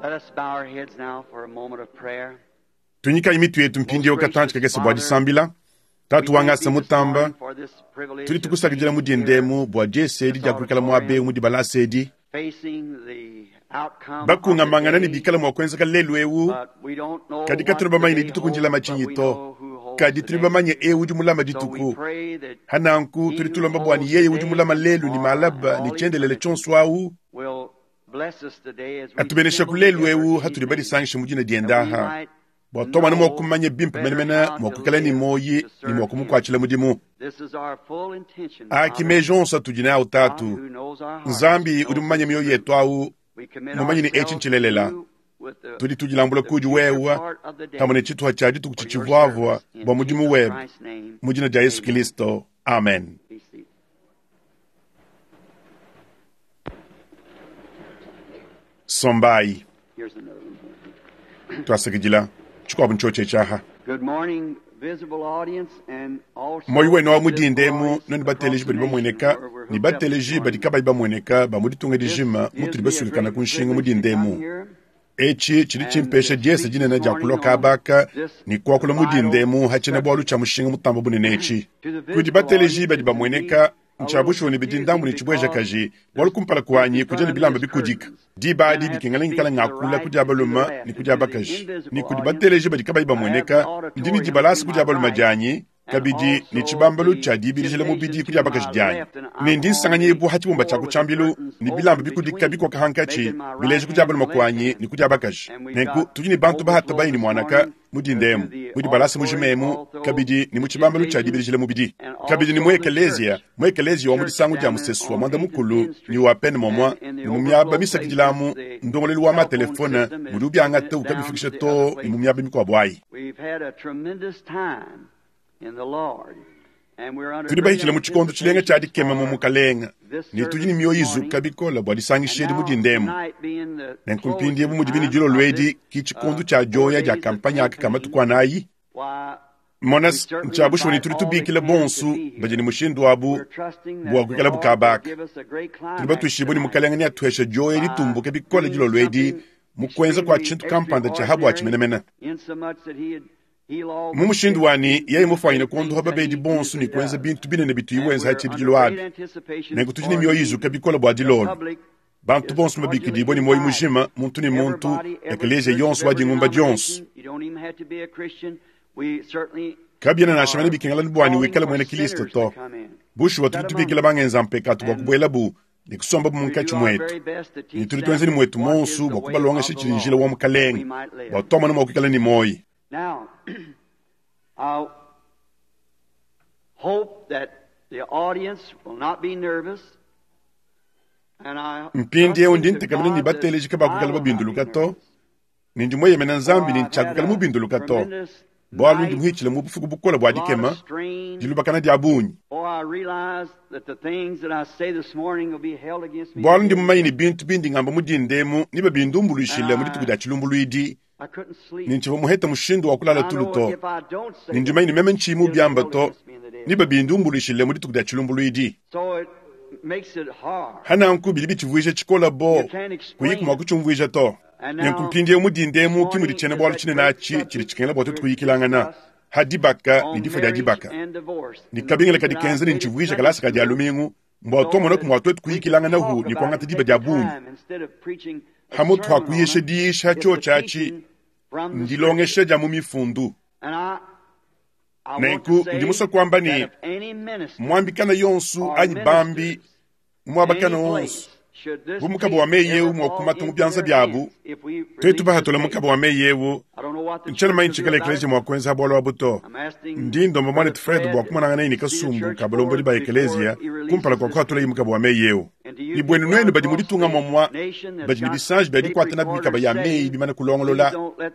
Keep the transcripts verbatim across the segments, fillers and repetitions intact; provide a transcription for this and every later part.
Let us bow our heads now for a moment of prayer. Tunyikayi mitu yetu mpindieu katantshi kakese bua disambila. Tatu wangasa mutamba, tudi tukusakidila mu dindemu bua diesedi dia kuikala muabe mu dibalasa edi. Bakungamangana ne bikala mua kuenzeka lelu eu, kadi katudi bamanye ne dituku ndilama tshinyi to. Kadi tudi bamanye eu udi mulama dituku. Hananku tudi tulomba bua ni yeye udi mulama lelu ni malaba ni tshiendelele tshionso awu atubenesha ku lelu eu hatudi badisangishe mu dina diende aha bua twamana mua kumanya bimpe menemene mua kuikala ni moyi ni mua kumukuatshila mudimu. Aki meji onso atudi nawu tatu Nzambi udi mumanye mioyo yetu awu mumanye ni etshi ntshilelela. Tudi tudilambula kudi wewa pamue ne tshituha tshia dituku tshitshivuavua bua mudimu webe mu dina dia Yesu Kristo, amen. Sombai twasakidila tshikuabu ntshiotshe tshiaha. Moyi wenu wa mudindemu noni bateleji badi bamueneka ni bateleji badi kabayi bamueneka ba mu ditunga dijima mutudi basukikana ku nshinga mudindemu. Etshi tshidi tshimpesha diesa dinene dia kuloka abaka ni kuakula mudindemu hatshina bualu tshia mushinga mutamba bunene etshi. Kudi bateleji badi bamueneka ntshiabushuwa ne bidi ndambu ne tshibuejakaji bualu kumpala kuanyi kudia ne bilamba bikudika. Diba adi dikengela ngikala ngakula kudi abaluma ne kudi abakaji ne kudi bateleji badi kabayi bamueneka ndi ne dibalasa kudi abaluma dianyi kabidi ne tshibambalu tshia dibilijila mubidi kudi abakaji dianyi ne ndi nsanganyibu ha tshibumba tshia kutshiambilu ne bilamba bikudika bikoka hankatshi bileja kudi abaluma kuanyi ne kudi abakaji. Nenku tudi ne bantu bahata bayi ne muanaka mudindemu mudi balasa mujimemu kabidi ne mu tshibambalu tshia dibilijila mubidi kabidi ne mu ekeleziya mu ekeleziya wa mu disangu dia musesu wa mwanda mukulu ni wa pene momwa ne mu miaba misakidilamu ndongolelu wa matelefone mudi ubiangata ukabifikisha to ne mu miaba mikuabu ayi. Tudi bahitshile mu tshikondo tshilenga tshia dikema mu mukalenga ne tudi ne mioyo izuka bikola bua disangisha edi mudindemu. Nenku mpindieu bu mudi bine dilolo edi ki tshikondo tshia dioya dia kampanya aka ka matuku anayi. Mona ntshia bushuwa ne tudi tubikila bonsu badi ne mushindu wabu bua kuikala bukabaka. Tudi batuishibue ne mukalenga ne atuhesha dioya ditumbuke bikole dilolo edi mu kuenza kua tshintu kampanda tshia habua tshimenemene. Mu mushindu wani yeye mufanyine kuondoha babedi bonsu ne kuenza bintu binene bituyi wenza hatshibidilo abi. Nenku tudi ne mioyo izuka bikole bua dilolo. Bantu bonsu mabikidibue ne moyo mujima muntu ne muntu ekeleziya yonso wa dingumba dionso. Kabiena nansha mene bikengela bua ni wikale muena Kristo to. Bushuwa tudi tubikila bangenza mpekatu bua kubuelabu ne kusomba munkatshi mwetu. Ne tudi tuenza ne mwetu monsu bua kubalongesha tshidi njila wa mukalenga bua twamona mua kuikala ne moyi. Now, I hope that the audience will not be nervous. And I Mpindieu ndi ntekamene ne bateleji kabakuikala babinduluka to. Ne ndi mweyemena Nzambi ne ntshiakukala mubinduluka to. Bualu ndi muhitshile mu bufuku bukole bua dikema dilubakana dia bungi. Bualu ndi mumanye ne bintu bindi ngamba mudindemu ni babindumbuluishile mu dituku dia tshilumbuluidi. Ne ntshivua muheta mushindu wa kulala tulu to. Ne ndi mumanye ne meme ntshiyi biamba to ni babindumbuluishile mu dituku dia tshilumbuluidi. Hananku bidi bitshivuija tshikola bo kuyi mua kutshiumvuija to. Nenku mpindieu mudindemu ki mudi tshiena bualu tshinene atshi tshidi tshikengela bua tuetu kuyikilangana ha dibaka ne difua dia dibaka. Ne kabingila kadi kenza ne ntshivuija kalasa ka dia lumingu mbua tuamonaku mua tuetu kuyikilangana hu ne kuangata diba dia bungi. Hamutu hakuyisha diisha tshiotshi atshi ndilongesha dia mu mifundu. Nenku ndi musue kuamba ne muambikana yonsu anyi bambi muabakana wonso bu mukaba wa meyi eu mua kumata mu bianza biabu tuetu bahatula mukaba wa meyi eu ntshiena manyi tshikala ekeleziya mua kuenza bualu abu to. Ndi ndomba muanetu Fred bua kumonangana ne kasumbu ka balombodi ba ekeleziya kumpala kua kuhatulayi mukaba wa meyi eu. Ni buenu nuenu badi mu ditunga momua badi ne bisanji bia dikuata nabi mikaba ya meyi bimane kulongolola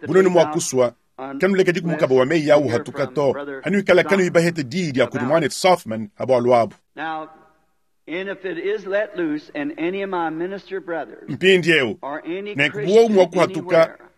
bunenu mua kusua kanulekedi ku mukaba wa meyi awu hatuka to hanuikala kanuyi bahete diyi dia kudi muanetu Softman ha bualu abu. Mpindieu nenku buowu mua kuhatuka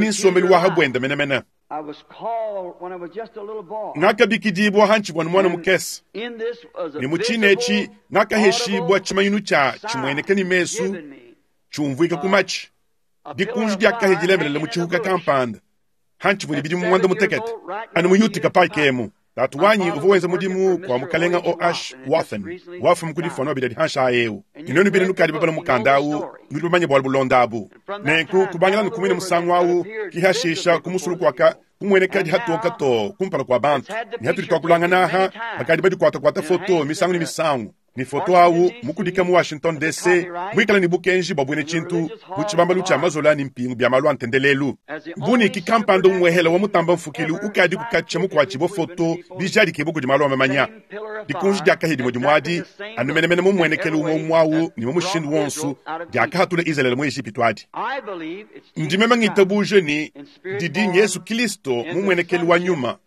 ne nsombelu wa habwenda menemene. Ngakabikidibwa hantshivua ne mwana mukese, ne mu tshine etshi ngakaheshibwa tshimanyinu tshia tshimueneka ne mesu tshiumvuika ku matshi. Dikunji diakahe dilemelela mu tshihuka kampanda hantshivua ne bidimu muanda mutekete anu mu Utica Pike emu. Tatu wanyi uvua wenza mudimu kwa mukalenga O H Wathen wafumu ku difua bidadi hansha eu inonu bine nukadi babala mukanda awu nudi bamanye bwalu bulonda abu nenku kubangila nukumwine musangu awu kihashisha kumusulu kwaka kumweneka hatoka to kumpala kwa bantu ni hatuli twakulangana aha bakadi badikwatakwata foto misangu ni misangu ni foto awu mukudika mu Washington D C mwikala ni bukenji bwa chintu mu chibambalu cha mazola ni mpingu bya malu antendelelu buniki kampando mwehela wa mutamba mfukilu ukadi kukacha mukwachi bo foto bijali kebo kudi malu amamanya dikunji dyakahidi mudi mwadi anumenemene mu mwenekelu umwe mwawu ni mu mushindu wonsu dyakahatula Israel mu Egypte adi ndimema ngitabuje ni didi Yesu Kristo mu mwenekelu wa nyuma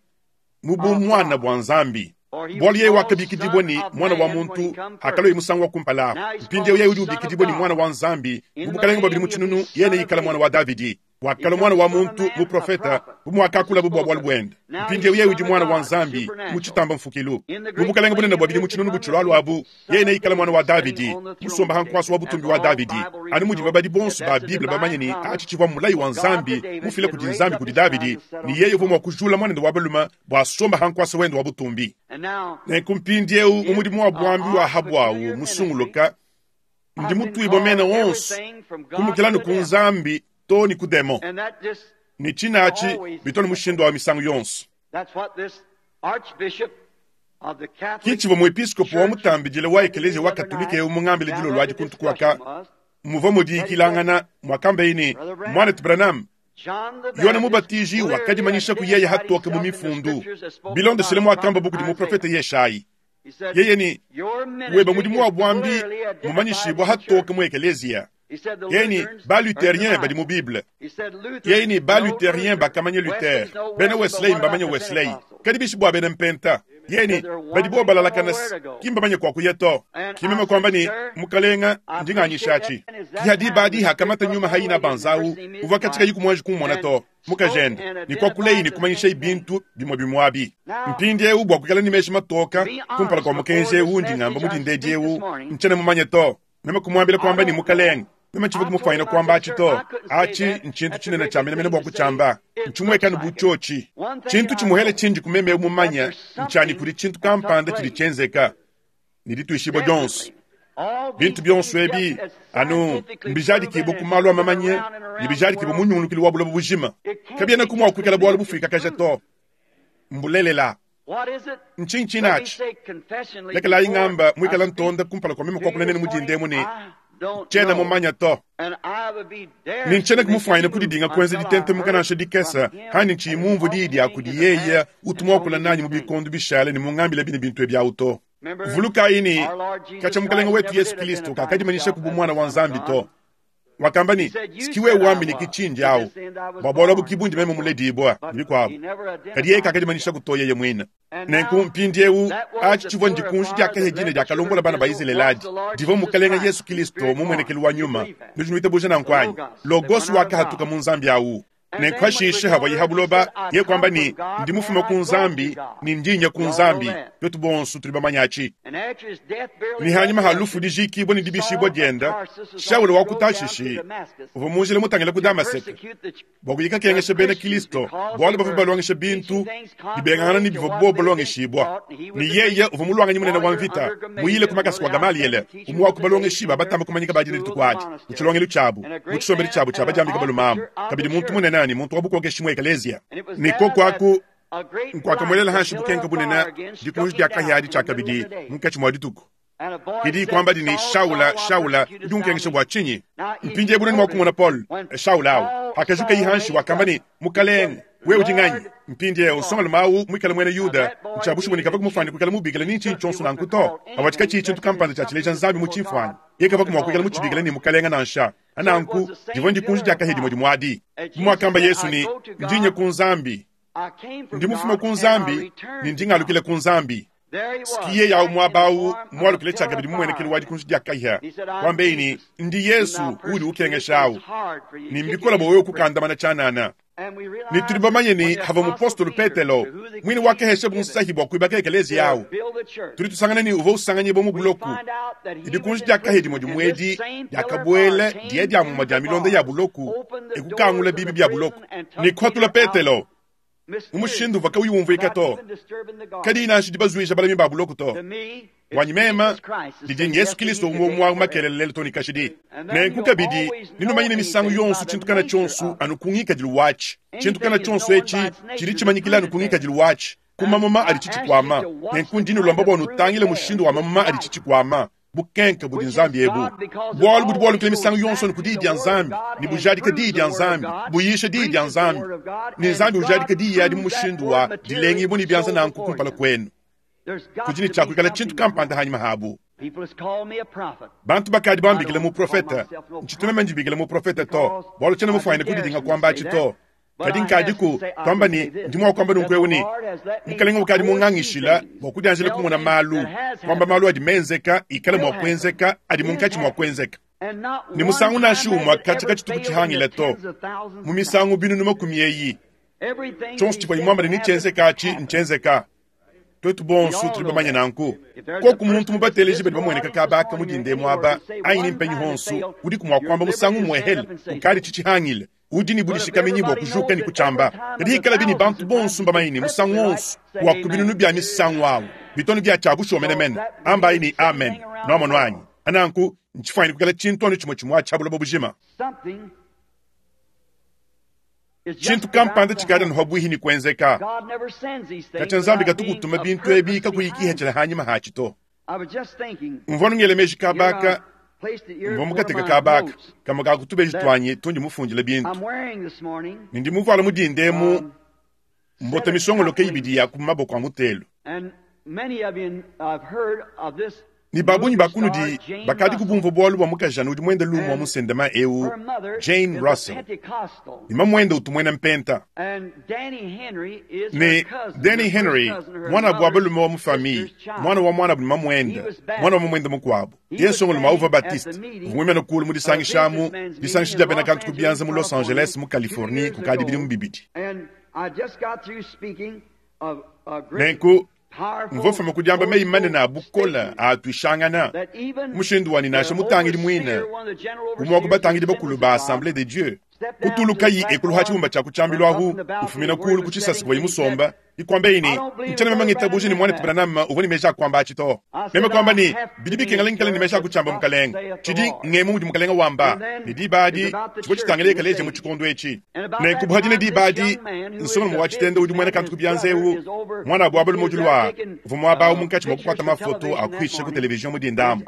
mu bu mwana bwa Nzambi bwali yeye wakabikidibwa ni mwana wa muntu hakalo imusangu wa kumpala mpindi yeye udi ubikidibwa ni mwana wa Nzambi mubukalenga babili muchinunu yene yikala mwana wa Davidi wakala mwana wa muntu mu profeta bumwakakula bubwa bwali bwenda mpindi yeye udi mwana wa Nzambi muchitamba mfukilu mubukalenga bunene bwabili muchinunu buchulwalu abu yene yikala mwana wa Davidi musomba hankwaso wa butumbi wa Davidi anu mudi babadi bonso ba Bible bamanye ni achichivwa mulayi wa Nzambi mufile kudi Nzambi kudi Davidi ni yeye uvumwa kujula mwana wa baluma bwa somba hankwaso wendo wa butumbi nenkumpindi eu umudimu wa bwambi wa habwawu musunguluka ndi mutuibwa mena wonso kumukilanu ku Nzambi to ni kudemo ni chinachi bitoni mushindo wa misangu yonso kichivo muepiskopo wa mutambijile wa ekelezia wa katolika eu mungambile dilo lwadi kuntu kwaka muva mudiyikilangana mwakamba ini mwana Branham Yohana Mubatiji wakadimanyisha ku yeye hatoka mu mifundu bilondeshele mwakamba bukudi muprofeta Yeshayi yeye ni weba mudimu wa bwambi mumanyishibwa hatoka mu ekelezia yeye ni ba luthérien badi mu Bible yeye ni ba luthérien bakamanye Luther bena Wesley mbamanye Wesley kadi bishibwa bena mpenta yeye ni badi bo balalakana kimbamanye kwa kuyeto kimema kwamba ni mukalenga ndinganyishachi kihadi badi hakamata nyuma haina banzau uva katika yikumwaji kumona to mukajenda ni kwa kulei ni kumanyisha ibintu bimwe bimwabi mpindi eu bwa kukala ni meshi matoka kumpala kwa mukenje eu ndingamba mudindedi eu nchene mumanye to mema kumwambila kwamba ni mukalenga mema chivu kumufanyina kwamba achi to achi nchintu chinene cha mene mene bwa kuchamba nchimwekani buchochi chintu chimuhele chinji kumeme mumanya nchani kuli chintu kampanda chili chenzeka nilituishibwa Jones bintu byonso ebi anu mbijadikibo kumalwa amamanye nibijadikibo munyunulukili wa bulobo bujima kabyena kumwa kuikala bwalo bufika kaja to mbulelela nchinchinachi lekela ingamba mwikala ntonda kumpala kwa mimi kwa kunene mudindemu ni chena mumanya to ninchena kumufanyina kudidinga kwenza ditente mukanasha dikesa hani nchimumvu didi akudi yeye utumwakula nanyi mubikondo bishale ni mungambile bine bintu ebyauto vuluka ini kacha mukalenga wetu Yesu Kristo kakadimanyisha kubu mwana wa Nzambi to wakamba ni sikiwe wambi ni kichinji au bwabola bukibundi meme muledibwa nibikwabo kadi yeye kakadimanyisha kutoye ye mwina nenku mpindi eu achi chivwa ndikunji dyakahejine dyakalombola bana ba Israeli divo mukalenga Yesu Kristo mumwenekelu wa nyuma nujinuita buja na nkwanyi logosi wakahatuka mu Nzambi awu nenkwashishe hava yihabuloba ye kwamba ni ndimufuma ku Nzambi ni ndinya ku Nzambi twetu bonso tuli bamanyachi ni hanyuma halufu dijikibwa ni dibishibwa dyenda Shauli wa kutashishi uva munjila mutangila ku Damaseka bwakuyika kengesha bena Kristo bwalo bava balwangisha bintu dibengana ni biva bo balwangishibwa ni yeye uva mulwanganyi munene wa mvita muyile kumakasi kwa Gamaliele umuwa kubalwangishiba batamba kumanyika badine litukwati muchilongelo chabu muchisombeli chabu cha bajambika balumamu kabidi muntu munene ni muntu wabukokeshi mu ekelezia niko kwaku nkwakamwelela hanshi bukenka bunene dikunji dyakahyadi chakabidi munkachi mwa dituku idi kwamba dini Shaula Shaula udunkengesha bwa chinyi mpinje bunene mwakumona Paul Shaula awo hakajuka ihanshi wakamba ni mukalenga we udinganyi mpindi usonga lumawu mwikala mwene Yuda nchabushiboneka vakumufani kwikala mubikila ni nchinyi chonso nankuto awachika chichi chintu kampanda chachileja Nzambi muchimfwani yekava kumwakwikala muchibikila ni mukalenga nansha ananku divo ndikunji dyakahidi modi mwadi mwakamba Yesu ni ndinye ku Nzambi ndimufuma ku Nzambi ni ndingalukile ku Nzambi sikiye yawu mwabawu mwalukile chakabidi mumwenekeli wadi kunji dyakaiha kwambeini ndi Yesu uli ukengeshawu ni mbikola bowe kukandamana chanana ni tuli bamanye ni hava mupostolo Petelo mwini wakeheshe bunsahi bwa kuibaka ekelezi yawu tuli tusangana ni uva usanganye bo mubuloku idi kunji dyakahedi modi mwedi dyakabwele diye dyamuma dya milonda ya buloku ekukangula bibi bya buloku ni khwatula Petelo Mu mushindu uvwa kauyi umvwika to. Kadi nansha dibazuija balami ba buloko to. Bwanyi mema didi Yesu Kristo umwe umwe makelele lelo to ni kashidi. Nenku kabidi ninumanyine misangu yonso tshintu kana tshonso anu kungikadilu wachi. Tshintu kana tshonso echi chidi tshimanyikila anu kungikadilu wachi. Kumamuma adi tshichikwama. Nenku ndi nulomba bwa nutangile mushindu wa mamuma adi tshichikwama. Bukenke budi Nzambi ebu. Bwalu budi bwalukile misangu yonso ni ku diyi dia Nzambi, ni bujadika diyi dia Nzambi, buyisha diyi dia Nzambi. Ni Nzambi ujadika diyi adi mu mushindu wa dilengibwa ni byanza nanku kumpala kwenu. Kudi ni tshiakuikala tshintu kampanda hanyima habu. Bantu bakadi bambikile mu profeta, ntshitume mandibikile mu profeta to. Bwalu tshiena mufuanyine kudidinga kwamba atshi to. Kadi nkadiku twamba ni ndi mwa kwamba nunku ni mukalenga ukadi mungangishila bwa kudianjila kumona malu kwamba malu adi menzeka ikale mwa kwenzeka adi munkatshi mwa kwenzeka ni musangu nashi umwa katika tshituku tshihangila to mu misangu binunu makumi eyi tshonso tshivua imwamba ni tshenzeka atshi ntshenzeka twetu bonso tuli bamanya nanku koku muntu mubateleji badi bamueneka kabaka mudinde mwaba ayi mpenyi honso udi kumwa kwamba musangu mwehele ukadi tshitshihangile udi ni budishikamenyi bwa kujuka ni kuchamba kadi ikala bini bantu bonso mbamaini musangu wonso wa kubinunu bya misangu awo bitonu bya tshabusho menemene amba ini amen nomo nwanyi ananku ntshifuanyine kukala tshintu anu tshimwe tshimwe atshabula bujima tshintu kampanda tshikadi anu habwihi ni kwenzeka katya Nzambi katukutuma bintu ebi kakuyikihethela hanyima hatshi to mvua nungele meji kabaka mvua mukateka kabaka kama kakutubeji twanyi tundi mufundile bintu nindi muvala mudindemu mbota misongoloke ibidi ya kumaboko a mutelu ni babunyi bakunudi bakadi kubumva bwalu bwa mukajana udi mwenda lumu wa musendema eu Jane Russell ni mamwenda utumwena mpenta ni Danny Henry mwana bwa balume wa mufamii mwana wa mwana buli mamwenda mwana wa mamwenda mukwabo Yesu ngoluma uva Baptiste vumwemena kulu mu disangishamu disangisha dia bena kantu kubianza mu Los Angeles mu Californie kukadi bidi mubibidi nenku mvofuma kudiamba meyi manene a bukola atuishangana mushindu wani nasha mutangidi mwine umwe wakubatangidi bakulu ba Assemblée de Dieu kutulukayi ekulu ha tshibumba tshia kutshambilwahu ufumina kulu kutshisasi kuva imusomba ikwamba ini ntshena mema ngitabuji ni mwana Branham uvua ni meji akwamba atshi to meme kwamba ni bidi bikengela nkala ni meji akutshiamba mukalenga tshidi ngemu mudi mukalenga wamba ni dibadi tshivua tshitangila ekaleja mu tshikondo etshi nenku buhadine dibadi nsonga wa tshitende udi muena kantu kubyanza ewu mwana abu abalume udi lwa uvua muaba munkatshi mua kukwata mafoto akuhisha ku televizion mudindamu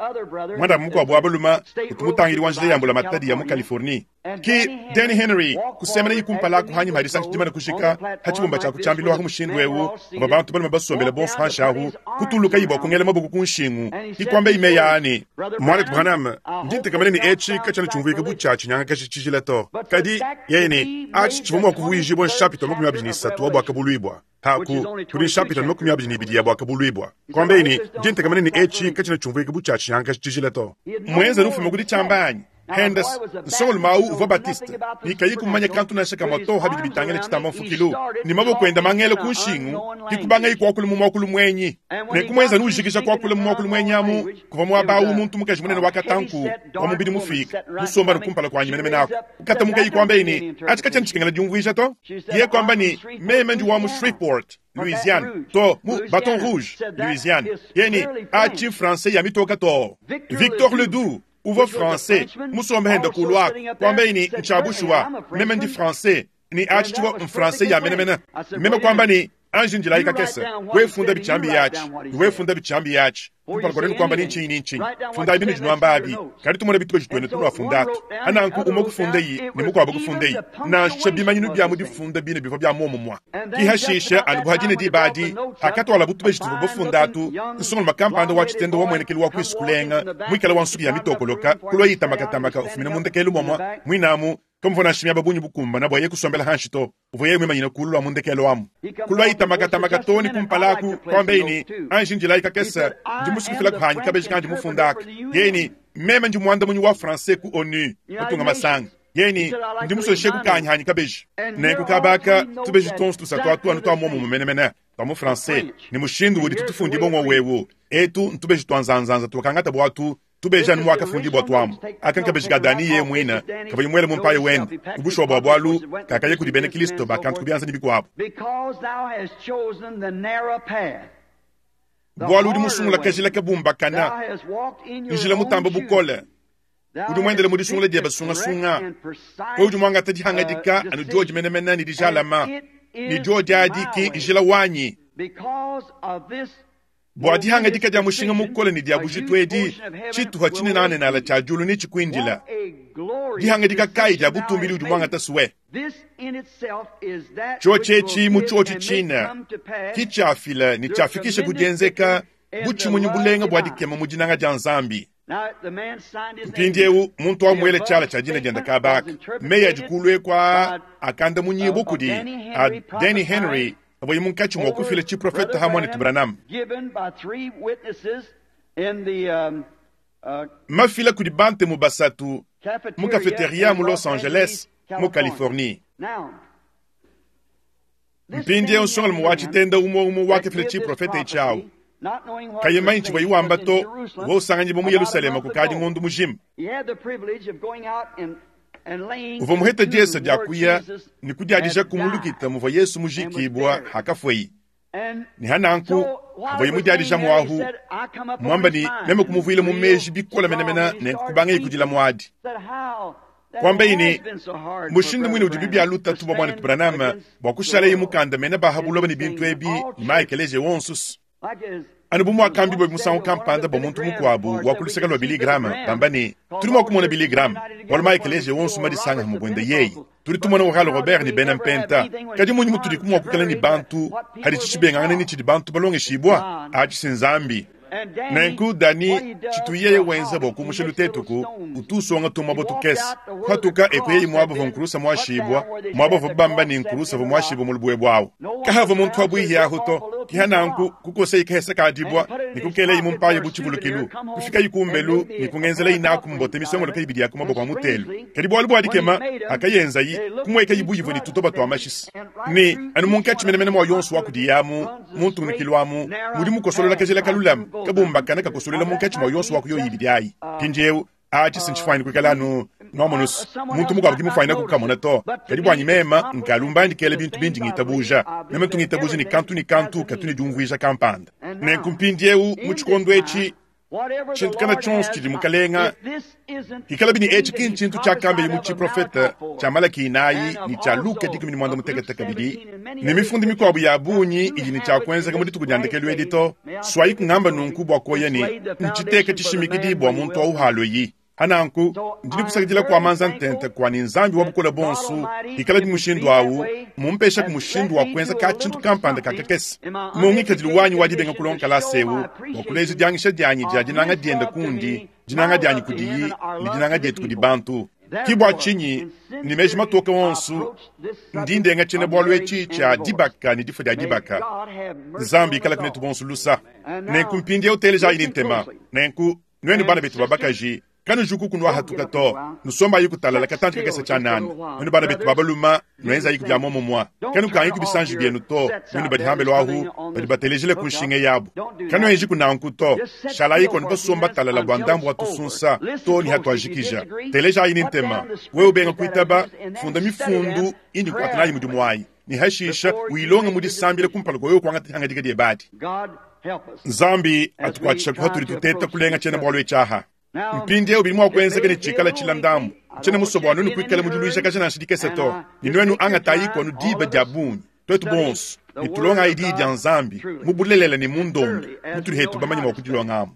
mwana abu mukuabu abalume utu mutangili wa njila yambula matadi ya mu Californie ki Danny Henry kusemana ikumpala kuhanyima hadisangi dimana kushika hatshibumba tshia kutshambilwaku mushindu ewu aba bantu balume basombela bonso hanshahu kutuluka ibwa kungela maboko kunshingu ikwamba imeyani mwana Branham ndi ntekamene ni etshi katshana tshumvuika butshia tshinyanga kashi tshijila to kadi yene atshi tshivua mua kuvuijibwa nshapita makumi abidi ni isatu wa bwakabuluibwa haku kudi nshapita makumi abidi ni ibidi ya bwakabuluibwa kwamba ini ndi ntekamene ni etshi katshana tshumvuika butshia tshinyanga kashi tshijila to mwenza nufuma kudi tshambanyi Hendes nsongolo mau uvua Baptiste nikayi kumanya kantu nasha kamwa to habidi bitangela tshitamba mfukilu ni maboko enda mangele kunshingu kikubanga ikwakulu mu mwakulu mwenyi nekumwenza nujikisha kwakula mu mwakulu mwenyi amu kuva mwabawu muntu mukaji munene wakatanku wa mubidi mufika musomba nukumpala kwanyi menemene ako katamuka ikwamba ini achi katshana tshikengela diumvuija to ye kwamba ni meme ndi wa mu Shreveport Louisiane to mu Baton Rouge Louisiane yeni achi français ya mitoka to Victor Ledoux uva français musombe henda kulwa kwamba ini nchabushwa meme ndi français ni achichiwa mfrançais ya menemene meme kwamba ni anji njila ikakesa wefunda bichambi yachi wefunda bichambi yachi kumpala kwa kwamba ni nchi ni nchi funda ibinu jinwamba abi kadi tumona bituko jitwene tunwa fundatu ananku umo kufunda yi ni mukwabo kufunda yi na shabimanyinu bya mudi funda bine bivwa bya momo mwa kihashisha anubuhadine dibadi hakatwala butuba jituvu bufundatu nsongo makampanda wa chitendo wa mwenekelu wa kwisukulenga mwikala wa nsuki ya mitokoloka kulwa yitamakatamaka ufumina mundekelu momwa mwinamu kamuvona nshimya babunyi bukumba na bwaye kusombela hanshi to uvuye mwimanyina kulu lwa mundekelo amu kulwa yitamakatamaka toni kumpalaku kwamba ini anji njila ikakesa ndi musukufila kuhanyi kabeji kandi mufundaka yeni meme ndi mwanda munyi wa français ku ONU mutunga masanga yeni ndi musoshe kukanyi hanyi kabeji nenku kabaka tubeji tonso tusatu atu anu twa momo mumenemene twa mu français ni mushindu udi tutufundi bongo wewu etu ntubeji twa nzanzanza tuakangata bwatu Tubeja nu wakafundi bua tuamu akankabeji ka Dani ye mwina kavua muele mu mpaye wende kubushwa bua bualu kakaye kudi bena Kristo bakantu kubianza ni bikuabu bualu udi musungula kajila kabumbakana njila mutamba bukole udi muendele mu disungula diebe sungasunga ko udi muangata dihangadika anu diodi menemene ne dijalama ne diodi adi ki njila wanyi bua dihangadika dia mushinga mukole ne dia bujitu edi tshituha tshinenanenala tshia diulu ne tshikuindila dihangadika kayi dia butumbili udi muangata suwe tshiotshi mu tshiotshi tshina ki tshiafila ne tshiafikisha kudienzeka butshimunyi bulenga bua dikema mu dinanga dia Nzambi. Mpindiewu muntu wamuele tshiala tshia dina dienda kabaka meyi adi kulue kwa akanda munyibu kudi a Danny Henry avoyi munkatshi mua kufila tshiprofeta hamwane Branham mafila kudi bantemu basatu mu cafeteria mu Los Angeles mu Californie. Mpindiewu nsonga mu tshitenda umwe umwe wakafila tshiprofeta itshiawu kayemanyi tshivua iwamba to wousanganyibwa mu Yerusalema kukadi ngondu mujima. Uvua muheta diesa dia kuya ni kudiadija kumulukita muvua Yesu mujikibwa hakafweyi ni hananku uvua imudiadija mwahu mwamba ni meme kumuvuila mu meji bikola menemene ne kubanga ikudila mwadi kwamba ini mushindu mwine udi bibia lutatu bwa mwana Branham bwa kushala imukanda mene bahabuloba ni bintu ebi ni maekeleje wonsusu anu bu muakambi bwe musangu kampanda bwa muntu mukuabu wakuluseka lwa Billy Graham bamba ni tuli mua kumona Billy Graham bualu maekeleje wonsu madisanga hamubwende yeyi tuli tumona Oral Robert ni bena mpenta kadi munyi mutudi kumuakukala ni bantu hadi tshitshibengangana ni tshidi bantu balongeshibwa atshi Nzambi. Nenku Dani tshituyeye wenza bwa kumusha lutetuku utusonga tumwa botukesa kwatuka ekuyeyi mwabo va nkulusa mwashibwa mwabo va bamba ni nkulusa va mwashibwa mulubwe bwawo kahava muntu abwihi to kihananku kukosa ikahesa kadibwa nikukeleyi mumpaye butshivulukilu kufika ikumbelu nikungenzela inaku mbote misongolo kaibidi yako maboko a mutelu kadi bwalu bwadikema akayenzayi kumweka ibuyivu ni tutoba twa mashisi ni anu munkatshi menemene mwa yonso wakudiyamu muntunikilwamu mudi mukosolola kajela kalulamu kabumbakana kakosolela munkatshi mwa yonso wakuyoyibidi ayi mpindiewu achi sinchifaini kuikala anu nomonus muntu mukuabu kimufaina kukamona to kadi bwanyi mema nkalumba ndikele bintu bindi ngitabuja meme tungitabuja ni kantu ni kantu katuni diumvuija kampanda nenku mpindiewu mu tshikondo etshi tshintu kana tshionso tshidi mukalenga ikala bini etshi ki ntshintu tshiakambeli mu tshiprofeta tshia Malaki inayi ni tshia Luka dikumi ni mwanda mutekete kabidi ne mifundi mikuabu ya bunyi idi ni tshiakuenzeka mu dituku dia ndekelu edi to swayi kungamba nunku bua koya ni ntshiteka tshishimikidi bua muntu auhaloyi hananku ndidi kusakidila kwa manza ntente kwani Nzambi wa bukola bonsu ikala di mushindu awu mumpesha ku mushindu wa kuenza ka tshintu kampanda kakakese mungikadilu wanyi wadibenga kulonka sewu wa kuleja diangisha dianyi dia dinanga dienda kundi dinanga dianyi kudiyi ni dinanga dietu kudi bantu kibwa tshinyi ni meji matoka wonsu ndindenga tshina bualu etshi tshia dibaka ni difo dia dibaka Nzambi ikala kunetu bonsu lusa nenku mpindiewu uteleja ini ntema nenku nwenu bana betu babakaji kanu juku kunwa hatuka to nusomba yiku talala katanti kakesa cha nani nwenu bana betu babaluma nwenza yiku bya momo mwa kanu kanyi kubisanji byenu to nwenu badi hambelo ahu badi batelejele kunshinge yabo kanu enji kunanku to shala yiko nibasomba talala bwa ndambu watusunsa to ni hatuajikija teleja yini ntema wewe ubenga kuitaba funda mifundu indi kuatanayi mudimu wayi ni hashisha uilonga mudisambile kumpala kwa wewe kwangata hangadika diebadi Nzambi atukwatisha kuhatuli tuteta kulenga chena bwalwe chaha mpindiewu bili mwa kuenzeka ni tshikala tshila ndambu tshena musobo wanu nikuikala mudiluisha kasha nshidikese to ni nwenu angatayi kwanu diba dia bunyi twetu bonso ni tulonga idi dia Nzambi mubulelela ni mundondo mutuli hetu bamanyi mwa kudilongamu.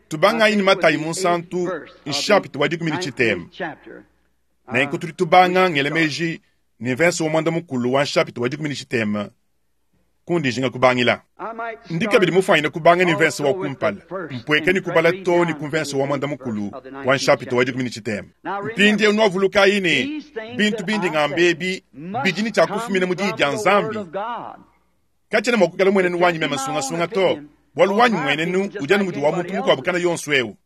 Tubanga ini Matayi munsantu nshapita wa dikumi ni tshitema nenku tuli tubanga ngelemeji ni verse wa mwanda mukulu wa nshapita wa dikumi ni tshitema kundi jinga kubangila ndikabidi mufaina kubanga ni verse wa kumpala mpweke ni kubala to ni kumverse wa mwanda mukulu wa nshapita wa dikumi ni tshitema mpindie nwavuluka ini bintu bindi ngambebi bidini tshia kufumina mu diyi dia Nzambi katshena mua kukala mwenenu wanyi mema sungasunga to bualu wanyi mwenenu udi anu mudi wa muntu mukuabu kana yonso ewu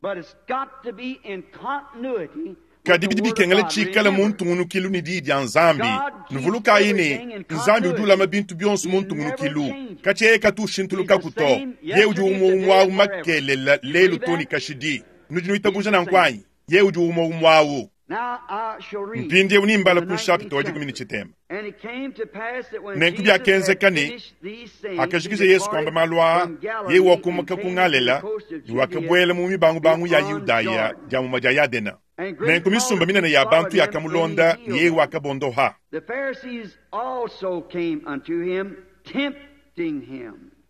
Kadi bidi bikengela tshikale mu ntungunukilu ne diyi dia Nzambi. Nuvulukayi ne, Nzambi udi ulama bintu bionso mu ntungunukilu. Katshia katu ushintulukaku to. Yeye udi umwe umwe awu makelela lelu to ne kashidi. Nudi nuitabuja nanku anyi? Yeye udi umwe umwe awu. Mpindieu nimbala ku nshapita wa dikumi ne tshitema. Nenku biakenzeka ne, hakajikija Yesu kuamba malu aa, yeye wakumuka ku Galela ne wakabuela mu mibangubangu ya Yudaya dia muma dia Yadena. Nenku misumba minene ya bantu yakamulonda ne yeye wakabondoha.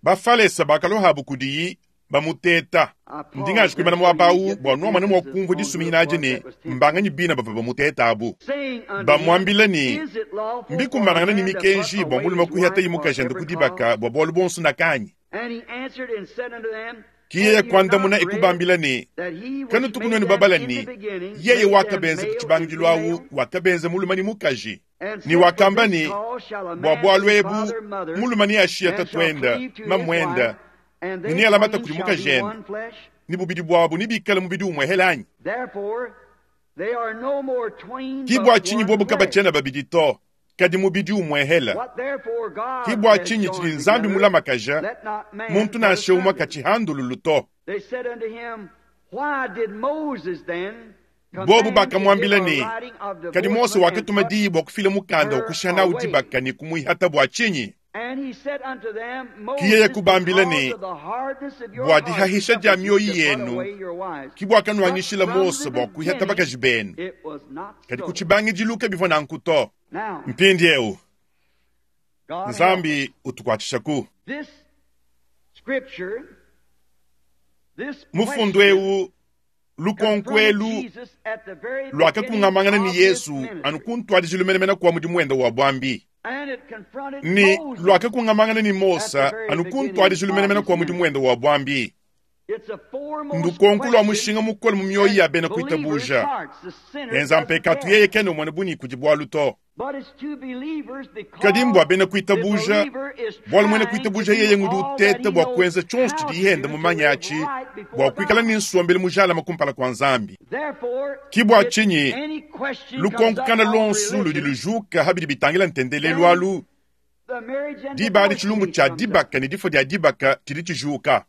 Bafalesa bakalohabu kudiyi bamuteta. Ndingaji kuimana muaba awu bua nuamone mua kumvua disuminyina adi ne mbanganyi bina bavua bamuteta abu. Bamuambila ne, mbikumbanangana ne mikenji bua mulume kuhiyatayi mukajende ku dibaka bua bualu buonso nakanyi. Ki yeye kuandamuna ekubambila ne, kanutuku nuenu babala ne, yeye wakabenza ku tshibangidilu awu wakabenza mulume ne mukaji. Ne wakamba ne, bua bualu ebu mulume neashiye tatuende mamuende ne nealamate kudi mukajende, ne bubidi buabu nebikale mubidi umwe hela anyi? Ki bua tshinyi bobu kabatshiena babidi to, kadi mubidi umwe hela. Ki bua tshinyi tshidi Nzambi mulamakaja, muntu nansha umwe katshihandululu to. Bobu bakamuambila ne, kadi Mose wakatuma diyi bua kufila mukanda wa kushiha nawu dibaka ne kumuihata bua tshinyi? Ki yeye kubambila ne, bua dihahisha dia mioyo yenu ki buakanuanyishila Mose bua kuihata bakaji benu, kadi ku tshibangidilu kabivua nanku to. Mpindieu Nzambi utukuatshishaku. Mufundu eu lukonko elu lwakakungamangana ne Yesu anu kuntwadijilu menemene kwa mudimu wende wa bwambi. Ni lwakakungamangana ne Mose anu kuntwadijilu menemene kwa mudimu wende wa bwambi. Ndukonko lwa mushinga mukole mu mioyo ya bena kuitabuja. Enza mpekatu yeye kena umona bunyi kudi bwalu to. Kadi mbwa bena kuitabuja, bwalu mwene kuitabuja yeye ngudi uteta bua kuenza tshionso tshidi yenda mumanya atshi bua kuikala ne nsombelu mujalama kumpala kua Nzambi. Ki bua tshinyi lukonko kana lonso ludi lujuka habidi bitangila ntendelelu alu, diba adi tshilumbu tshia dibaka ne difua dia dibaka tshidi tshijuka.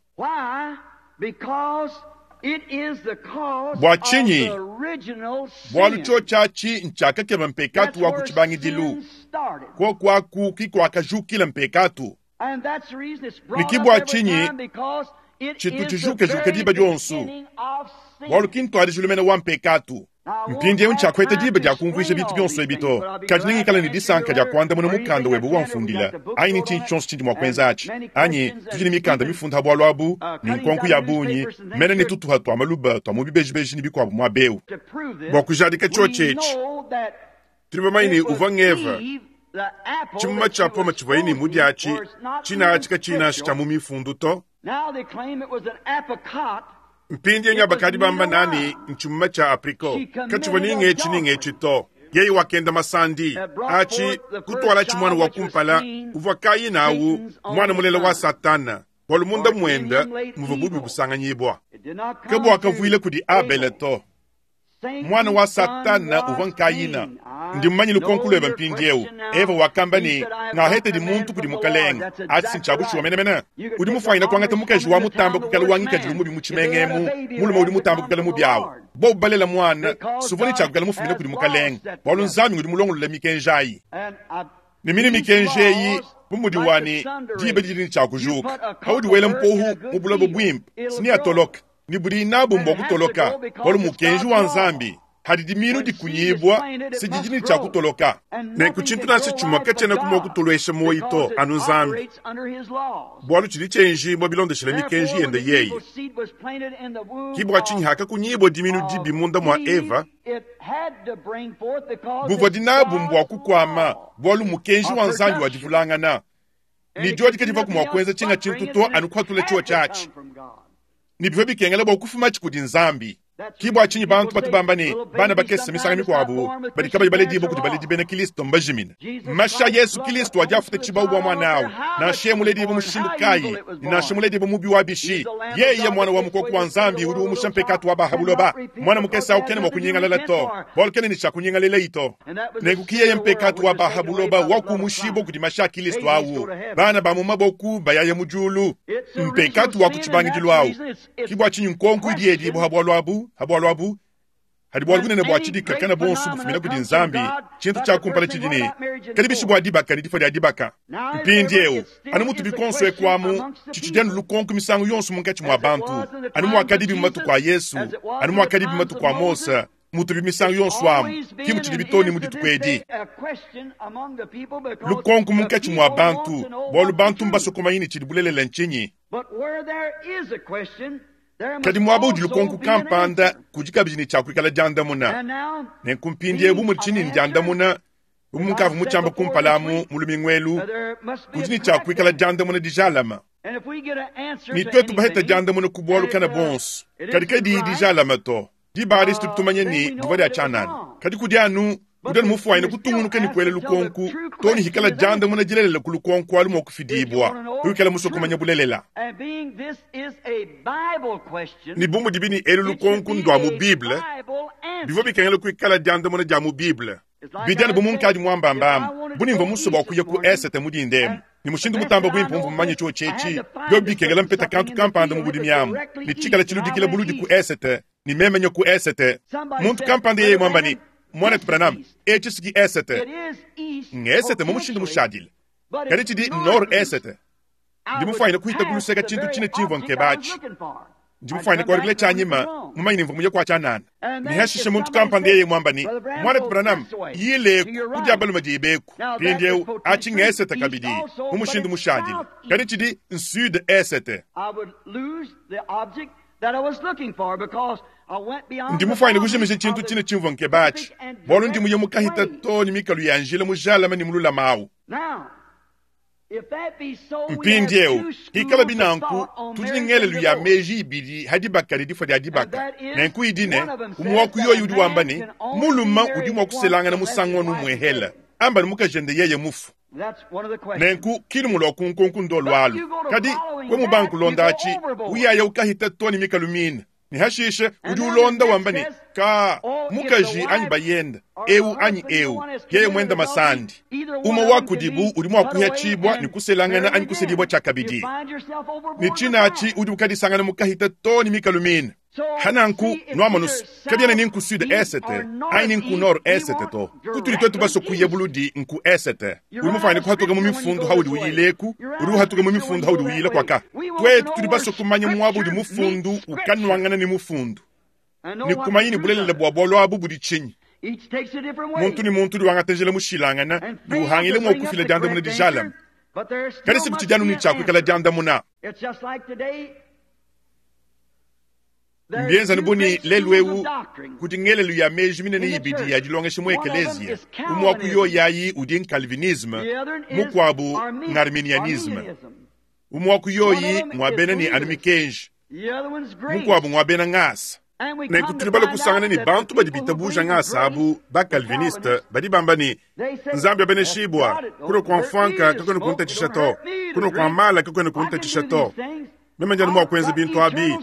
Bua tshinyi? Bualu tshiotshi ntshiakakeba mpekatu wa ku tshibangidilu, koku aku ki kuakajukila mpekatu. Ne ki bua tshinyi tshitu tshijukajuka diba dionso, bualu ki ntuadijilu mene wa mpekatu. Mpindieu ntshiakueta diba dia kumvuija bintu bionso ebi to, kadi nengikale ne disanka dia kuandamuna mukanda webe wamfundila, anyi ne tshintu tshionso tshindi mua kuenza atshi, anyi tudi ne mikanda mifunda bualu abu ne nkonko ya bungi mene ne tutuha tua maluba tua mu bibejibeji ne bikuabu muaba eu. Bua kujadika tshiotshi etshi, tudi bamanye ne uvua ngeva tshimuma tshia poma tshivuaye ne mudiatshi tshinatshi katshinatshi tshia mu mifundu to. Mpindieu nyabakadi bamba nani ntshimuma tshia apriko katshivua ningetshi ningetshi to. Yeye wakenda masandi atshi kutwala tshimwana wa kumpala uvua Kaina awu mwana mulela wa Satana bualu munda mwenda muvua bubi busanganyibwa. Ke buakavuile kudi Abele to. Mwana wa Satana uvua Kaina. Ndi mumanye lukonko lwebe mpindieu. Eva wakamba ne, ngahete di muntu kudi mukalenge. Atshi ntshiabushuwa menemene. Udi mufanyina kuangata mukaji wa mutamba kukala wangikadilu mubi mu tshimengemu, mulume udi mutamba kukala mubi awu. Bobu balela mwana, suvua ne tshiakukala mufumina kudi mukalenge, bualu Nzambi udi mulongolola mikenji ayi. Ne mine mikenji eyi bu mudi wani diba didi ne tshiakujuka. Paudi wela mpohu mu buloba buimpe, siniatoloka. Ni budi nabu mbwa kutoloka, bualu mukenji wa Nzambi hadi diminu dikunyibwa sididi ne tshiakutoloka. Nenku tshintu nansha tshimue katshiena kumua kutolesha moyi to anu Nzambi, bualu tshidi tshienjibwa bilondeshela mikenji yende yeye. Ki bua tshinyi hakakunyibwa diminu dibi munda mua Eva, buvua dinabu mbwa kukwama, bualu mukenji wa Nzambi wadivulangana. Ni diodi kadivua kumua kuenza tshinga tshintu to anu kuhatula tshiwa tshiatshi. Ni bivua bikengela bua kufuma tshi kudi Nzambi. Ki bua tshinyi bantu batu bamba ne bana bakese misangu mikuabu badi kabayi baledibue kudi baledi bena Kristo mbajimine. Mashi a Yesu Kristo adi afuta tshibawu bua muana awu, nansha yeye muledibue mushindu kayi, ne nansha muledibue mubi wa bishi, yeye muana wa mukoko wa Nzambi udi umusha mpekatu wa ba ha buloba. Muana mukese awu kena mua kunyingalala to, bualu kena ne tshia kunyingalelayi to. Nenku ki yeye mpekatu wa ba ha buloba wakumushibua kudi mashi a Kristo awu, bana ba mu maboku bayaya mu diulu. Mpekatu wa ku tshibangidilu awu. Ki bua tshinyi nkonko idi yedibua ha bualu abu, ha bualu abu, hadi bualu bunene bua tshidika kana bonso bufumina kudi Nzambi. Tshintu tshia kumpala tshidi ne kadi bishi bua dibaka ne difua dia dibaka. Mpindieu anu mutu bikonso ekuamu tshitshidi anu lukonko misangu yonso munkatshi mua bantu, anu muakadibi mu matuku a Yesu, anu muakadibi mu matuku a Mose, mutubi misangu yonso amu, ki mutshidi bitoni mu dituku edi. Lukonko munkatshi mua bantu, bualu bantu mbasue kumanya ne tshidi bulelela ntshinyi. Kadi muaba udi lukonko kampanda kudi kabidi ne tshia kuikala diandamuna. Nenku mpindieu bu mudi tshinyi diandamuna, bu munkavua mutshiamba kumpala amu mu lumingu elu, kudi ne tshia kuikala diandamuna dijalama. Ne tuetu baheta diandamuna ku bualu kana bonso, kadi kadiyi dijalama to. Diba adi tumanye ne divua dia tshianana. Kadi kudi anu kudi anu mufuanyine kutungunuka ne kuela lukonko to ne hikala diandamuna dilelela ku lukonko alu mua kufidibua, kuikala musue kumanya bulelela. Ne bu mudibi ne elu lukonko ndua mu Bible, bivua bikengela kuikala diandamuna dia mu Bible. Bidi anu bu munkadi muambambamu, bu nimvua musue bua kuya ku esete mu dindemu. Ne mushindu mutamba buimpe mvua mumanye tshio tshietshi, bio bikengela mpeta kantu kampanda mu budimi amu, ne tshikala tshiludikila buludi ku esete, ne meme ku esete. Muntu kampanda yeye mwamba ne, Mwanetu Branham, etshi siki esete. Ngesete mu mushindu mushadile. Kadi tshidi nord esete. Ndi mufuanyine kuhita kuluseka tshintu tshine tshimvua nkebatshi. Ndi mufuanyine kualukila tshianyima, mumanye ne mvua muye kua tshianana. Ne hashishe muntu kampanda yeye mwamba ne, Mwanetu Branham, yileku kudi balume dibeku. Mpindieu atshi ngesete kabidi mu mushindu mushadile. Kadi tshidi sud esete. Ndi mufuanyine kujimisha tshintu tshine tshimvua nkebatshi, bualu ndi muye mukahita to ne mikalu ya njila mujalame ne mululama awu. Mpindieu hikala binanku tudi ne ngelelu ya meji ibidi ha dibaka ne difua dia dibaka. Nenku idi ne umwe wa ku yoyi udi wamba ne muluma udi mua kuselangana musangu wanu umwehela, amba ne mukajende yeye mufu. Nenku kilumu lwa kunkonku ndo lwalu. Kadi we mubanku londa atshi uyaya ukahita to ne mikalu mine. Ne hashishe udi ulonda wamba ne ka mukaji anyi bayenda eu anyi eu yeye mwenda masandi. Umwe wa kudibu udi mua kuhatshibua ne kuselangana anyi kusedibua tshiakabidi. Ne tshinatshi udi ukadisangana mukahita to ne mikalu mine. Hananku nuamanus kabiena ni nku sud esete anyi ni nku nord esete to. Kutudi twetu basue kuya buludi nku esete. Udi mufuanyine kuhatuka mu mifundu haudi uyileku, udi uhatuka mu mifundu haudi uyila kwaka. Twetu tudi basue kumanya muaba udi mufundu ukanuangana ne mufundu. Ne kumanya ne bulelela bua bualu abu budi tshinyi. Muntu ne muntu udi wangata njila mushilangana, ne uhangile mua kufila diandamuna dijalame. Kadi si tshidi anu ne tshia kuikala diandamuna. Mbienza buni lelu eu kudi ngelelu ya meji minene ibidi ya dilongesha mu ekeleziya. Umwe wa ku yoyi udi Calvinisme, mukuabu ng'Arminianisme. Umwe wa ku yoyi ng'wa bena ne anu mikenji, mukuabu ng'wa bena ngasa. Nenku tudi bale kusangana ne bantu badi bitabuja ngasa abu ba Calviniste badi bamba ne Nzambi abeneshibua, kuno kua mfanka kakwena kuntatshisha to, kuno kua mala kakwena kuntatshisha to. Meme ndianu mua kuenza bintu abi,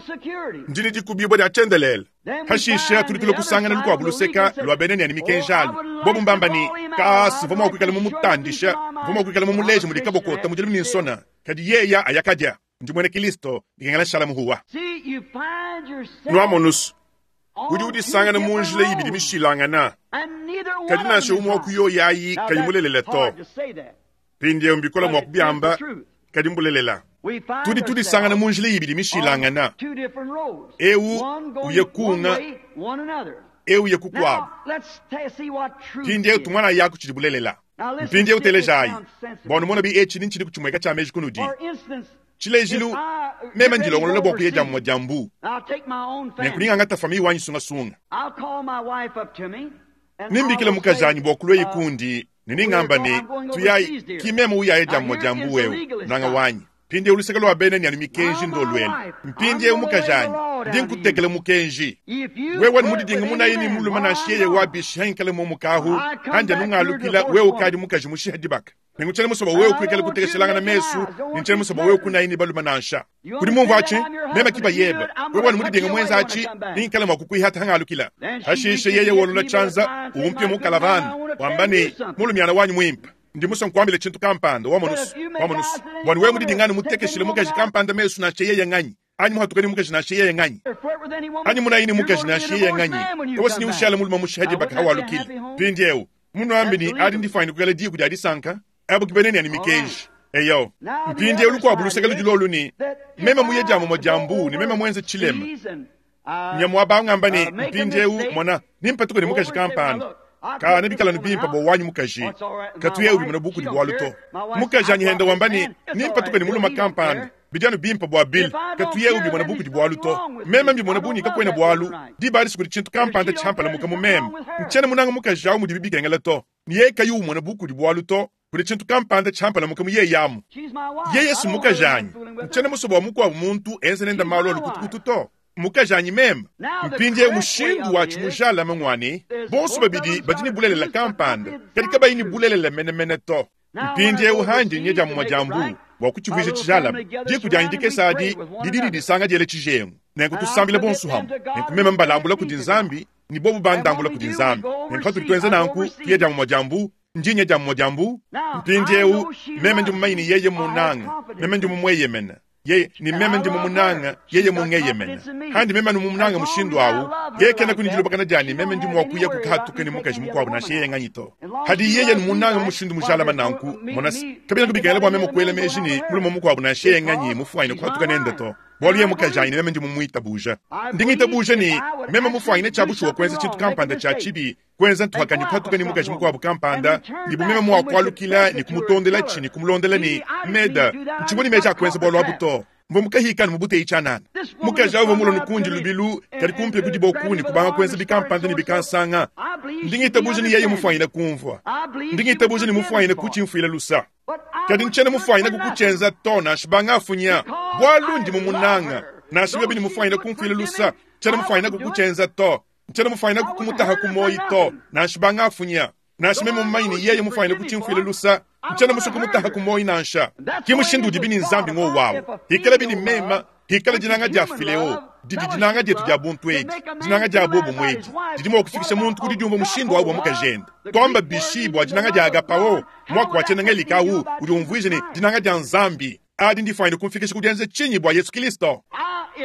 ndi ne dikubibua dia tshiendelele. Hashishe tudi tule kusangana lukuabu luseka lua bena ne mikenji alu. Bobu mbamba ne kasi vua mua kuikala mumutandisha, vua mua kuikala mumuleje mudi kabokota mudi ne nsona. Kadi yeya ayakadia, ndi muena Kristo, bikengela shala muhuwa. Nuamonus, udi udisangana mu njila ibidi mishilangana. Kadi nansha umwe wa ku yoyi ayi kayi mulelela to. Mpindieu mbikola mua kubiamba, kadi mbulelela. Tudi tudisangana mu njila ibidi mishilangana. Eu uye kunga, eu uye kukuabu. Mpindieu tumwana yaku tshidi bulelela. Mpindieu telejayi. Bua numona bi etshi ni ntshidi kutshimweka tshia meji kunudi. Tshilejilu, meme ndilongolola bua kuya dia mumue dia mbu. Nenku famille wanyi sungasunga. Nimbikila mukajanyi bua kulua ikundi, ne ningamba ne, tuyayi, ki meme uyaye dia mumue dia mbu wewe, nanga wanyi. Mpindieu luseke lwa bena ni anu mikenji ndolwela. Mpindieu mukajanyi ndi nkutekela mukenji. Wewe mudidinga munayi ni muluma nansha wabishi hankala mu mukahu hanja nungalukila wewe ukadi mukaji mushiha dibaka. Nenguchele musoba wewe kuikala kutekeshelanga na mesu, ninchele musoba wewe kunayi ni baluma nansha. Kudi mumvu achi, mema kiba yebe. Wewe mudidinga mwenza achi, ninkala mwa kukuihata hangalukila. Hashishe yeye wolola chanza, umpye mukalavana, wambani mulumyana wanyu mwimpa. Ndi musa nkwambile chintu kampanda wa manusu wa manusu bwana wewe mudidingani mutekeshile mukaji kampanda mesu na cheye nganyi anyi muhatukani mukaji na cheye nganyi anyi munayini mukaji na cheye nganyi tawasi ni ushala muluma mushaji baka hawalukile pindiewu muno ambi ni adi ndifaini kukala diku dia disanka abo kibeneni ani mikeji eyo mpindiewu lukwabu luseke lujilolu ni mema muye jamu mojambu ni mema mwenze chilema nyamu abangamba ni mpindiewu mona nimpatuko ni mukaji kampanda kana bikala nubimpa bo wanyu mukaji katuye uri muno buku di bwalu to mukaji anyihenda wambani nimpatuko ni muluma kampanda bijanu bimpa bwa bil katuye uri muno buku di bwalu to mema mbi muno bunyi kakwena bwalu di bali sukuri chintu kampanda champala mukamu mema nchena munanga mukaji awu mudi bibikengela to niye kayu muno buku di bwalu to kuri chintu kampanda champala mukamu ye yamu ye Yesu mukaji anyi nchena musobo wa mukwa muntu enze nenda malo lukutukutu to mukajanyi mema mpindie mushindu wa chimujala mangwani bonso babidi badini bulelela kampanda kadi kabayini bulelela menemene to mpindie uhandi nyeja mu majambu bwa kuchivwisha chijala diku dyandike sadi dididi disanga dyele chijengu nenku tusambile bonso hamu nenku mema mbalambula kudi nzambi ni bobu bandambula kudi nzambi nenku hatuli nanku tuyeja mu majambu njinye ja mu majambu mpindie meme ndi mumayini yeye munanga meme ndi mumweyemena yeye ni meme ndi mumunanga yeye mungeyemena handi meme numunanga mushindu awu yeye kena kunijilubakana jani meme ndi mwakuya kukahatuka ni mukaji mukwabu na sheye nganyito hadi yeye numunanga mushindu mujalama nanku monasi kabila kubikela bwa meme kwela meji ni mulumo mukwabu na sheye nganyi mufwaine kuhatuka nende to bwalu ye mukaji ni meme ndi mumuita buja ndingita buja ni meme mufwaine chabushuwa kwenza chintu kampanda cha chibi kwenza ntuhakanyi kuhatuka ni mukaji mukwabu kampanda ni bumeme mwakwalukila ni kumutondela chini kumulondela ni meda nchiboni meja akwenza bwalu abuto mbomukahikani mubute ichanana mukaji awo mulo nukundi lubilu kali kumpe kudi bokuni kubanga kwenza bikampanda ni bikansanga ndingita buja ni yeye mufwaine kumvwa ndingita buja ni mufwaine kuchimfwila lusa kadi nchene mufwaine kukuchenza to nashibanga afunya bwalu ndi mumunanga nashibe bini mufwaine kumfwila lusa chene mufwaine kukuchenza to nchene mufwaine kukumutaha kumoyi to nashibanga afunya nashime mumayini yeye mufwaine kuchimfwila lusa nchene musukumutaha kumoyi nansha kimushindu udi bini nzambi ngo wawo hikala bini mema hikala dinanga dia fileo didi dinanga dietu dia buntu edi dinanga dia bobo mwedi didi mwa kufikisha muntu kudi diumba mushindu wawu mukajenda twamba bishibwa dinanga dia agapawo mwako wachenanga likawu udi umvuije ni dinanga dia nzambi adi ndifaine kumfikisha kudienze chinyi bwa Yesu Kristo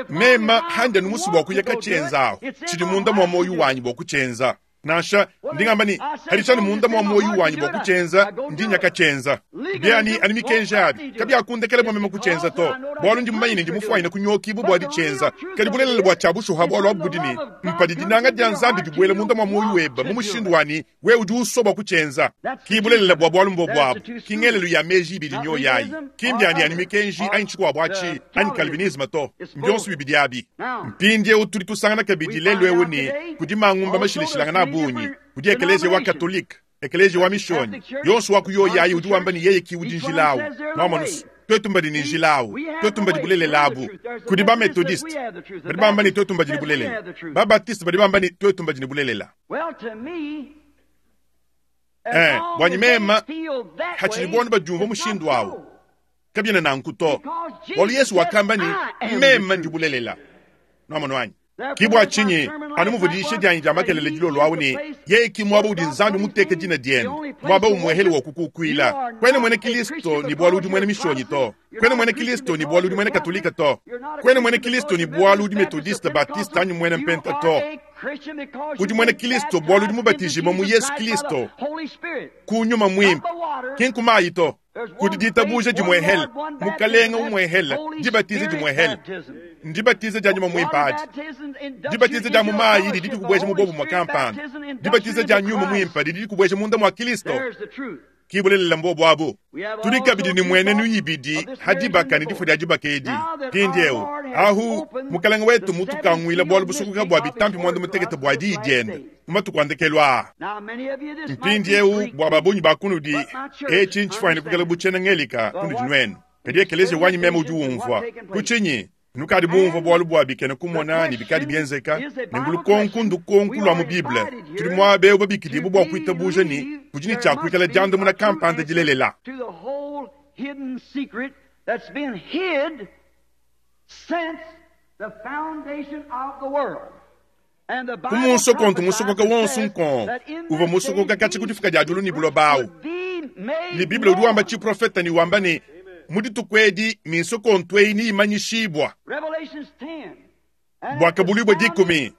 mema hande numusu bwa kuyeka chenzawo chidi munda mwa moyo wanyu bwa kuchenza nasha ndingamba ni halichani munda mwa moyo wanyu bwa kuchenza ndinyaka chenza byani ani mikenja abi kabi akundekele mwa mema kuchenza to bwalu ndi mmayini ndi mufwaine kunyokibu bwa dichenza kali bulelele bwa chabushu ha bwalu abudini mpadi dinanga dia nzambi dibwele munda mwa moyo weba mu mushindu wani we udi usoba kuchenza kibulelele bwa bwalu mbo bwabu kingelelu ya meji bidi nyo yayi kimbyani ani mikenji ani chikwa bwachi ani calvinisme to mbyonso bibidi abi mpindie utuli tusangana kabidi lelo ewu ni kudimangumba mashilishilanga na bunyi kudi ekelezia wa katolika ekelezia wa mishoni yonso wa kuyoyayi udi wamba ni yeye kiudi njilawu mwamanus twetumba ni njilawu twetumba di bulelelabu kudi ba methodiste badi bamba ni twetumba di bulelela ba baptiste badi bamba ni twetumba di bulelela eh bwanyi mema hachilibona bajumva mushindu wawo kabyena nanku to bwalu Yesu wakamba ni mema ndi bulelela mwamanwanyi kibwa chinyi anumuvudishe dyanyi dya makelele dilolo awu ni yeye kimwaba udi nzambi muteke dina dienu mwaba umwehele wa kukukwila kwene mwene Kristo ni bwalu udi mwene mishonyi to kwene mwene Kristo ni bwalu udi mwene katolika to kwene mwene Kristo ni bwalu udi metodiste baptiste anyi mwene mpenta to udi mwene Kristo bwalu udi mubatijima mu Yesu Kristo kunyuma mwimpa kinkumayi to kudi ditabuja dimwehele mukalenga umwehele dibatize dimwehele ndibatize dya nyuma mwimpa adi dibatize dya mumayi didi dikubwesha mubobu mwa kampanda dibatize dya nyuma mwimpa didi dikubwesha munda mwa Kristo kibulelela mbobo abo tuli kabidi ni mwene nuyibidi hadibaka ni difo dya dibaka edi pindiewu ahu mukalenga wetu mutukangwila bwalu busukuka bwa bitampi mwanda mutekete bwa diyi diende mumatukuandekelwa mpindiewu bwa babunyi bakunudi echi nchifaine kukela buchena ngelika kunudi nwenu Kadi ekeleziya wanyi meme udi umvua. Ku tshinyi? Nukadi bumvua bualu bua bikena kumona ne bikadi bienzeka, ne ngulukonku ndukonku lua mu Bible. Tudi muaba eu babikidibue bua kuitabuja ne kudi ne tshia kuikala diandamuna kampanda dilelela. To the whole hidden secret that's been hid since the foundation of the world. And the Ku Bible munsokontu prophesies musokoka and wonso says nkon that in uvua this musokoka day katshi ku these difuka dia diulu ne buloba awu. would be made Ne Bible udi wamba known. tshiprofeta ne wamba ne mu dituku edi minsokontu eyi niyimanyishibua. Revelations ten. And at Bua the kabulibua sounding dikumi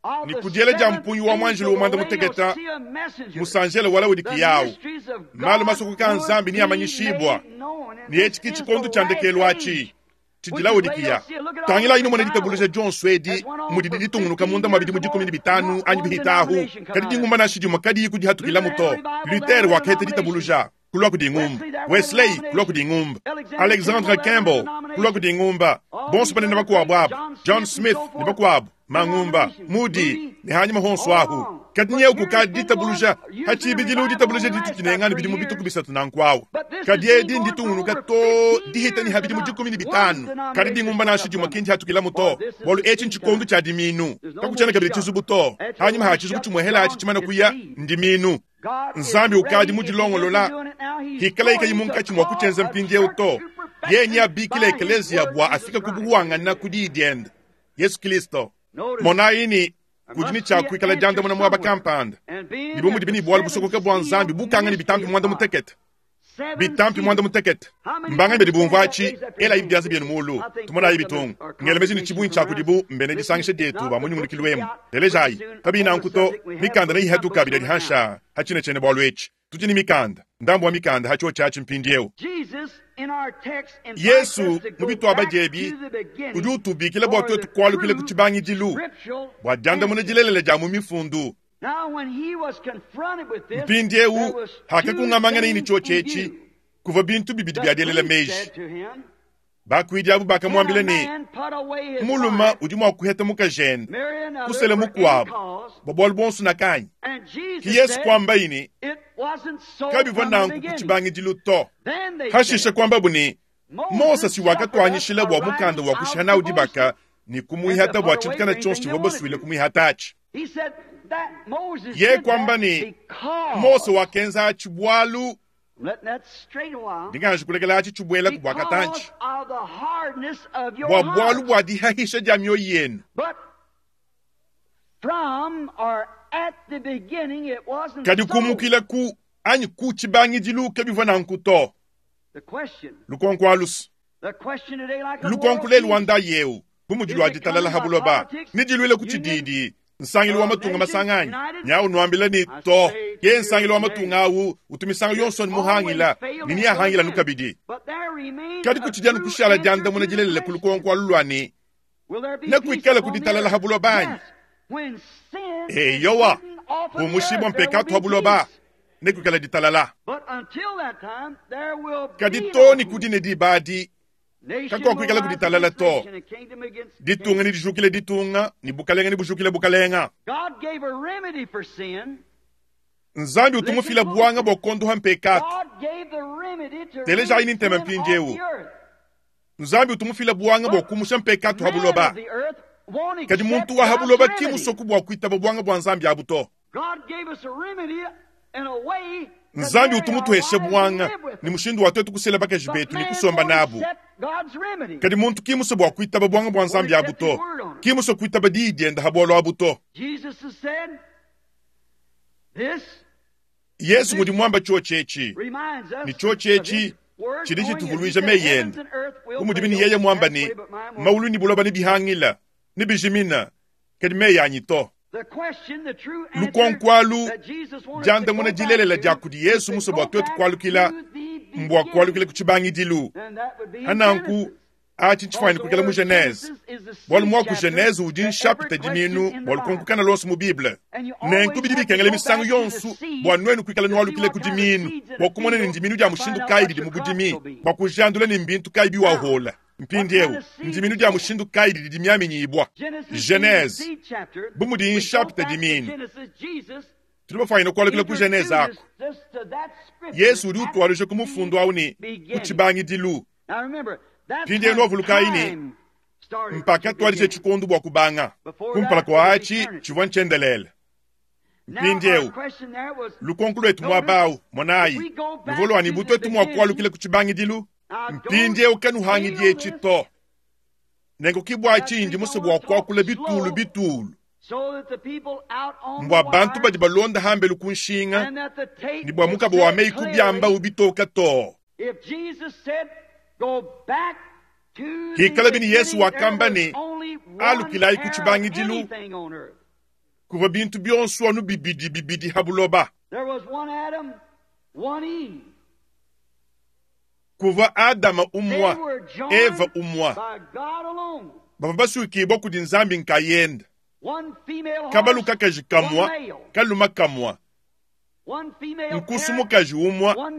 of ni the kudiela dia seventh mpungi wa mwanjelo angel, wa mwanda the muteketa Laodicea messenger, musanjela wala udi the kiyawu. mysteries of Malu God masokoka a would Nzambi be niyamanyishibua. made known. And Ne this etshi ki is the tshikondo tshia last ndekelu atshi age, tshidi which is Laodikiya. Laodicea. Look at all Tangila the inu mona revivals ditabuluja dionso edi that went on mudi for ditungunuka fifteen munda mwa years bidimu or dikumi more, ne bitanu not anyi one bihitahu. denomination come Kadi out of it. dingumba nansha dimue kadiyi kudihatukila Luther had muto. a revival, Luther there were wakaheta denominations. ditabuluja kulua kudi ngumba. Wesley, there were Wesley kulua kudi denominations. ngumba. Alexander Alexandre Campbell, there were Campbell kulua denominations. kudi ngumba. All Bonso these banene other bakuabu greats, abu. John John Smith and Smith so ne forth, bakuabu. Mangumba, denominations. Moody Moody, ne hanyuma honso all ahu. along. Kadi But nyeu here's kukadi been one, ditabuluja usually a hachibidilu revival ditabuluja only lasts ditu about tinengani three bidimu bituku years. bisatu nankwawu. But this has Kadi been edi going for nditungunuka over to fifteen dihita ni years habidimu without dikumi ne one bitanu. Kadi denomination dingumba coming nansha up dimue from it. kindihatukila For muto. this is Bualu the etshi seed ntshikondo time. tshia diminu. There's no Kakutshiena more kabidi shock. tshizubu to. After Hanyuma one ha tshizubu shuck tshimuehela atshi gone, tshimana it's kuya seed. ndiminu. God is Nzambi ukadi ready. If he isn't mudilongolola doing it now, he's hikala ikayi going to munkatshi mwa call kutshenza a mpindieu church to. to Yenye perfection abikila by his ekeleziya word, bua Jesus afike Christ. kubuwangana ku diyi diende. Yesu Kristo. Notice, Monayi ni there kudi ne must be tshia an kuikala answer diandamuna muaba somewhere. kampanda. And being Dibo that mudi the bini bualu seven busokoka bua Nzambi seal bukanga ne mystery bitampi of mwanda God, mutekete. seven Bitampi mwanda seals. mutekete. How many Mbanga badi understand bumvua that? atshi Raise up your ela hands. ibiaza byenu mulu. I think Tumonayi most of bitungu. us are Ngelemezi ni congregation chibunyi from cha around. kudibu mbene Listen, disangisha it's dietu not ba the books munyungulukilu will be emu. out pretty Telejayi. soon Kabina on the nkuto subject. We have mikanda books, nayi some hatuka books bidi on it now. hansha hachine chene bwalu echi. Tudi ni mikanda. Ndambu wa mikanda hacho chachi mpindieu. Jesus in our text invites Yesu us to mu go bitwaba back diebi to the beginning udi utubikila bua for twetu the kualukila ku true tshibangidilu scriptural bua diandamuna answer. dilelela dia mu mifundu. Now, when he was confronted with this, there Mpindieu was two hakakungamangana ini things cho in chechi view. kuva bintu bibidi The bya dielela priest meji. said to him, Bakuidi abu Can a bakamwambila ne man put away his muluma wife, udi mua kuheta mukajende marry another kusela for any mukuabu cause? bua bualu buonso nakanyi. And Ki Jesus Yesu said, kuamba ini It wasn't so kabivua from the nanku ku beginning. tshibangidilu to. Then they Hashisha said, kuambabu ne Mose Moses si suffered us wakatuanyishila a bua mukanda writing wa of kushiha nawu divorce dibaka ne and to kumuihata put bua away tshintu for kana tshionso anything they tshivua wanted basuile to. kumuihata atshi. He said that Moses Ye did that kuamba ne Mose because, wakenza atshi bualu I'm letting that straight a while, ndinganji kulekela atshi tshibuela ku bua because katantshi of the hardness of your bua bualu heart. bua dihahisha dia mioyo yenu. But from or at the beginning, it wasn't Kadi so. kumukila ku anyi ku tshibangidilu kabivua nanku to. The question, Lukonko alusu. the question today, like a world Lukonko lelu peace, wanda yeu bu mudi is lua it ditalala coming by habuloba politics, nidiluile ku union, tshididi nsangilu wa of matunga nations masanganyi united? nyawu nuambila ni I to say to ye you, nsangilu wa nay. matunga awu utumisango It yonso ni always muhangila failed ni and will niyahangila again. nukabidi. But there remains Kadi a kutshidi anu true kushala answer diandamuna to the dilelela ku question. lukonko alu lua ne Will there be peace nekuikala upon ku the ditalala earth? habuloba anyi? Yes. When sin is Eyowa hidden off of the bumushibua earth, there will mpekatu be habuloba peace. nekuikala ditalala. But until that time, there will Kadi be to no ni peace. kudi ne dibadi Nation will kakuakuikala ku rise ditalala against to. nation and kingdom against Ditunga kingdom. ni dijukile ditunga ni bukalenga ni bujukile bukalenga. God gave a remedy for sin. Nzambi Listen utumufila buanga closely. bua kondoha mpekatu. God gave the remedy to Teleja rid ini ntema sin off mpindieu. the earth. Nzambi utumufila buanga bua But kumusha mpekatu man of habuloba. the earth won't Kadi accept muntu wa God's habuloba ki remedy. musoku bua kuitaba buanga bua Nzambi abu to. God gave us a remedy and a way to Nzambi marry our utumutuheshe wives and buanga live with ni them. mushindu wa twetu kusela bakaji But betu ni man kusomba won't nabu. accept God's remedy. Kadi muntu ki muso bua kuitaba buanga bua Won't Nzambi abu accept his to. word on it. Ki muso kuitaba diyi dienda habualu abu to. Jesus has said, this Yesu this ngudi muamba chio chechi. reminds Ni us chio of his chechi word chidi going as he chituvuluija said, meyi heavens ende. and earth will Bu mudi bini fail, yeye muamba pass ne away, but mine won't. maulu ni buloba ni bihangila ni bijimina kadi meyi anyi to. The question, the true answer Lukonko alu that Jesus wanted us to diandamuna go back dilelela dia to kudi is Yesu to muso go bua twetu back kualukila to the mbua kualukila beginning. ku tshibangidilu. And that would be in Hananku Genesis. atshi Because ntshifuanyine the kuikala mu word Genese. Genesis is the Bualu seed muaku chapter Genese udi to every nshapita question diminu in the bua lukonko Bible. kana lonso mu Bible. And you Nenku always bidi have to bikengela go misangu back to the yonso seed bua nuenu kuikala to see nualukile what ku kind of diminu seeds in bua a kumona ne field ndiminu dia to find mushindu out kayi what didi your mu crops budimi will be. bua kujandula ne mbintu kayi Now, biwahola. what kind Mpindieu of seed ndiminu is dia sown? mushindu kayi didi dimiaminyibua. Genesis being the Genese seed chapter, bu mudi we go nshapita back to diminu. Genesis, Jesus Tudi bafuanyine kualukila ku Genese introduces aku. us to that scripture Yesu udi at utualuja ku the mufundu awu ne ku beginning. tshibangidilu. Mpindieu nwavulukayi ne mpakatuadija tshikondo bua kubanga. Kumpala kua atshi tshivua ntshiendelele. Mpindieu lukonko lwetu muaba monayi luvua lua ne bu tuetu mua kualukila ku tshibangidilu. Mpindieu kanuhangidi etshi to. Nenku ke bua tshinyi musue bua kuakula bitulu bitulu mbua bantu badi balonda hambelu ku nshinga ne bua mukaba wa meyi kubiamba ubitoka to. Hikala bini Yesu wakamba ne alukilayi ku tshibangidilu kuvua bintu bionso anu bibidi bibidi ha buloba. Kuvua Adama umwa, Eva umwa. Bavua basukibwa kudi Nzambi nkayenda. Kabalu kakaji kamwa, kaluma kamwa. Nkusu mukaji umwa,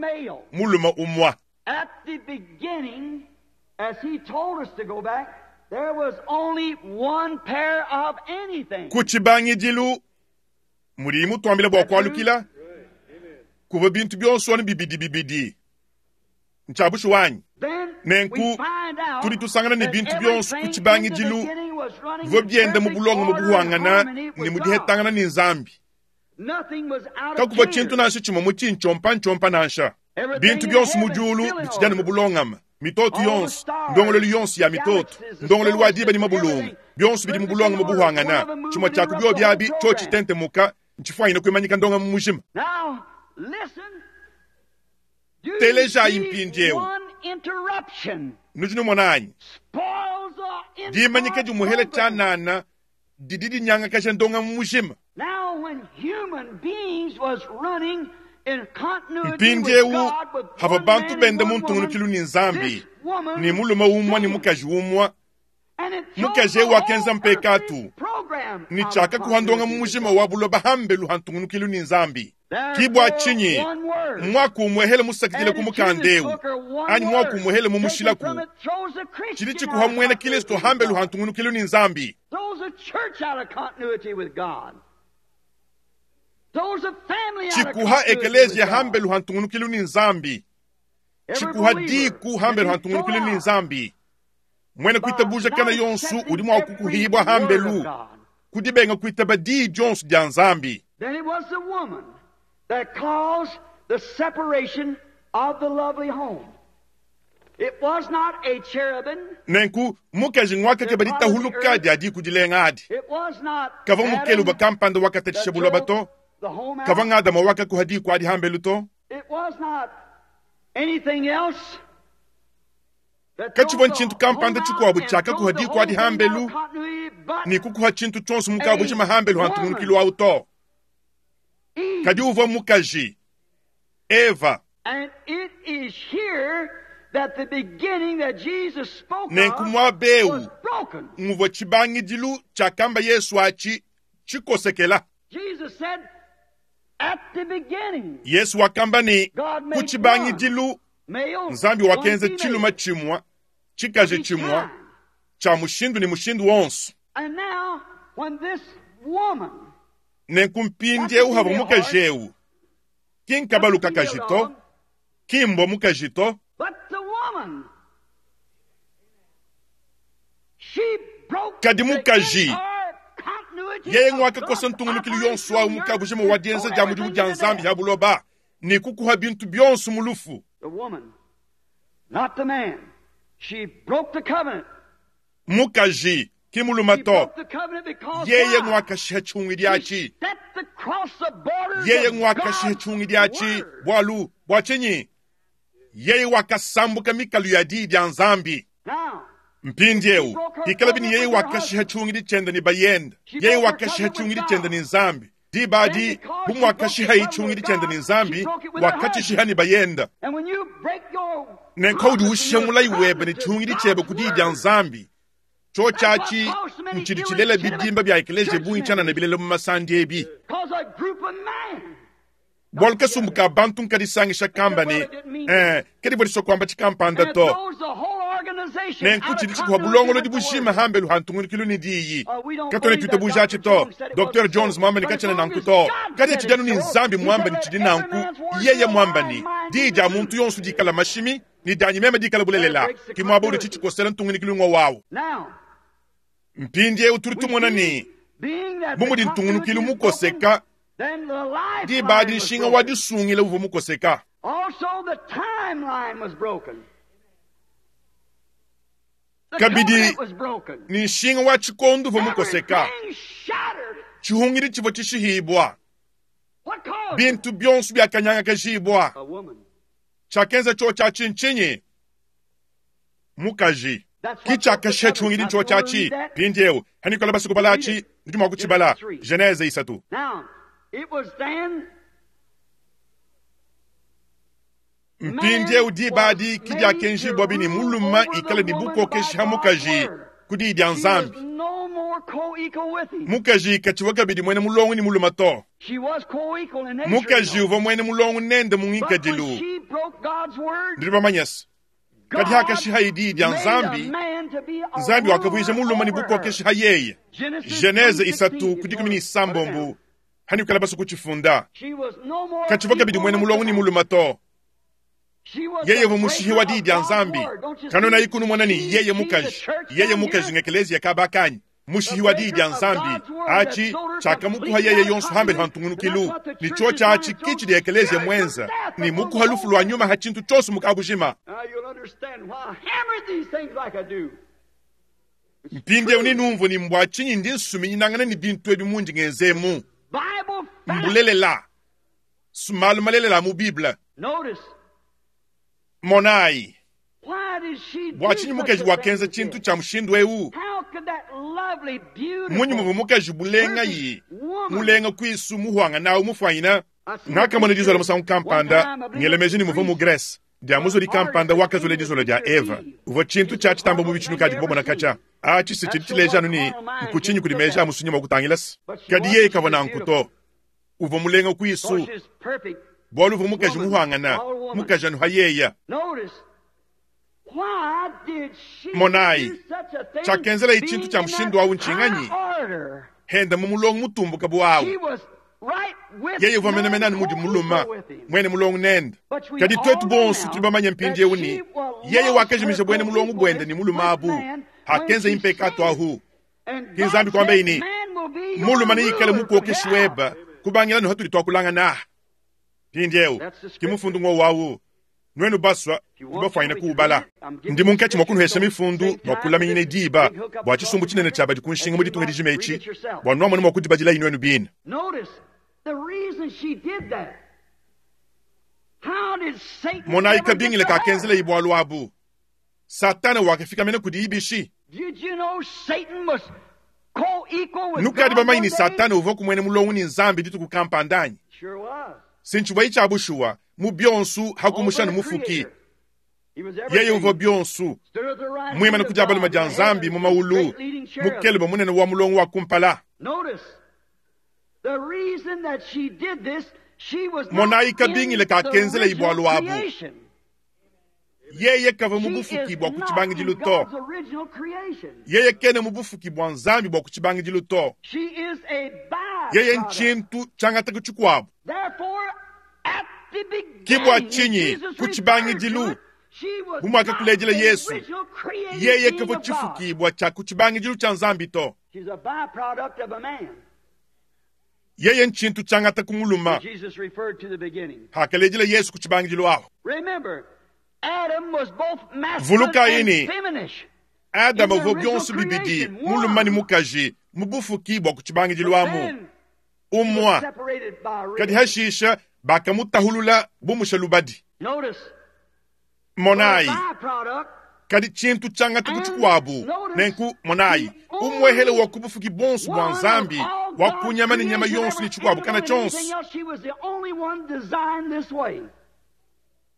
muluma umwa. At the beginning, as he told us to go back, there was only one pair of anything. Ku tshibangidilu mudi mutuambila bua kualukila kuvua bintu bionso anu bibidi bibidi. Ntshiabushi wanyi. Nenku tudi tusangana ne bintu bionso ku tshibangidilu bivua bienda mu bulongo mu buhangana ne mu dihetangana ne Nzambi. Kakuvua tshintu nansha tshimue mu tshintshiompa-ntshiompa nansha. Bintu bionso mu diulu bitshidi mu bulongama. Mitoto yonso, ndongololu yonso ya mitoto, ndongololu wa diba ne mabulungu, bionso bidi mu bulongo mu buhangana. Tshimue tshia ku bio biabi tsho tshitentemuka ntshifwanyine kuimanyika ndonga mu mujima. Telejayi mpindieu. Nudi numona anyi? Dimanyika dimuhela tshianana didi dinyangakaja ndonga mu mujima. Mpindieu hava bantu benda mu ntungunukilu ne Nzambi ne mulume umwe ne mukaji umwe. Mukaji eu wakenza mpekatu ne tshiakakuha ndonga mu mujima wa buloba hambelu ha ntungunukilu ne Nzambi. Ke bua tshinyi mwaku umwehele musakidile ku mukanda eu anyi mwaku umwehele mu mushilaku tshidi tshikuha muena Kristo hambelu ha ntungunukilu ne Nzambi. Tshikuha ekelezia hambelu ha ntungunukilu ne Nzambi. Tshikuha diku hambelu ha ntungunukilu ne Nzambi. Mwene kuitabuja kana yonso udi mua kukuhibwa hambelu kudibenga kuitaba diyi dionso dia Nzambi. Then it was the woman that caused the separation of the lovely home. It was not a cherubim. Nenku mukaji ngwakake baditahuluka dia diku dilenga adi. It was not Kavua mukeluba kampanda wakatatshisha buloba to. Kavua ng'Adama wakakuha diku adi hambelu to. It was not anything else. Katshivua ntshintu kampanda tshikuabu tshiakakuha diku adi hambelu ne kukuha tshintu tshionso mukabu hambelu ha ntungunukilu awu to. Kadi uvua mukaji Eva. And it is here that the beginning that Jesus spoke Nenku muaba eu was broken. muvua tshibangidilu tshiakamba Yesu atshi tshikosekela. Jesus said, at the beginning, Yesu wakamba ne God ku made tshibangidilu male, Nzambi wakenza one tshiluma female. tshimue tshikaji Each tshimue time. tshia mushindu ne mushindu wonso. And now, when this woman, Nenku mpindieu hava mukaji eu ki nkabalu kakaji to, ki mbwa mukaji to, but the woman, she broke Kadi the mukaji, entire continuity yeye of ngwakakosa God's ntungunukilu yonso awu operation mukabujima wa dienza dia mudimu dia everything Nzambi to ya buloba ne kukuha bintu bionso mu lufu. The woman, not the man. She broke the covenant. Mukaji ki muluma She to, broke the covenant because yeye why? ngwakashiha tshiungidi She atshi. stepped across the borders Yeye of ngwakashiha God's tshiungidi atshi word. bwalu bwa tshinyi? Yeye wakasambuka mikalu ya diyi dia Nzambi. Now, Mpindieu hikala bini yeye wakashiha tshiungidi tshiende ne bayenda. Yeye wakashiha tshiungidi tshiende ne Nzambi. Diba adi bu muakashiha tshiungidi tshiende ne Nzambi, wakatshishiha ne bayenda. and when you break your Nenku udi ushiha mulayi webe ne tshiungidi tshiebe ku diyi dia Nzambi. Tsho tshiatshi ntshidi tshilela bidimba bia ekeleziya bungi tshianana bilela mu masandi ebi. Cause a group of men Bwalu kasumbu ka bantu nkadisangisha kamba ne eh, kadi bua disua kuamba tshikampanda and it to. throws the whole Nenku tshidi tshikuha bulongolodi bujima hambelu ha ntungunukilu ne diyi. Katwena tuitabuja atshi to. Docteur Jones mwamba ne katshena nanku to. Kadi tshidi anu ne Nzambi mwamba ne tshidi nanku. Yeye mwamba ne diyi dia muntu yonso dikala mashimi ne dianyi meme dikala bulelela. Ki muaba udi tshitshikosela ntungunukilu ngwa wawu. Mpindiewu tudi tumona ne bu mudi ntungunukilu mukoseka, diba adi nshinga wa disungila uvua mukoseka. Kabidi ne nshinga wa tshikondo uvua mukoseka. Tshihungidi tshivua tshishihibwa. Bintu bionso biakanyangakajibwa. Tshiakenza tsho tshia tshinchinyi? Mukaji. Ki tshiakashiha tshihungidi tsho tshiatshi. Mpindiewu hanikola basukubala atshi nudi mua kutshibala. Genese isatu. Mpindiewu diba adi ki diakenjibwa bini muluma ikale ne bukokeshi ha mukaji ku diyi dia Nzambi. Mukaji katshivua kabidi mwene mulongo ne muluma to. Mukaji uvua mwene mulongo nende mu ngikadilu. Nudi bamanye se kadi hakashiha diyi dia Nzambi, Nzambi wakavuija muluma ne bukokeshi ha yeye. Genese isatu ku dikumi ne isambombo hanikala basu kutshifunda. Katshivua kabidi mwene mulongo ne muluma to. Yeye uvua mushihi wa diyi dia Nzambi. Kanona ikunumona ne yeye mukaji. Yeye mukaji ngekeleziya kabakanyi. Mushihi wa diyi dia Nzambi. Achi chakamukuha yeye yonso hambele ha ntungunukilu. Ni cho chachi kichi dia ekeleziya mwenza. Ni mukuha lufu lwa nyuma ha tshintu tshonso mukabujima. Mpindiewu ni numvu ni mbwa tshinyi ndi nsuminyinangana ni bintu ebi mundi ngenzemu. Mbulelela. Sumalu malelela mu Bible. Monai. Bwa tshinyi mukaji wakenza tshintu tsha mushindu ewu? Munyi muvua mukaji bulenga yi mulenga kwisu muhwanga nawu mufwanyina. Ngakamona dizola musangu kampanda ngelemeji ni muvua mu Grèce. Dia muzoli kampanda wakazole dizola dia Eva. Uvua tshintu tshia tshitamba mu bitshinu kadi kubomona katsha. Atshi se tshidi tshileja anu ni nkutshinyi kudi meji a musunyi mua kutangilasa. Kadi yeye kavua nanku to. Uvua mulenga kwisu. Bwalu uvua mukaji muhwangana, mukaji anu ha yeya. Monai, tshiakenzela tshintu tshia mushindu awu ntshinganyi? Henda mu mulongo mutumbuka bu awu. Yeye uvua menemene anu mudi muluma, mwene mulongo nende. Kadi twetu bonso tudi bamanye mpindiewu ni yeye wakajimija bwene mulongo bwende ni muluma abu. Hakenza impekato ahu. Ki Nzambi kwamba ini muluma ne ikale mukokeshi weba kubangila no hatuli twakulangana. Mpindiewu ki mufundu ngwo wawu. Nwenu baswa bafwanyina kuubala. Ndi munkatshi mwa kunuhesha mifundu bwa kulaminyina diba bwa tshisumbu tshinene tshia badi ku nshinga mu ditunga dijima etshi bwa nwamona mwa kudibadila inwenu bina. Monayi kabingile kakenzela ibwalu abu. Satana wakafika mene kudi ibishi. Nukadi bamanyi ni Satana uvua kumwene mulongo ni Nzambi dituku kampandanyi. Sinchibwa icha bushuwa mu bionsu hakumushana mufuki. Yeye uvua bionsu mwimana kujabala maja Nzambi mu maulu mukeleba munene wa mulongo wa kumpala. Monayi kabingile kakenzela ibwalu abu. Yeye kava mu bufuki bwa kutshibangidilu to. Yeye kene mu bufuki bwa Nzambi bwa kutshibangidilu to. Yeye nchintu tshangata kutshikwabo. Kibwa chinyi kutshibangidilu bumwaka kulejela Yesu. Yeye kava tshifuki bwa tshia kutshibangidilu tshia Nzambi to. Yeye nchintu tshangata kumuluma. Hakalejela Yesu kutshibangidilu aho. Vuluka ini Adam uvua bionso bibidi muluma ni mukaji mubufuki bwa kutshibangidilu amu. Umwa kadi hashisha bakamutahulula bumusha lubadi. Monayi kadi tshintu tshangata kutshikuabu nenku monayi umwehele wa kubufuki bonso bwa Nzambi wa kunyama ni nyama yonso ni tshikuabu kana tshonso.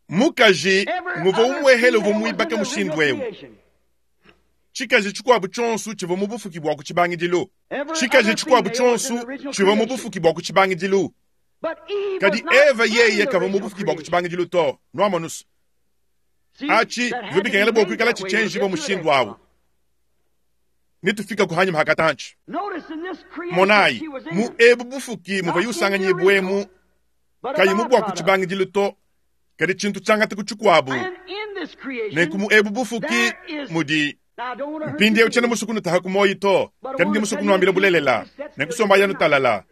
Mukaji muvua umwehele uvua muibaka mushindu ewu. Tshikaji tshikuabu tshonso tshivua mu bufuki bwa kutshibangidilu. Tshikaji tshikuabu tshonso tshivua mu bufuki bwa kutshibangidilu. Kadi Eva yeye kavua mu bufuki bwa kutshibangidilu to. Nwamonusu. Achi bivua bikengela bua kuikala tshitshienjibua mushindu awu. Netufika kuhanyima hakatanchi. Monayi, mu ebu bufuki muvua yusanganyibwemu kayi mu bua kutshibangidilu to, kadi tshintu tshiangata ku tshikuabu. Nenku mu ebu bufuki mudi mpindieu tshiena musue kunutaha ku muoyo to, kadi ndi musue kunuambila bulelela. Nenkusomba yanu talala,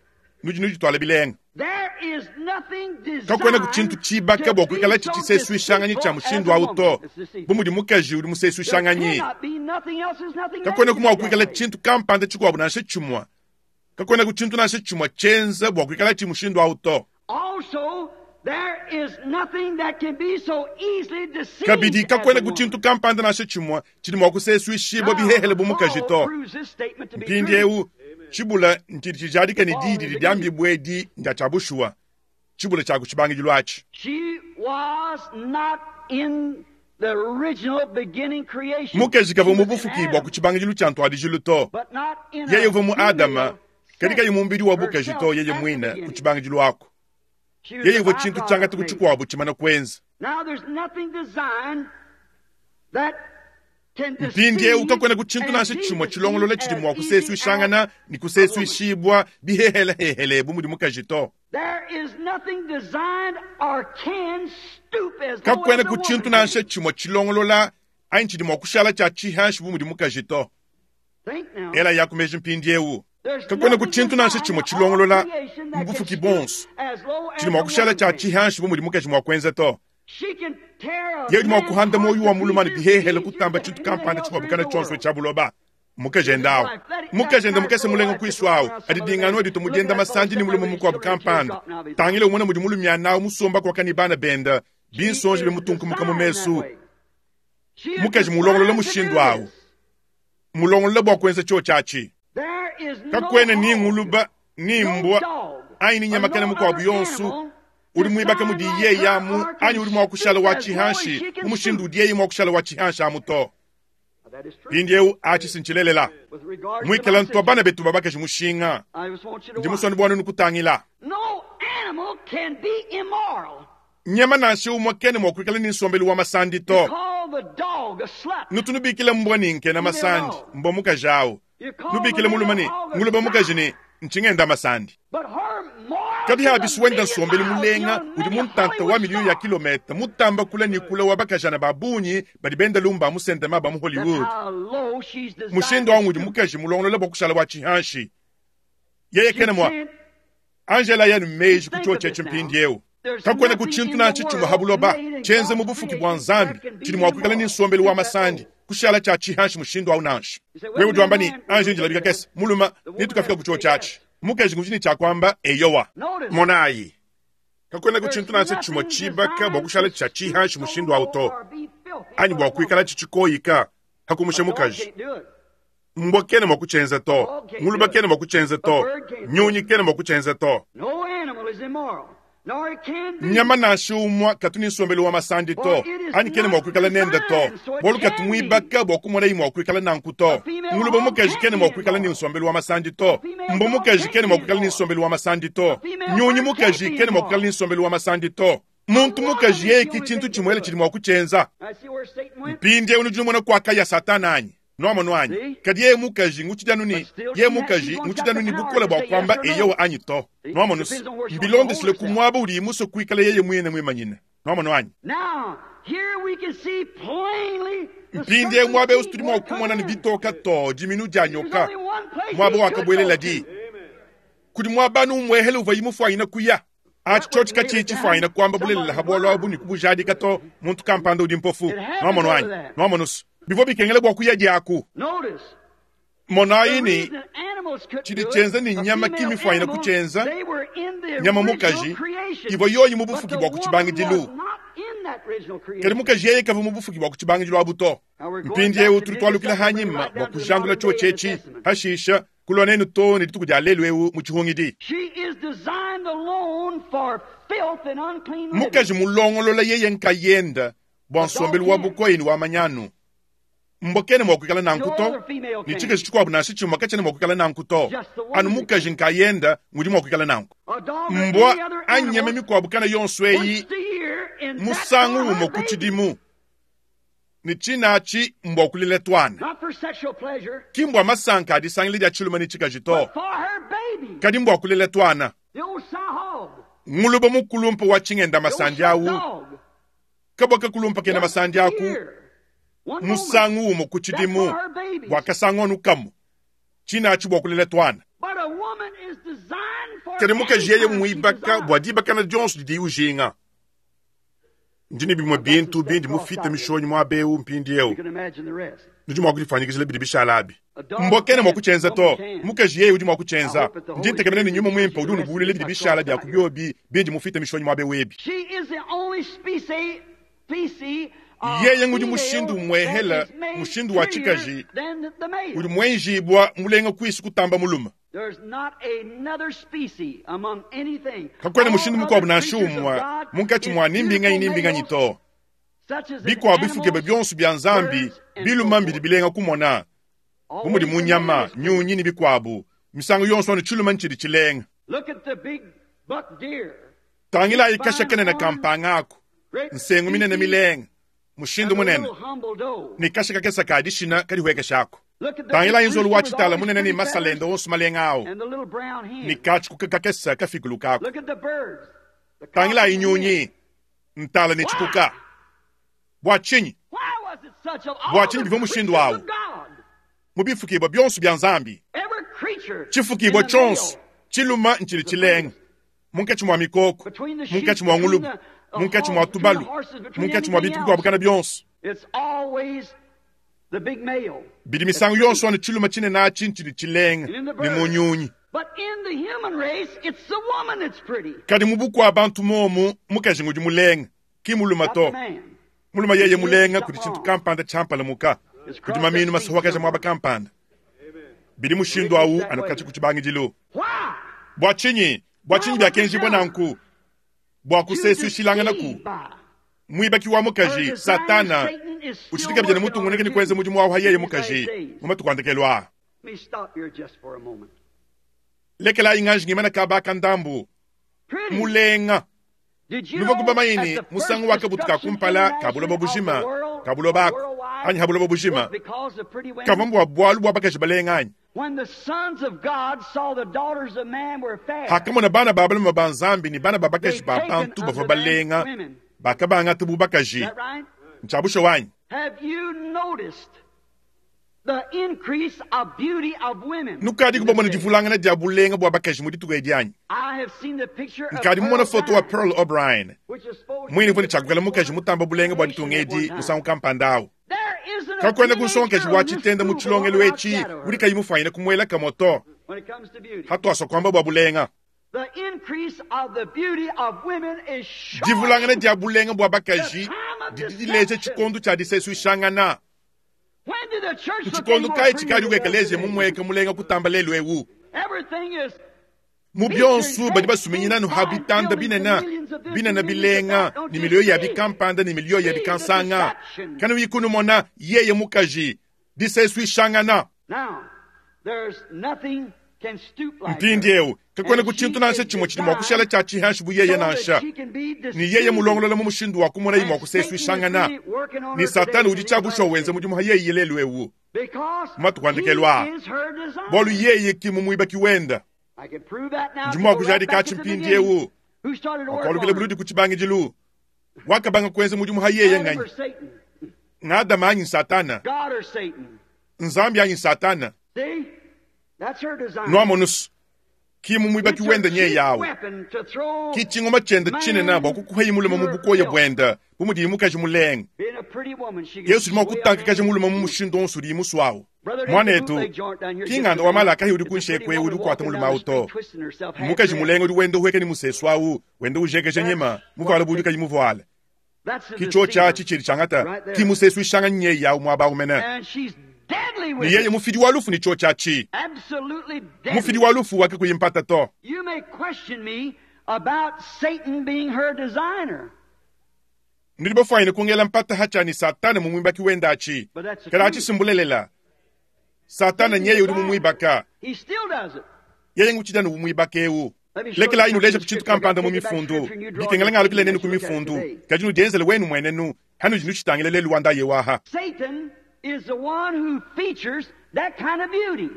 nudi nudituala bilenga. Kakuena ku tshintu tshibaka bua kuikala tshitshisesuishanganyi tshia mushindu awu to, bu mudi mukaji udi musesuishanganyi. Kakuena ku mua kuikala tshintu kampanda tshikuabu nansha tshimue. Kakuena ku tshintu nansha tshimue tshienza bua kuikala tshi mushindu awu to. Kabidi kakuena ku tshintu kampanda nansha tshimue tshidi mua kusesuishibua bihehele bu mukaji to. Mpindieu tshibula ntshidi tshijadika ne diyi didi diambibua edi ndia tshia bushuwa, tshibula tshia ku tshibangidilu atshi. Mukaji kavua mu bufuki bua ku tshibangidilu tshia ntuadijilu to. Yeye uvua mu Adama, kadi kayi mu mubidi wa bukaji to yeye muine ku tshibangidilu aku. Yeye uvua tshintu tshiangata ku tshikuabu tshimana kuenza. Mpindieu kakuena ku tshintu nansha tshimue tshilongolola tshidi mua kusesuishangana ne kusesuishibua bihehelehehele bu mudi mukaji to. Kakuena ku tshintu nansha tshimue tshilongolola anyi tshidi mua kushala tshia tshihanshi bu mudi mukaji to. Ela ya ku meji mpindieu. Kakuena ku tshintu nansha tshimue tshilongolola mu bufuki bonso tshidi mua kushala tshia tshihanshi bu mudi mukaji mua kuenza to. Yeye udi mua kuhanda muoyo wa mulume ne bihehele kutamba tshintu kampanda tshikuabu tshionso tshia buloba. Mukaji enda awu, mukaji enda mukese mulenga kuisu awu, adi dinganu adi tumudienda masandi ne mulume mukuabu kampanda. Tangile umona mudi mulume anawu musomba kwaka ne bana benda, binsonji bimutunkumuka mu mesu. Mukaji mulongolola mushindu awu, mulongolola bua kuenza tshio tshiatshi. Kakuena ni nguluba ni mbwa anyi ni nyama kana mukuabu yonso udi muibaka mudi yeye amu anyi udi mua kushala wa tshihanshi mu mushindu udi yeye mua kushala wa tshihanshi amu to. Mpindieu atshi sintshilelela muikala ntua bana betu babakaji mushinga ndi musoni bua nunu kutangila. Nyama nansha umue kene mua kuikala ne nsombelu wa masandi to. Nutunubikila mbwa ni nkena masandi mbwa mukaji awu. Nubikile mulume ne nguluba mukaji ne ntshingenda masandi. Kadi habisi wenda nsombelu mulenga udi muntanta wa miliyo ya kilometa mutamba kula ni kula wa bakajana ba bungi badi benda lumba musendema ba mu Hollywood. Mushindu awu udi mukaji mulongolola bua kushala wa tshihanshi. Yeye kene mwa Angela yanu meji ku tshio tshietshi mpindieu. Kakuena ku tshintu nansha tshimue ha buloba tshienza mu bufuki bua Nzambi tshidi mua kuikala ne nsombelu wa masandi kushala tshia tshihanshi mushindu awu nansha. Wewe udi wamba ni Ange njilabika kese muluma nitukafika ku tshio tshiatshi. Mukaji ngudi ne tshia kuamba eyowa. Monayi, kakuena ku tshintu nansha tshimue tshibaka bua kushala tshia tshihanshi mushindu awu to, anyi bua kuikala tshitshikoyika hakumusha mukaji. Mbwa kena mua kutshienza to, nguluba kena mua kutshienza to, nyunyi kena mua kutshienza to. Nyama nansha umue katu ne nsombelu wa masandi to, anyi kena mua kuikala nende to, bualu katu muibaka bua kumona yi mua kuikala nanku to. Nguluba mukaji kena mua kuikala ne nsombelu wa masandi to, mbwa mukaji kena mua kuikala ne nsombelu wa masandi to, nyunyi mukaji kena mua kuikala ne nsombelu wa masandi to. Muntu mukaji yeye ki tshintu tshimuele tshidi mua kutshienza. Mpindieu nudi numona kuakaya Satana anyi? Nuamono anyi? Kadi yeye mukaji ngutshidi ni yeye mukaji ngutshidi ni bukola bua kuamba eyowa anyi to. Nuamono mbilondeshile ku muaba udi musue kuikala yeye muine muimanyine. Nuamono anyi? Mpindieu muaba eu tudi mua kumona ne bitoka to diminu dia nyoka muaba wakabuelela di. Kudi muaba numuehele uvua yimufuanyina kuya. Atshi tshio tshikatshiyi tshifuanyina kuamba bulelela ha bualu abu ne kubujadika to muntu kampanda udi mpofu. Nuamono anyi? Nuamono bivua bikengela bua kuya diaku. Monayi ni tshidi tshienza ni nyama kimifuanyina kutshienza nyama mukaji ivua yoyi mu bufuki bua ku tshibangidilu. Kadi mukaji yeye kavua mu bufuki bua ku tshibangidilu abu to. Mpindieu tudi tualukila hanyima bua kujandula tshio tshietshi hashisha kulua nenu to ne dituku dia lelu eu mu tshihungidi. Mukaji mulongolola yeye nkayenda bua nsombelu wa bukoyi ne wa manyanu. Mbwa kena mua kuikala nanku to, ne tshikaji tshikuabu nansha tshimue katshiena mua kuikala nanku to. Anu mukaji nkayenda ngudi mua kuikala nanku. Mbwa anyi nyama mikuabu kana yonso eyi musangu umue ku tshidimu. Ne tshinachi mbwa kulela twana. Not for sexual pleasure, Ki mbwa masanka adisangile dia chiluma ni chikaji to. but for her baby. Kadi mbwa kulela twana. The old sow hog. Nguluba mukulumpa wa chingenda The old masandi sow awu. dog. Kaboka kulumpa kena Once masandi a aku. year. One moment. Musangu umo kuchidimu. That's for her babies. Wakasangonu kamu. Chinachi bwa kulela twana. But a woman is designed for Kadi mukaji yeye any time she muibaka desires. bwa dibakana dionso didi ujinga. Ndini bimwe bintu bindi mufite mishonyi mwa beu mpindi You eu. can imagine the rest. Nudi mwa kudifanyikizila bidi bishalabi. A dog Mbokene mwa can, kuchenza to. woman can. Mukaji yeye udi mwa kuchenza. I hope that the Holy Ndintegemene ni Spirit nyuma will mwimpa teach udi you the rest unubulile of bidi this bishala I bya crossed out kubyobi bindi mufite mishonyi mwa beu ebi. She is the only species, species of Yeye ngudi female mushindu that mwehela, is made mushindu wa prettier chikaji, than the male. Udi mwenjibwa mulenga kwisi kutamba muluma. There's not another species among anything. Kakwena All mushindu mukwabu other na creatures of shumwa God munkatshi is mwa nimbinganyi beautiful nimbinganyi males, to. such as in Bikwabu bifuke animals, byonso bya nzambi birds, and biluma so mbidi forth. bilenga kumona. Always Bumudi the munyama, male is pretty. nyunyi ni bikwabu. Misango yonso anu chiluma nchidi chilenga. Look at the big buck deer. Tangila ikasha kene na kampanga ako. Great Nsengu minene species milenga. and Mushindu the munene. little humble doe. Ni kasha kakesa kadishina kadihweka shako. Look at the Tangila big inzolu rooster wa with all chitala his munene ni pretty feathers masalenda onso malenga awo. and the little brown hen. Ni kachi kukakesa kafikulu kako. Look at the birds. The Tangila cock and inyunyi. hen. Ntala ni chikuka. Bwa chinyi. Why was it such of all Bwa chinyi the biva mushindu creatures awo. of God? Mubifukibwa byonso bya nzambi. Every creature Chifukibwa in the male, chonso. Chiluma nchili chilenga. Munkatshi mwa mikoko. between the sheep, Munkatshi mwa between ngulubu. the, the Munkatshi hogs, mwa between the tubalu. horses, between Munkatshi mwa anything bintu else. bikwabukana byonso. It's always the big male. Bidi misango yonso anu chiluma chinene achi nchili chilenga. And in the Ni birds. munyunyi. But in the human race, it's the woman that's pretty, Kadi mubukwa abantu momu mukaji ngudi mulenga. Ki muluma not to. the man. Muluma yeye mulenga kudi chintu kampanda champala muka. Kudi maminu masuwakaja mwaba kampanda. Bidi mushindu awu anukachi kuchibangijilu. Why? Bwa chinyi, bwa chinyi bya kenji bwa nanku. Bwa To kusesu shilanga naku. deceive by. Mwibaki wa Her mukaji, designer, Satana. Satan, is still Uchitika bijana working mutu on nguneke her ni kwenze too mujimu wawo hayeye in these last mukaji. days. Mumatu kwandekelwa. Let me stop here just for a moment. Lekela inganji ngimana kabaka ndambu. Pretty. Mulenga. Did you Nuva know kuba at mayini, the first musangu wakabutuka destruction kumpala international kabuloba of the bujima, world, kabuloba ako, worldwide, anyi habuloba bujima. was because of pretty women? Kavambu wa bwalu bwa bakaji balenga anyi. When the sons of God saw the daughters of man were fair, Hakamona bana ba baluma ba nzambi ni bana ba they bakaji ba taken bantu unto bava them balenga. women. Bakabanga tubu Is bakaji. that right? Nchabusho wanyi. Have you noticed the increase of beauty of women? Nukadi in kubamona this day? divulangana dia bulenga bwa bakaji mu dituku edi anyi. I have seen the picture of Nkadi Pearl mumona foto wa O'Brien, Pearl O'Brien. which is supposed to Mwini be vuni the chakukala mukaji first mutamba bulenga bwa nation ditunga at one edi time. musangu kampanda awo. There isn't a Kakwenda teenage kunsonkaji girl wa in this chitenda mu school chilongelo that won't echi outshadow her uli kayimufanyira kumwela kamoto. when it comes to beauty. Hatwaswa kwamba bwa bulenga. The increase of the beauty of women is Divulangana showing dia bulenga bwa the bakaji time of didi dileja deception. chikondo cha disesu ishangana. When did the church look any Chikondo more kai prettier chikali than it does ukekeleze today? mumweka mulenga kutamba lelu ewu. Everything is Mu featured byonso badi great basuminyina big no fine habitanda buildings and binena millions of this binena and millions of bilenga that. Don't ni you milio ya see? bikampanda ni milio ya See the bikansanga. deception. Kano yikunumona yeye mukaji disesu ishangana. Now, there's nothing can stoop like her. Mpindiewu kakwena And she kuchintu nansha is chimwe chili mwa kushala designed cha chihanshi buyeye so that nansha. she can be Ni yeye deceived. mulongolola mu mushindu wa kumona And imwa kusesu Satan is ishangana. really working on Ni her today satani in udi these chabusha last wenze days. mudimu hayeye lelu ewu. Because Matu he kwandekelwa. is her designer. Bolu yeye kimu mwibaki wenda. I can prove that now. If you Ndimo go right kujadika back at the chimpindiewu. beginning, who started to work Wakwalukile on her? buludi kuchibangijilu. Wakabanga kwenze mudimu hayeye Adam nganyi. or Satan? Ng'adama anyi satana. God or Satan? Nzambi anyi satana. See? That's her design. Nwamonusu. Kimu It's mwibaki her wenda nye chief yawo. weapon to throw Kichingoma chenda chinena man bwa kukuheyi muluma to mu her bukoya filth. bwenda. Bumudi mukaji mulenga. Being a pretty woman, she can Yesu lima sway a kutanka man kaji muluma mu to mushindu onso uli muswawo. Brother, there's a Mwanetu, bootleg joint down here just kinganda today. wa malaka uli It's a pretty kunshekwe uli woman kukwata walking muluma down the street auto. twisting herself half Mukaji dressed. mulenga uli wenda uhweke ni musesu awu, wenda ujekeje That's nyema, mukwala what buli the, kayimuvuala. that's the Kicho deceiver chachi chili changata, right there. kimusesu ishanga nye yawu mwaba umene. And she's deadly Ni with yeye it. mufidi wa lufu ni cho chachi. Absolutely Mufidi deadly. wa lufu wake kuyimpata to. You may question me about Satan being her designer. Nilibofaine kungela mpata hacha ni satana mumwimbaki wenda achi. But that's the Kala achi truth. simbulelela. Satana Satan nyeye uli designed her. mumwibaka. He still does it. Yeye nguchida numwibaka ewu. Let me show you Lekela inu something in leja the kuchintu scripture. I got kampanda to mu take it back to mifundu. scripture and you draw Bikengela your ngalukile opinion nenu as you look at it kumifundu. today. Kajinu denzele wenu mwenenu. Hanudi nuchitangila lelu wa ndaye waha. Satan is the one who features that kind of beauty.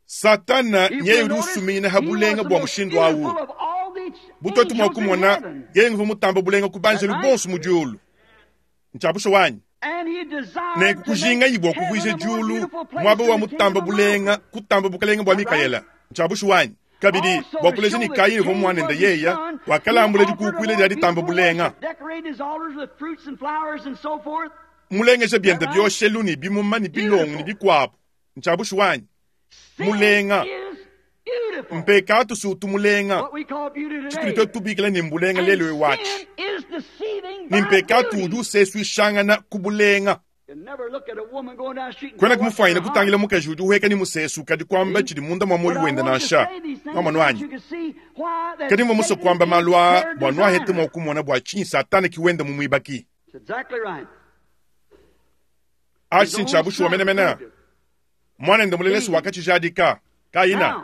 Satana If nyeye we udi notice, usuminyina he ha was bulenga the bwa most mushindu awu. beautiful of all the Butoto mwa angels in kumona heaven. yeye nguvu mutamba bulenga ku banjelu Right? bonso mu diulu. Nchabusho wanyi. And he desired Ne to make kujinga yibwa heaven kuvuije a more diulu beautiful place mwaba wa than the mutamba kingdom of bulenga kutamba bukalenga bwa Mikaela. Nchabusho wanyi. Kabidi Also bwa to kuleja show ni that Kaini Cain mwanenda was his yeya son, wakalambula he offered a dikukwile more lya ditamba beautiful bulenga. worship, decorated his altars with fruits and flowers and so forth. Mulengesha byenda byoshelu ni bimuma ni bilongo ni bikwabo. Nchabusho wanyi. Sin Mulenga. is beautiful. Mpekatu sutu mulenga. What we call beauty Chituli today. tubikila ni mbulenga And lelo iwachi. sin is deceiving by Ni mpekatu beauty. udi useswishangana kubulenga. You never look at a woman going down the street and Kwena say, "What's kumufwanyina her kutangila heart?" mukaji udi uheka ni musesu kadi kwamba chili munda mwa moyo But I wenda want to nansha. say these things Mwa so that mwanwanyi. you can see why that Kadi mwa muso Satan kwamba is malwa her bwa nwahete designer. mwa kumona bwa chinyi satana kiwenda mu mwibaki. That's exactly right. Achi His own sinchabushu son wamenemena. proved it. Mwana enda mulelesi wakachijadika. Kaina. Now,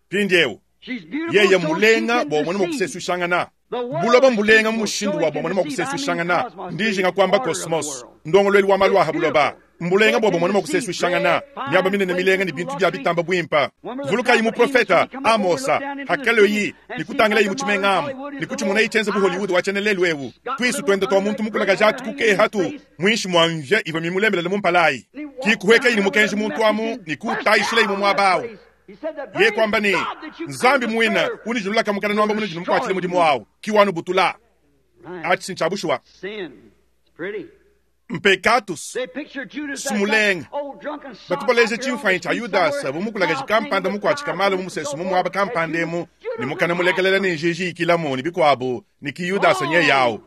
Pindiewu. she's beautiful Yeye so she mulenga can bwa mwana deceive. mwakuseswishangana. The world Buloba is mbulenga beautiful mushindu so wa it bwa can mwana deceive. I mean mwakuseswishangana. cosmos, Ndijinga the kwamba order of the cosmos. world. Ndongolweli wa malwa It's habuloba. beautiful. Mbulenga So bwa it bwa mwana can deceive. mwakuseswishangana. Great, Nyaba fine minene milenga ni places, bintu bya luxury. bitamba bwimpa. Remember the Vuluka prophet muprofeta Amos, he come up Amosa overlooked down into the hakalo city yi and ni see kutangila like yi the muchimengamu modern Hollywood is ni the kuchimona little ichenze ku eyes Hollywood wachenelelu ewu got twisu little twende twa under muntu that mukula gray hair kajatu hanging kuke in his hatu face. mwinshi mwamvya iva mimulembelele mumpalayi And he walked kikuheka down ili there with mukenji a muntu message amu and ni burst kutayishila imu down that mwabawo place. He said, "The ye very kwamba ni God that you claim nzambi to mwina serve unijulula kamukana nwamba muno jinu destroy mukwachile mudimu you." wawo kiwanu butula Right. achi sinchabushuwa Sin. It's pretty. mpekatus They picture Judas as Sumulenga. that old drunken sot batupaleje out there on chimfanyi the cha street yudasa somewhere, vumukulaka mouth chikampanda hanging with mukwachika pride mumusesu and so mumuaba forth. That kampandemu Judas ni mukana was mulekelela awesome. ni njiji ikilamo ni bikwabo ni ki yudasa nye yawo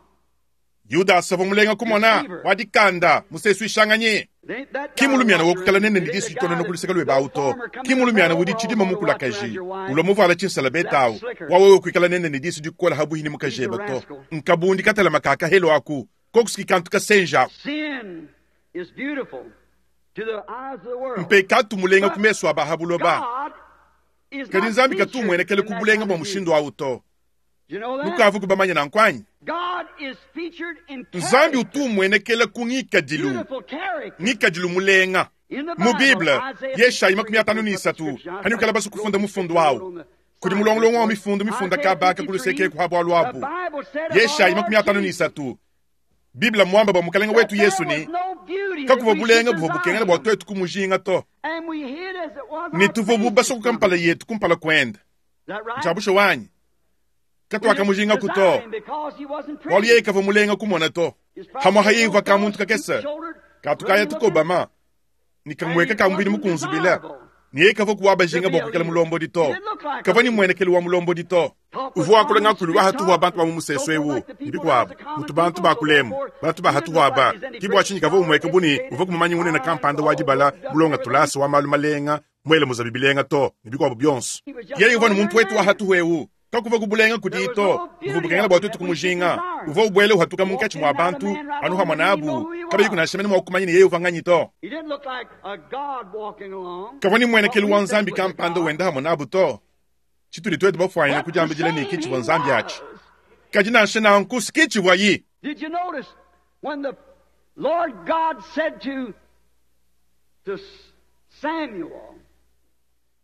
yudasa vumulenga kumona wadikanda musesu ishanganye They- that guy kimulumiana walked wokukala around. nene It ndi ain't disu the chitono guy nokuluseka that lwe the bauto farmer come in the kimulumiana overalls wudi chidima on to watch around mukulakaji your wife. ulomuvala chinsala betawo That slicker. wawewe kwikala nene ni disu dikola habuhini He's a mukajeba to rascal. nkabundi katala makaka helo aku kokusiki kantu kasenja Sin is beautiful to the eyes of the world. mpekatu mulenga kumeso abahabuloba God is kadi not nzambi featured katumwenekele in that kubulenga kind bwa of mushindu beauty. awu to You know that? nukavu kubamanya nankwanyi God is featured in nzambi character. utumwenekele ku ngikadilu Beautiful character. ngikadilu mulenga In the mu Bible, bible Isaiah yeshayi makumi fifty-three, atano ni isatu scripture, hani ukala basi kufunda mufundu wawu kudi mulongolongo wa mifundu mifunda Isaiah kabaka kuluseke fifty-three, kuhabwa lwabu the Bible said of yeshayi our makumi Lord atano ni Jesus isatu biblia mwamba bwa mukalenga that wetu yesu there ni was no beauty that kakuva we bulenga should buva desire bukengela bwa him. twetu kumujinga to And we hid as it was ni our tuvo faces bubaso from kukampala him. yetu kumpala kwenda Is that right? nchabusho wanyi We katwaka didn't mujinga desire kuto him because he wasn't walu pretty. yeye kava mulenga kumona to He's probably hamwa a little hayiva ka fellow, muntu kakesa stoop-shouldered, katukaya ruddy-looking, tukobama and nikamweka he kambwini wasn't mukunzubila desirable niye kava kuwaba to jinga be a bwa kukela leader. mulombo He dito didn't look like a kava ni leader. mwenekeli wa mulombo dito Talk with uvu wakulanga common kuli street wahatuhwa talk bantu ba and so mumuseso forth ewu like the people ndibikwabo as the common mutu bantu people, so bakulemu therefore bantu he didn't look bahatuhwaba like he's any kibwa great chinyi kava scholar, umweke buni educated, uva kumumanyi unene fine, kampanda all wadibala robed up and bulonga everything. tulasa wa malu malenga mwele muzabibilenga to nibikwabo byonso He was just yeye an uva ni muntu ordinary wetu man. wahatuhwa ewu kakuva kubulenga There was kudito no uvu beauty bukengela of bwa him twetu that we should kumujinga desire. uva ubwele uhatuka He walked munkachi in mwa and out a bantu man right anu along, hamwa you didn't even know nabu who he kabayi was. kunashamene mwakumanyini yeye uvanganyi to He didn't look like a God walking along, kava ni what mwenekeli we wa think nzambi was a kampanda God. wenda hamwe nabu to chituli twetu bafwanyina But the kujambijila same niki he chibwa nzambi achi was. kaji nanshe nanku sikichibwa yi Did you notice when the Lord God said to, to Samuel,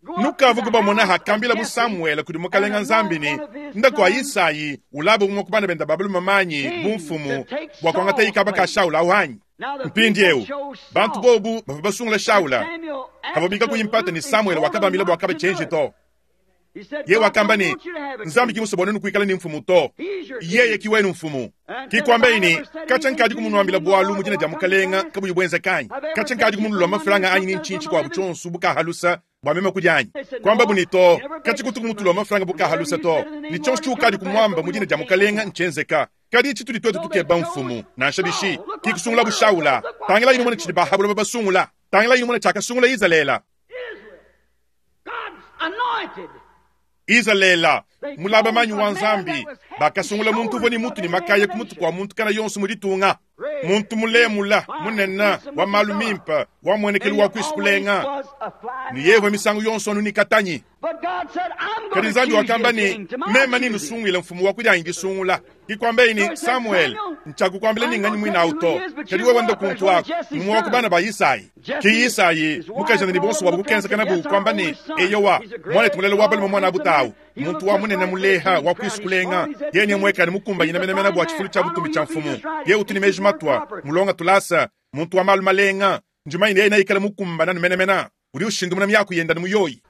Go up to nukavu the kubamona house of hakambila bu Jesse samuele kudi and mukalenga anoint nzambi ni one of his ndako wa sons isayi ulaba umwe kubana benda babalu mamanyi king to bumfumu take bwa kwangata Saul's ikaba ka place. shaula awanyi Now the mpindi people ewu chose bantu Saul. bobu bava basungula But shaula Samuel havabika kuyimpata ni absolutely samuele told him wakabambila not bwakaba to do chenji it. to He said, ye God wakamba don't ni want you to have a nzambi king. kimusoboneni kuikala ni mfumu to He's your yeye king. kiwenu mfumu And said, if kikwamba I ini ever said kacha anything nkadi to you in the kumunwambila name of the bwalu Lord, mujina will ja I come to mukalenga pass? kabuyi bwenza kanyi I've ever kacha nkadi begged you for kumunulwa money or mafulanga anyi something ni out of nchinchi my kwa living? buchonsu bukahalusa bwamema kujanyi They said, kwamba no, bunito never beg kachi us kuti for kumutulwa money. mafulanga And whatever bukahalusa you to said in the ni name of the chonse Lord, it come chiukadi to pass, kumwamba but we mujina won't ja change mukalenga it. nchenzeka kadi chituli twetu So they tukeba chose mfumu nansha bishi Saul. Look what the kikusungula world does. bushaula Look what tangela inu mwana chili Samuel bahabula babasungula tangela inu mwana chakasungula izalela Israel, God's anointed. izalela They mulaba chose manyi a wa man nzambi that was head and bakasungula muntu shoulders voni above mutu ni every makaya other kumutu nation. kwa muntu kana yonso mulitunga Great Muntu mulemula munene wa malu mimpe wa muenekelu wa kuisu kulenga ne yevwe misangu yonso anu ni katanyi. Kadi Nzambi wakamba ne meme ni nusungwile mfumu wa kudianyi disungula. Kikwambe ni Samuel nchakukwambile ni nganyi mwina auto. Kadi wewe wenda kuntu wako mumwe wa kubana ba Isai. Ki Isai mukajana ni bonso wa kukenza kana bu kwamba ni eyowa mwana tumulele wa balume mwana abutawu. Muntu wa munene muleha wa kuisu kulenga yeye mweka ni mukumba yina mena mena bwa chifulu cha butumbi cha mfumu. Ye utuni meji matwa mulonga tulasa muntu wa malu malenga njumaine yeye naikala mukumba nanu mena mena. Uri ushindu muna miyaku yenda ni muyoyi.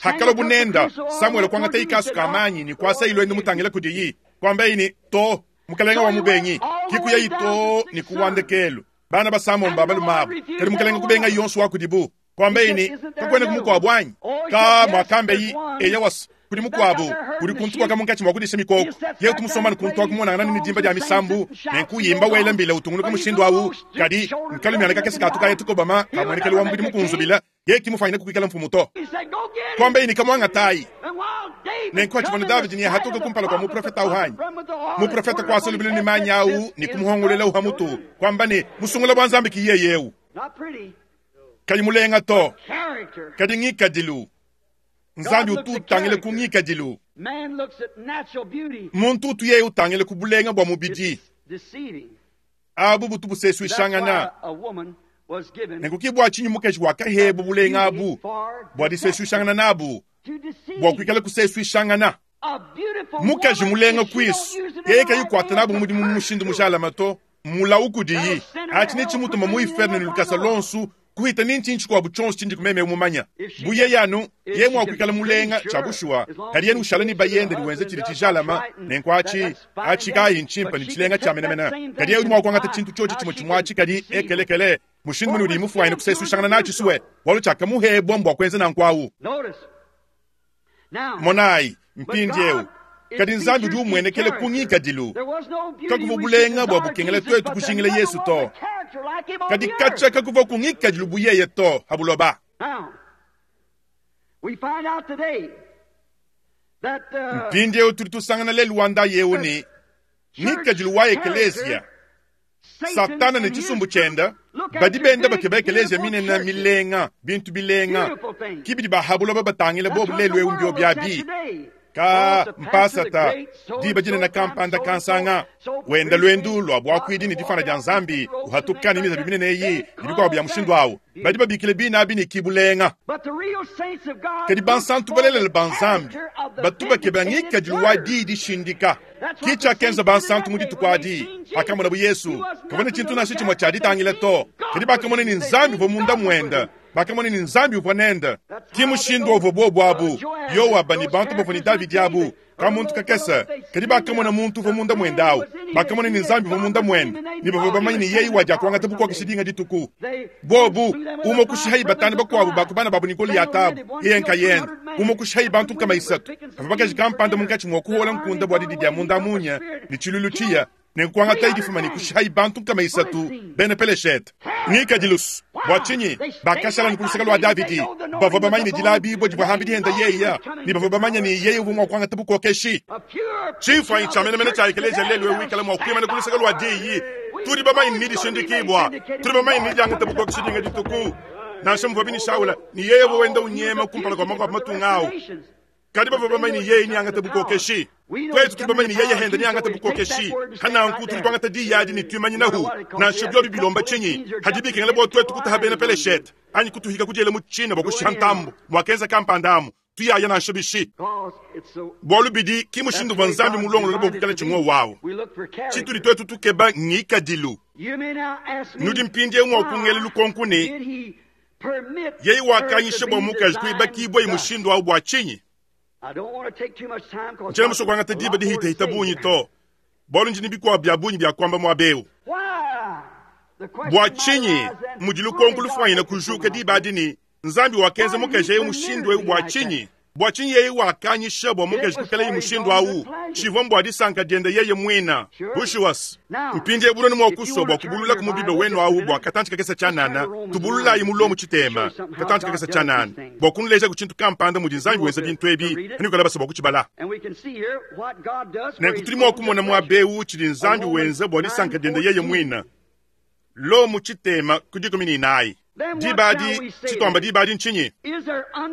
Hakalo bunenda Samuel kwangata ikasu kamanyi ni kwasa ilo ende mutangila kudiyi kwamba ini to mukalenga wa mubengi kikuya ito ni kuwandekelu bana basamo mbabalu mabu kadi mukalenga kubenga yonso wa kudibu kwamba ini kakwene kumukwa bwanyi ka mwakambe yi eya was kuli mukwabu kuli kuntu kwa kamunkachi mwakudisha mikoko yetu tumusomana kuntu akumona ngana ni dimba dia misambu nenkuyimba wela mbila utungulu kumushindu awu kadi nkalumyana kakesi katuka yetu kobama kamwenekeli wa mbidi mukunzubila ye kimufanyina kukwikala mfumuto kwamba ini kamwanga tai nenkwachivona David ni hatuka kumpala kwa muprofeta uhanyi muprofeta kwasolubile ni manyau ni kumuhongolela uhamutu kwamba ni musungula bwa Nzambi kiyeyewu kali mulenga to kadi ngikadilu Nzambi ututangile kungikadilu. Muntu utuye utangile kubulenga bwa mubidi. Abu butu buseswishangana. Nekukibwa chinyu mukeshi wakahebu bulenga abu. Bwa diseswishangana nabu. Bwa kwikala kuseswishangana. Mukeshi mulenga kwisu. Yeye kayikwata nabu mudi mumushindu mushala mato. Mula ukudiyi. Achine chimutu mamuiferne nilukasa lonsu. Kuhita ninchi nchi kwa buchonsi chindi kumeme umumanya. Buye yanu, ye mwa mulenga chabushwa. Kadi yenu ushala ni bayende ni wenze chili chijalama. Nenkwa achi, achi kai nchimpa ni chilenga cha menamena. Kadi yenu mwa kuangata chintu chochi chimo chimwachi kadi ekelekele. Mushindu munu ulimufu waine kusesu shangana na chisuwe. Walu chaka muhe bombo kwenze na nkwawu. Monai, mpindi eu. Kadi Nzambi du mwenekele kungika dilu. Kakuvubulenga bwa bukengele twetu kushingile Yesu to. Kadi kacha kakuva kungika dilu buyeye to habuloba. Mpindi eu tulitusangana le Luanda yeuni. Ngika dilu wa ekelesia. Satana ne chisumbu chenda. Badi benda bakeba ekelesia minena milenga, bintu bilenga. Kibidi bahabuloba batangile bobu lelu eu byabi. Ka mpasata diba jina na kampanda kansanga wenda lwendu lwa bwakwidi ni difana dia Nzambi uhatukani miza bimine neyi nibikwa bya mushindu awo badi babikile bina bini kibulenga kadi bansantu balelele banzambi batubake bangika dilwa di shindika kicha kenza bansantu mudi tukwadi akamona bu Yesu kabone chintu na shichimwa cha ditangile to kadi bakamone ni Nzambi vo munda mwenda bakamone ni Nzambi uponenda kimushindu ovo bobo abu Yoaba ni bantu bofoni David abu kamuntu kakesa kadi bakamona muntu vo munda mwendawo bakamone ni Nzambi vo munda mwenda ni bavo bamanyi ni yeyi waja kwangata bukwa kishidinga dituku bobu umo kushihai batani bakwabu bakubana babu ni Goliatabu iyenka yenda umo kushihai bantu kama isatu avabakaji kampanda munkachi mwokuhola nkunda bwa didi dia munda munya ni chiluluchiya nenkwangata idifuma ni kushihai bantu kama isatu bene peleshete ngikadilusu bwa chinyi bakashala nikulusaka lwa Davidi bavo bamanyi ni dilabi bo dibwa henda yeya ni bavo bamanya ni yeye ubumwa kwangata bukokeshi chifa inchamene mene cha ekelesia lelu wikala mwa kwima nikulusaka lwa diyi turi bamanyi ni dishindikibwa turi bamanyi ni diangata bukokeshi dinga dituku nansha mvwa ni Shaula ni yeye wenda unyema kumpala kwa makwa matungao kadi bavo bamanyi ni yeye ni angata bukokeshi twetu turi bamanyi ni yeye henda ni angata bukokeshi kana nku turi kwangata diyadi ni tumanyi nahu nansha byo bibilomba chinyi hadibike ngale bo twetu kutahabena peleshete anyi kutuhika kujele mu China bokushantambo mwakenza kampandamu tuyaya nansha bishi bwalu bidi kimushindu bwa Nzambi mulongo lobo kukala chimwe wawo chituli twetu tukeba ngikadilu nudi mpindie mwa kungele lukonkune yeye wakanyishe bwa mukaji kuibakibwa imushindu au bwa chinyi nchela musoko angata diba dihita hitabunyi to bwalu njini bikwa bya bunyi bya kwamba mwabeu bwa chinyi mudilu konku lufwanyina kujuka diba adini Nzambi wakenza mukaji eyo mushindu eu bwa chinyi Bua tshinyi yeye wakanyisha bua mukaji kuikalaye mushindu awu? Tshivua mbua disanka diende yeye muina. Bushuwa. Mpindiewu bunene mua kusua bua kubulula ku mu Bible wenu awu bua katantshi kakese tshianana, tubululayi mu Lomo tshitema, katantshi kakese tshianana, bua kunuleja ku tshintu kampanda mudi Nzambi wenza bintu ebi, anuikala basa bua kutshibala. Nenku tudi mua kumona muaba ewu tshidi Nzambi wenza bua disanka diende yeye muina. Lomo tshitema ku dikumi ne inayi. Diba adi, tshituamba diba adi ntshinyi?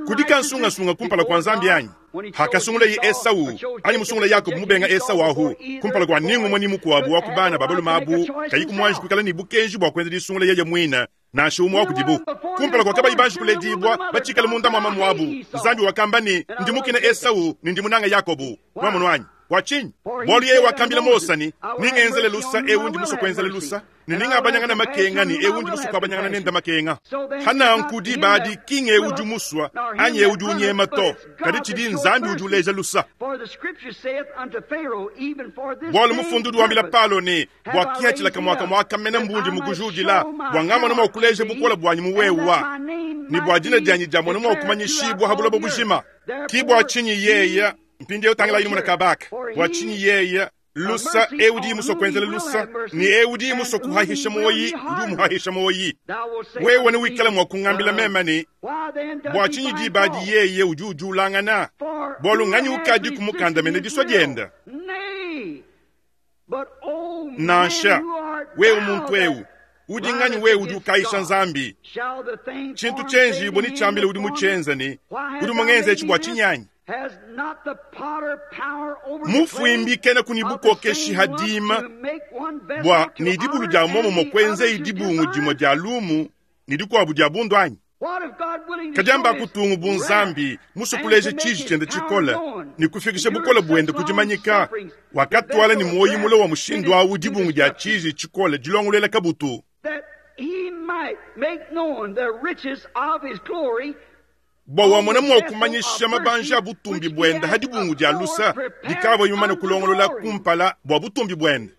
Kudi kansungasunga kumpala kua Nzambi anyi? Hakasungulaye Esau anyi musungula Yakobo mubenga Esau ahu kumpala kua ningumue ni mukuabu wa ku bana ba balume abu kayi kumuanji kuikala ne bukenji bua kuenza disungula yeye muine nansha umue wa kudibu. Kumpala kua kabayi banji kuledibua batshikale munda mua mamu wabu, Nzambi wakamba ne, ndi mukine Esau ne ndi munanga Yakobo. Nwamonu anyi? Bua tshinyi? Bualu yeye wakambila Mose ne, ningenzele lusa ewu ndi musue kuenzela lusa, ne ningabanyangana makenga ne ewu ndi musue kuabanyangana nende makenga. Hananku diba adi ki ng'ewu udi musua anyi ewu udi unyema to, kadi tshidi Nzambi udi uleja lusa. Bualu mufundu udi wambila Palo ne, bua kihatshila kamua kamua kamena mbundi mukujudila, bua ngamona mua kuleja bukola buanyi mu wewa, ne bua dina dianyi diamona mua kumanyishibua ha buloba bujima. Ki bua tshinyi yeye mpindiewu tangila yini muna kabaka, bua tshinyi yeye lusa ewu udi musue kuenzela lusa, ne ewu udi musue kuhahisha moyi udi umuhahisha moyi. Wewe ne wikala mua kungambila meme ne, bua tshinyi diba adi yeye udi udiulangana? Bualu nganyi ukadi kumukandamena disua dienda? Nansha wewe muntu ewu udi nganyi wewe udi ukaisha Nzambi? Tshintu tshienjibua ne tshiambila udi mutshienza ne udi mungenza etshi bua tshinyi anyi? Mufuimbi kena kuni bukokeshi hadima bua ne dibulu dia muomumue kuenza dibungu dimue dia lumu ne dikuabu dia bundu anyi? Kadi amba kutungu bu Nzambi musukuleje tshiji tshiende tshikole ne kufikisha bukole buende kudimanyika, wakatwala ne muoyo mule wa mushindu awu dibungu dia tshiji tshikole dilongolola kabutu, bua wamona mua kumanyisha mabanja a butumbi buende ha dibungu dia lusa dikavua yumana kulongolola kumpala bua butumbi buende.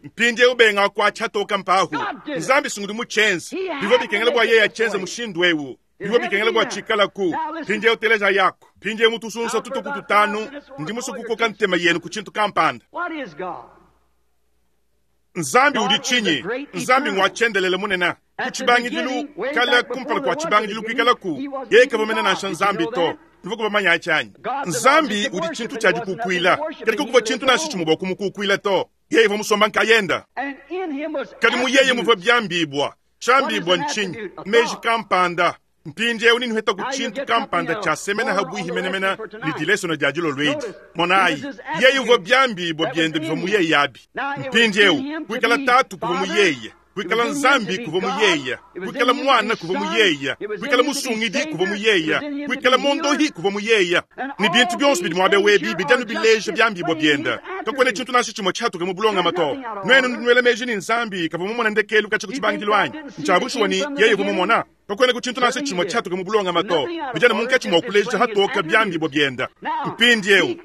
Mpindiewu benga kuatsha toka mpahu Nzambi sungudi mutshienze bivua bikengela bua yeye atshienze mushindu ewu, bivua bikengela bua tshikalaku. Mpindiewu teleja yako, mpindiewu mutusunsa tutuku tutanu ndi musue kukoka ntema yenu ku tshintu kampanda. Nzambi udi tshinyi? Nzambi ngwa tshiendelele munene. Ku tshibangidilu kala kumpala kua tshibangidilu kuikalaku, yeye kavua nansha Nzambi to. Tuvua kubamanya tshianyi. Nzambi udi tshintu tshia dikukuila, kadi kukuvua tshintu nansha tshimue bua kumukukuila to. Yeye uvua musomba nkayenda. Kadi mu yeye muvua biambibua, tshiambibua ntshinyi? Meji kampanda. Mpindiewu ninuheta ku tshintu kampanda tshia semena habuihi menemene ne dilesona dia dilolo edi. Monayi, yeye uvua biambibua biende bivua mu yeye abi. Mpindiewu kuikala tatu kuvua mu yeye, kuikala Nzambi kuvua mu yeye, kuikala mwana kuvua mu yeye, kuikala musungidi kuvua mu yeye, kuikala mondohi kuvua mu yeye. Ne bintu bionso bidi muabe webi bidianu bileja biambibua biende. Kakuena tshintu nansha tshimue tshihatuke mu bulongama to. Nuenu nuela meji ni Nzambi kavua mumona ndekelu katshia ku tshibangidilu anyi? Ntshiabushuwa ni yeye uvua mumona. Kakuena ku tshintu nansha tshimue tshihatuke mu bulongama to. Bidianu munkatshi mua kuleja hatoka biambibua biende. Mpindiewu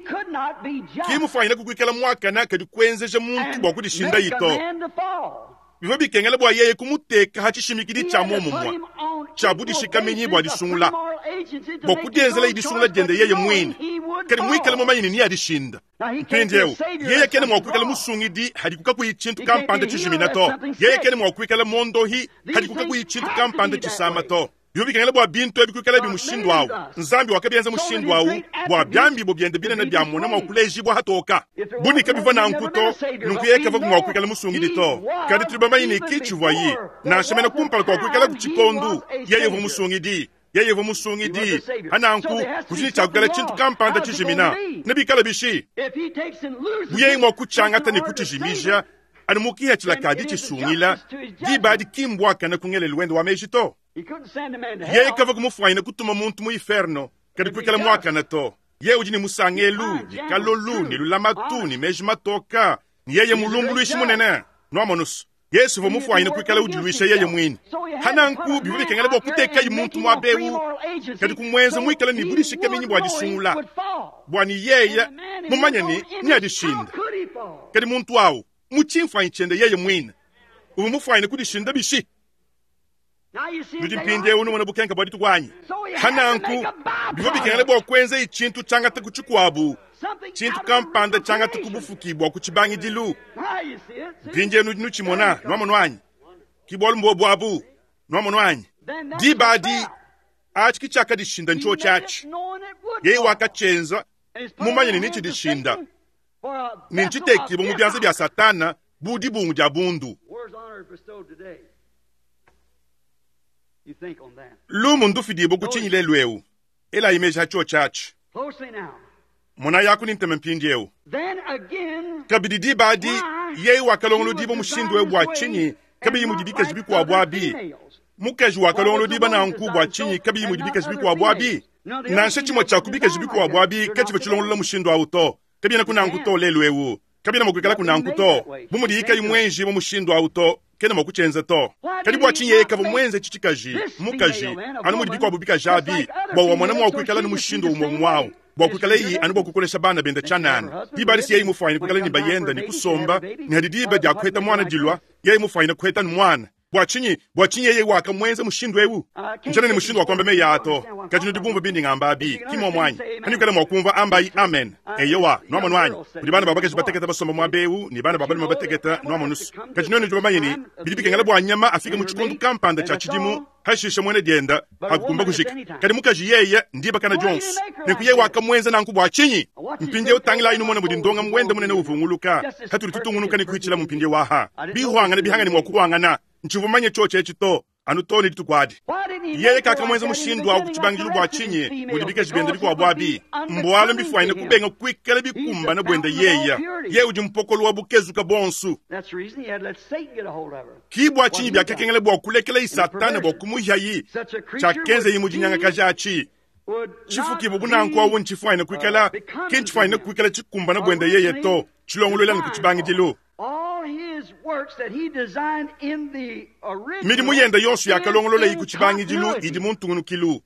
ki mufanyine kukuikala muakana kadi kuenzeja muntu bua kudishinda ito. Bivua bikengela bua yeye kumuteka ha tshishimikidi tshia muomumue tshia budishikaminyi bua disungula, bua kudienzela idisungula diende yeye muine, kadi muikale mumanye ne adishinda. Mpindiewu yeye kena mua kuikala musungidi hadi kukakuyi tshintu kampanda tshijimina to. Yeye kena mua kuikala mondohi hadi kukakuyi tshintu kampanda tshisama to. Bivua bikengela bua bintu ebi kuikala bi mushindu awu. Nzambi wakabienza mushindu awu bua biambibo biende binene bia mona mua kulejibua hatoka. Bunika bivua nanku to, nunku yeye kavua mua kuikala musungidi to. Kadi tudi bamanye ne ki tshivuaye, nansha mena kumpala kua kuikala ku tshikondu, yeye uvua musungidi. Yeye uvua musungidi. Hananku kudi tshia kuikala tshintu kampanda tshijimina. Ne bikala bishi? Bu yeye mua kutshiangata ne kutshijimija, anu mukihatshila kadi tshisungila, diba adi ki mbuakana ku ngelelu wende wa meji to. Yeye kavua kumufanyina kutuma muntu mu inferno, kadi kuikala muakana to. Yeye udi ne musangelu, ne kalolu, ne lulamatu, ne meji matoka, ne yeye mulumbuluishi munene. Nwamonusu, Yesu uvua mufanyine kuikala udiluisha yeye muine. Hananku bivua bikengela bua kutekayi muntu muaba ewu, kadi kumuenza muikale ne budishikaminyi bua disungula, bua ne yeye mumanye ne neadishinda. Kadi muntu awu mu tshimfuanyi tshiende yeye muine uvua mufanyine kudishinda bishi? Nudi mpindieu numona bukenka bua dituku anyi? Hananku bivua bikengela bua kuenza tshintu tshiangata ku tshikuabu, tshintu kampanda tshiangata ku bufuki bua ku tshibangidilu. Mpindieu nudi nutshimona, nuamono anyi? Ki bualu mbobu abu, nuamono anyi? Diba adi atshi ki tshiakadishinda ntsho tshiatshi. Yeye wakatshienza mumanye ne nitshidishinda ne ntshitekibua mu bianza bia Satana bu dibungu dia bundu. Lumu ndufidibue ku tshinyi lelu eu? Elayi meji ha tsho tshiatshi. Mona yaku ni ntema mpindieu. Kabidi diba adi yeye wakalongolodibua mushindu eu bua tshinyi kabiyi mudi bikaji bikuabu abi? Mukaji wakalongolodiba nanku bua tshinyi kabiyi mudi bikaji bikuabu abi? Nansha tshimue tshia ku bikaji bikuabu abi katshivua tshilongolola mushindu awu to. Kabiena kunanku to lelu eu. Kabiena mua kuikala kunanku to. Bu mudi ikayi mwenji mu mushindu awu to, kena mua kutshienza to. Kadi bua tshinyi yeye kavua muenze tshitshikaji, mukaji, anu mudi bikuabu bikaji abi, bua wamona mua kuikala ne mushindu umue umue awu, bua kuikala iyi anu bua kukolesha bana benda tshianana. Diba adi si yeye mufuanyine kuikala ne bayenda ne kusomba, ne hadi diba dia kuheta mwana dilua, yeye mufuanyine kuheta ne mwana. Bua tshinyi? Bua tshinyi yeye wakamuenza mushindu eu? Njana ne mushindu wa kuamba meyi ato. Kadi nudi bumvua bindi ngamba abi, ki muomu anyi? Hanyi mua kumvua ambayi amen. Eyowa, nuamono anyi? Kudi bana ba bakaji bateketa basomba muaba eu ne bana ba balume bateketa nuamonusu. Kadi nuenu nudi bamanye ne bidi bikengela bua nyama afike mu tshikondo kampanda tshia tshidimu, hashisha muena dienda akukumba kujika. Kadi mukaji yeye ndiba kana dionso. Nenku yeye wakamuenza nanku bua tshinyi? Mpindieu tangilayi numona mudi ndonga mwenda munene uvunguluka. Hatudi tutungunuka ne kuitshila mu mpindieu aha. Bihwangana bihangane mua kuhwangana. Ntshivua mumanye tsho etshi to, anu to ne dituku adi. Yeye kakamuenza mushindu awu ku tshibangidilu bua tshinyi mudi bikaji bienda bikuabu abi? Mbualu mbifuanyine kubenga kuikala bikumbana buenda yeya. Yeye udi mpokolo wa bukezuka bonsu. Ki bua tshinyi biakakengela bua kulekela Satana bua kumuhiayi tshiakenzeyi mu dinyangakaja atshi. Tshifukibu bunanku awu ntshifuanyine kuikala ki ntshifuanyine kuikala tshikumbana buenda yeye to, tshilongolola ne ku tshibangidilu. Midimu yenda yonso yakalongolola iku tshibangidilu idi mu ntungunukilu.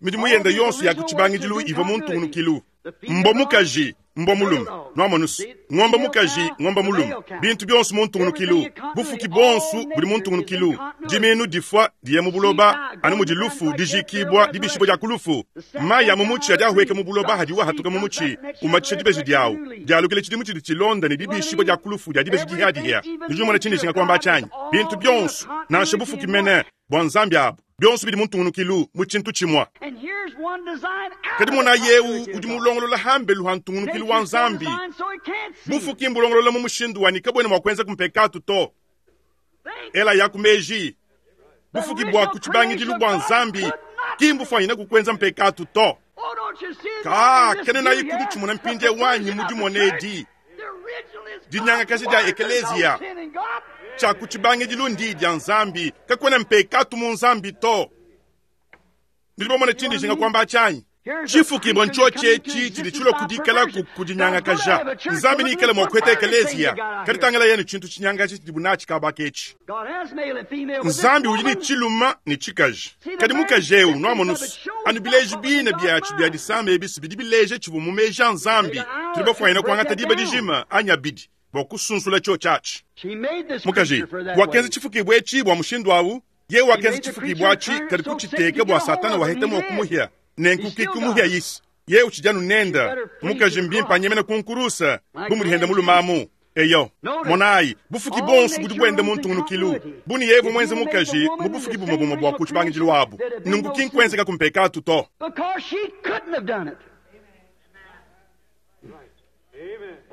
Midimu yenda yonso ya ku tshibangidilu ivua mu ntungunukilu. Mbo mukaji, mbo mulume, nuamonusu. Ngomba mukaji, ngomba mulume. Bintu bionso mu ntungunukilu. Bufuki bonso budi mu ntungunukilu. Diminu difua diye mu buloba, anu mudi lufu dijikibua dibishibua dia ku lufu. Mayi a mu mutshi adi ahweka mu buloba hadiwu ahatuka mu mutshi, umatshisha dibeji diawu. Dialukile tshidimu tshidi tshilonda ne dibishibua dia ku lufu dia dibeji dihiadihia. Nudi numona tshindi tshinga kuamba tshianyi? Bintu bionso, nansha bufuki mene bua Nzambi abu, bionso bidi mu ntungunukilu mu tshintu tshimue. Kadi mona yeu udi mulongolola hambelu ha ntungunukilu wa Nzambi. Bufuki mbulongolola mu mushindu wani kabwena mua kuenza kumpekatu to. Ela yaku meji. Bufuki bua ku tshibangidilu bua Nzambi ki mbufuanyine kukuenza mpekatu to. Ka kene nayi kudi tshimona mpindieu wanyi mu dimona edi. Dinyangakaja dia ekelezia tshia ku tshibangidilu ndi dia Nzambi, kakuena mpekatu mu Nzambi to. Nudi bamona tshindi tshinga kuamba tshianyi? Tshifukibua ntsho tshietshi tshidi tshilua kudikala ku kudinyangakaja. Nzambi nikale mua kuheta ekelezia, kadi tangila yenu tshintu tshinyangakaja tshidibu natshi kabaka etshi. Nzambi udi ne tshiluma ne tshikaji. Kadi mukaji eu nuamonusu, anu bileji bine biatshi bia disama ebisi bidi bileja tshivua mu meji a Nzambi. Tudi bafuanyine kuangata diba dijima anyi abidi bua kusunsula tshio tshiatshi. Mukaji wakenza tshifukibua etshi bua mushindu awu. Yeye wakenza tshifukibua atshi kadi kutshiteka bua Satana waheta mua kumuhia. Nenku kikumuhia yisi. Yeye utshidi anu nenda. Mukaji mbimpe anyemena ku nkurusa bu mudi henda mulumamu. Eyo, monayi, bufuki bonso budi buenda mu ntungunukilu. Buni yeye mwenze mukaji mu bufuki bumwe bumwe bua ku tshibangidilu abu. Nunku ki nkuenzeka kumpekatu to.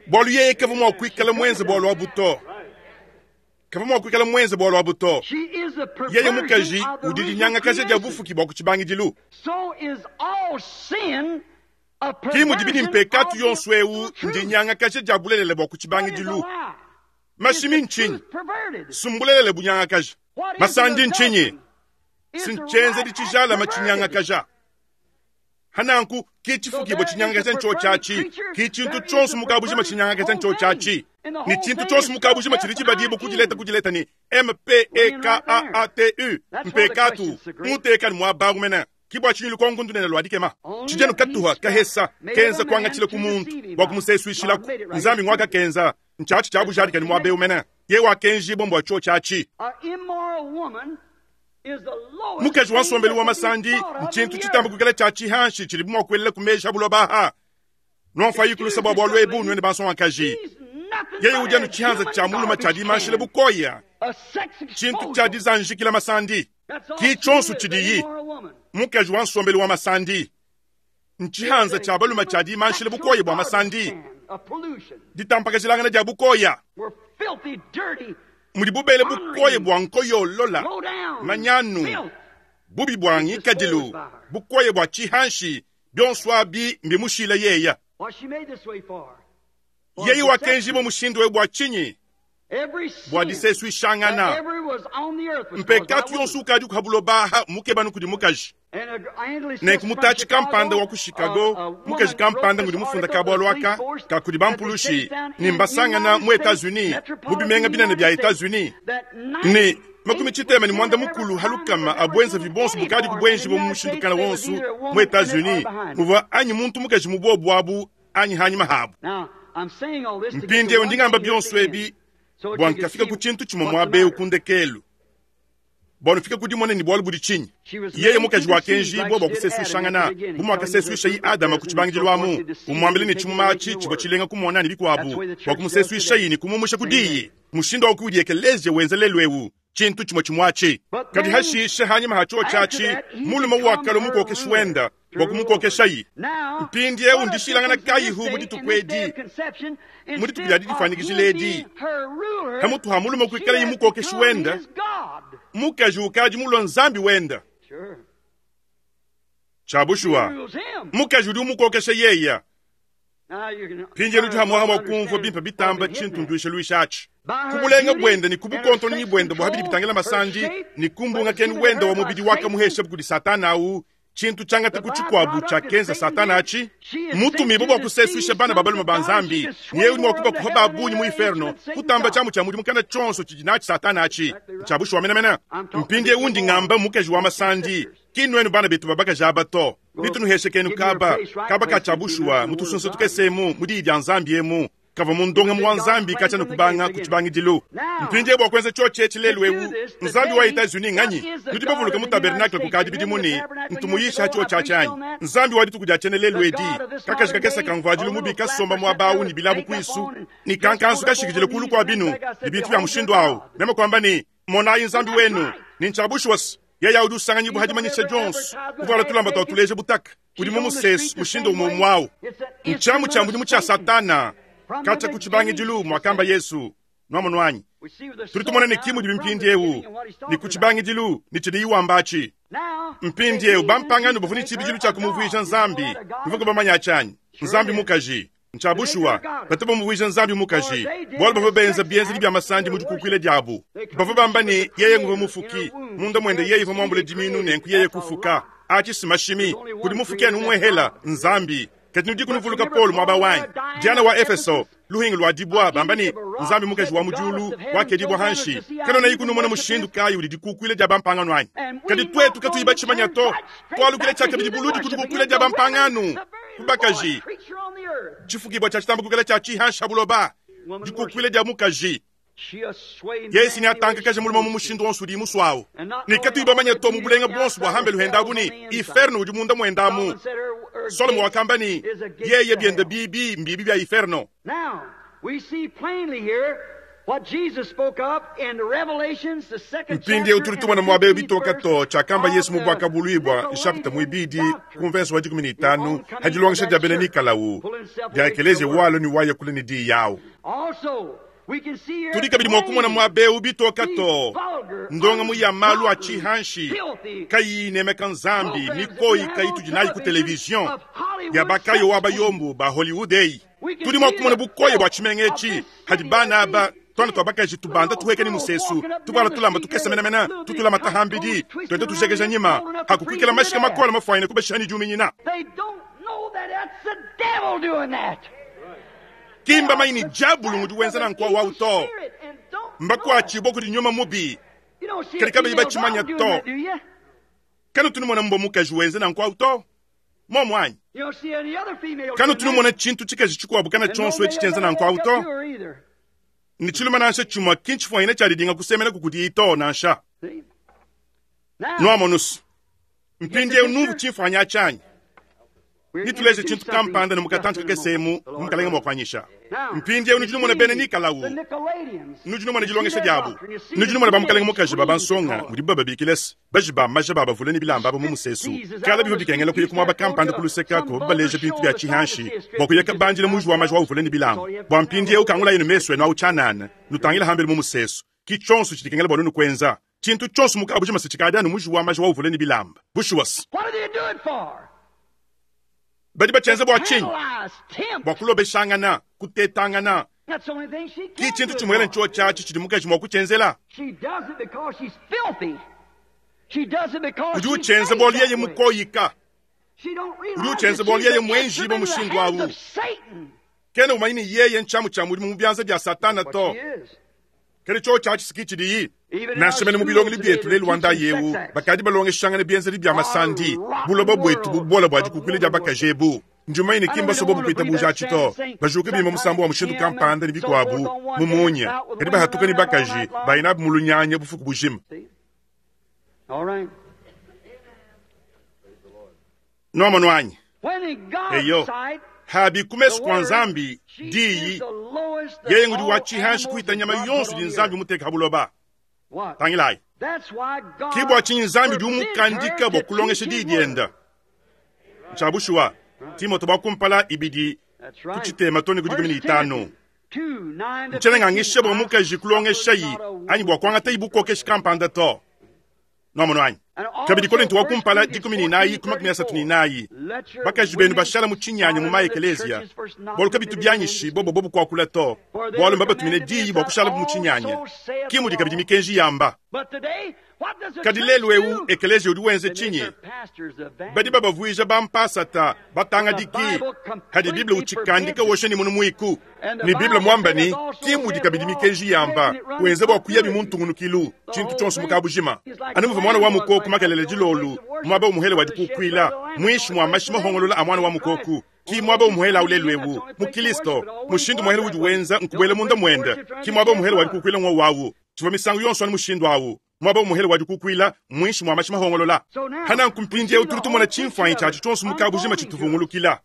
Bualu yeye kavua mua kuikala mwenze bualu abu to. Kavua mua kuikala mwenze bualu abu to. Yeye mukaji udi dinyangakaja dia bufuki bua ku tshibangidilu. Ki mudi bidi mpekatu yonso eu ndinyangakaja dia bulelela bua ku tshibangidilu. Mashimi ntshinyi? Sumbulelele bunyangakaja. Masandi ntshinyi? Sintshienzedi tshijalama tshinyangakaja. Hananku ki tshifukibua tshinyangakaja ntsho tshiatshi, ki tshintu tshionso mukabujima tshinyangakaja ntsho tshiatshi. Ni tshintu tshionso mukabujima tshidi tshibadibu kudileta kudileta ni M P E K A A T U mpekatu muteka ni muabangu mena. Ki bua tshinyi lukongo ndunene lua dikema. Tshijanu katuha kahesa kenza kuangatshila ku muntu bua kumusesuishilaku. Nzambi ngwaka kenza ntshiatshi tshia bujadika ni muabeu mena. Ye wakenjibwa mbua tsho tshiatshi. Mukaji wa nsombelu wa masandi ntshintu tshitamba kuikala tshia tshihanshi tshidi mua kuelela ku meji a buloba. Nwamfayi kulusa bua bualu ebu nwene bansongakaji. Yeye udi anu tshihanza tshia muluma tshia dimanshile bukoya, tshintu tshia dizanjikila masandi. Ki tshionso tshidiyi mukaji wa nsombelu wa masandi ntshihanza tshia baluma tshia dimanshile bukoya bua masandi, ditampakajilangana dia bukoya mudi bubele bukoya bua nkoyolola manyanu bubi bua ngikadilu bukoya bua tshihanshi bionso abi mbimushila yeya. Yeye wakenjibwa mushindu we bua tshinyi bua disesuishangana mpekatu yonso ukadi kuhabulobaha mukebanu kudi mukaji. Nenku mutachi kampanda wa ku Chicago, mukaji kampanda ngudi mufunda ka bualu aka ka kudi bampulushi ni mbasangana mu Etats-Unis mu bimenga binene bya Etats-Unis ni makumi tshitema ni mwanda mukulu halukama abwenza vibonso bukadi kubwenji bo mushindu kana wonso mu Etats-Unis muvua anyi muntu mukaji mubobu abu anyi hanyuma habu. Mpindiewu ndingamba bionso ebi bua nkafika ku tshintu tshimue muaba eu ku ndekelu bua nufika ku dimona ni bualu budi tshinyi. Yeye mukaji wakenjibwa bua kusesuishangana bu muakasesuisha Adama ku tshibangidilu amu umwambile ni tshimuma atshi tshivua tshilenga kumona ni bikuabu bua kumusesuisha ni kumumusha ku diyi mushindu wa kudi ekelezia wenza lelu ewu tshintu tshimue tshimue atshi. Kadi hashishe hanyuma hacho tshiatshi mulume wakalo mukokeshi wenda bua kumukokeshayi. Mpindiewu ndishilangana kayihu mu dituku edi mu dituku dia didifanikishila edi hamutu ha mulume kuikalayi mukokeshi wenda mukaji ukadi mulwa nzambi wenda. Tshia mukaji udi umukokesha yeya. Mpindiewu udi hamuha mua kumvua bimpe bitamba tshintu nduisha luisha atshi kubulenga bwenda ni kubukontonyi bwenda bua habidi bitangila masandi ni kumbunga kenu wenda wa mubidi wakamuhesha kudi satana au tshintu tshiangata ku tshikuabu tshiakenza satana atshi mutumibo bua kusesuisha bana babalume ba nzambi niye udi mua kuba kuha babunyi mu inferno kutamba tshiamu tshia mudimu kana tshionso tshidi natshi satana atshi tshia bushuwa menemene. Mpindiewu ndi ngamba mukaji wa masandi ki nwenu bana betu babakaji aba to nitunuheshe kenu kaba kaba ka tshia bushuwa mutusunsa tukesemu mu diyi dia nzambi emu kava mundonga mu wa nzambi katshia ne kubanga ku tshibangidilu. Mpindiewu bua kuenza tshio tshi lelu ewu nzambi wa Etats-Unis nganyi nudi bavuluka mu tabernacle kukadi bidimu ni ntumuyisha tshio tshia anyi nzambi wa dituku dia tshiene lelu edi kakaji kakesa kamvuadilu mubi kasomba muaba awu ni bilabu kuisu ni kankansu kashikidile kulu kua binu ni bintu bya mushindu awu meme kwamba ni monayi nzambi wenu ni ntshia bushuwa yeye udi usanganyibu hadimanyisha Jones kuvala tulamba twa tuleje butaka udi mu musesu mushindu umwe mwawu ntshiamu tshia mudimu tshia satana katshia ku tshibangidilu mwakamba Yesu nwamunwanyi tuli tumona ni kimu dibi mpindiewu ni ku tshibangidilu ni tshidi iwambachi mpindiewu bampangano bavua ni tshibidilu tshia kumuvuija nzambi nivuka bamanya tshanyi nzambi mukaji ntshia bushuwa batu bamuvuija nzambi mukaji bualu bavua benza bienzedi bya masandi mu dikukuila diabu bavua bamba ni yeye nguva mufuki munda mwende yeye iva muambule diminu nenku yeye kufuka atshi simashimi kudi mufuki anu umwehela nzambi kati nudi kunuvuluka Paulo mwaba wanyi Diana wa Efeso luhingu lwa dibwa bamba ni nzambi mukaji wa mujulu wakedibwa hanshi kano nayi kunumona mushindu kayi udi dikukuila dia bampangano anyi kadi twetu katuyiba tshimanya to twalukile tshiakabidi buludi kudikukuila dia bampangano kubakaji tshifukibwa tshia tshitamba kukela tshia tshihansha buloba dikukuila dia mukaji Yesu ni atankakaje muluma mu mushindu wonso udi muswawu ni katuyiba manya to mu bulenga bonso bua hambelu hendabu ni inferno udi munda mwendamu. Solomo wakamba ni yeye biende bibi mbibi bya inferno. Now we see plainly here what Jesus spoke of in the Revelations, the second mpindiewu tuli tumona muaba bitoka to tshiakamba Yesu mu bwaka buluibwa nshapita muibidi ku mverso wa dikumi ni itanu hadilongesha dia bena Nikolawu dia ekelezia walo ni waya kule ni diyi yawu. Tudi kabidi mua kumona muaba eu bitoka to ndonga mu ya malu a tshihanshi kayi nemeka nzambi mikoyi kayi tudi nayi ku television ya bakayo wa bayombu ba Hollywood eyi tudi mua kumona bukoye bua tshimenga etshi hadi bana aba twana twa bakaji tubanda tuheka ni musesu tubala tulamba tukesa menamena tutulama tahambidi twende tujekeja nyima hakukwikela mashika makola mafaine kubashani juminyina. Kimba maini jabulu ngudi wenza na nkwa wau to mbakwachibwa kudi nyuma mubi kadi kabayi bachimanya to kanu tunumona mbo mukaji wenza na nkwa to momo anyi kanu tunumona tshintu tshikaji tshikuabu kana tshonso etshi tshienza na nkwa to ni tshiluma nansha tshimue kintshifuanyine tshiadidinga kusemena kukudi ito nansha. Nwamonusu. Mpindiewu numvu tshimfuanyi tshianyi. Nituleje tshintu kampanda ne mukatantu kakesemu mukalenga mwa kuanyisha. Mpindiewu nudi numona bena Nikolawu. Nudi numona dilongesha diabu. Nudi numona ba mukalenga mukaji ba bansonga mudibu bababikila se baji ba maja ba bavule ne bilamba aba mu musesu. Kala bivua bikengela kuya ku muaba kampanda ku luseka ko baleja bintu bia tshihanshi bua kuya kabandila muji wa maja wa uvule ne bilamba. Bua mpindiewu kangulayi ne mesu enu awu tshianana nutangila hambele mu musesu. Ki tshionso tshidi kengela bua nunu kuenza. Tshintu tshionso mukabu tshimase tshikadi anu muji wa maja wa uvule ne bilamba. Bushuwa se. What do they do it for? Badi bachenza bua tshinyi? Tantalize, tempt. Bua kulobeshangana, kutetangana. That's the only thing she Ki can tshintu do it tshimwele for. ntsho tshiatshi tshidi mukaji mua kuchenzela. She does it because she's filthy. She does it because Udi she's uchenza made bua that yeye way. mukoyika. She don't Udi realize uchenza that bua she's yeye an mwenji instrument ba in the mushindu hands awu. of Satan. Kena umanyi ni yeye nchamu cha mudimu mu byanza bya Satana What to. she is. Kele cho tshiatshi siki tshidiyi. Even in Nansha our mene mu bilongeli schools today, bietu they're lelu wanda teaching yewu, sex acts. bakadi balongeshangana bienzedi bya masandi. Our Buloba bwetu rotten bubola bua world dikukwila dia of bakaji ebu. Njumaine kimba sobo bukwita buja tshito. Bajuka bima musambo wa mushindu kampanda ne bikwabu mumunya. Kadi bahatuka ne bakaji bayina mu lunyanya bufuku bujima. See? All right. Nwamonu anyi. When in God's Eyo. sight, Habi the kumesu kwa word, Nzambi she diyi is the lowest that yeye ngudi all wa tshihanshi animals kuita that nyama God put yonso on di the Nzambi earth. muteka habuloba. What? Tangilayi. That's why God Ki bua tshinyi Nzambi udi forbids umukandika her bua to kulongesha teach diyi his word. dienda. Ntshabushuwa. Timote bua kumpala ibidi That's right. kuchitema tone ku dikumi ne First itanu. Timothy two, nine to Ntshenga ngishe bua fifteen. mukaji kulongesha yi anyi bua kuangata ibukokeshi kampanda to. Nwamono anyi. And also Kabidi Korinto wa First kumpala Corinthians dikumi ne inayi ku makumi asatu ne inayi. Let your Bakaji benu women bashala mu tshinyanya mu follow the maekeleziya. churches first not Bwalu kabitu permitted byanyishi men to bobo bobo kuakula to. For they Bwalu were mbabatumine commanded diyi to bua be kushala mu also tshinyanya. saith Ki mudi the kabidi law. mikenji yamba. But today, what does the Kadi church lelu ewu do? ekeleziya udi wenze They make tshinyi? their pastors evangelists. Badi babavuija bampasata batangadiki hadi Biblia uchikandika woshe ni munu mwiku. Ni Biblia mwamba ni ki mudi kabidi mikenji yamba wenze bua kuya bimuntungunukilu tshintu tshonso mukabujima. Anu muva mwana wa mukoku makelele dilolu mwaba umuhele wa dikukwila mwishi mwa mashi mahongolola a mwana wa mukoku. Ki mwaba umuhela ulelu ewu mu Kristo mushindu muhele udi wenza nkubwele munda mwenda. Ki mwaba umuhele wa dikukwila ng'o wawu. Tshiva misangu yonso anu mushindu awu. Mwaba umuhele wa dikukwila mwishi mwa mashi mahongolola. Hana nkumpindiewu tuli tumona tshimfuanyi tshiatshi tshonso mukabujima tshituvungulukila.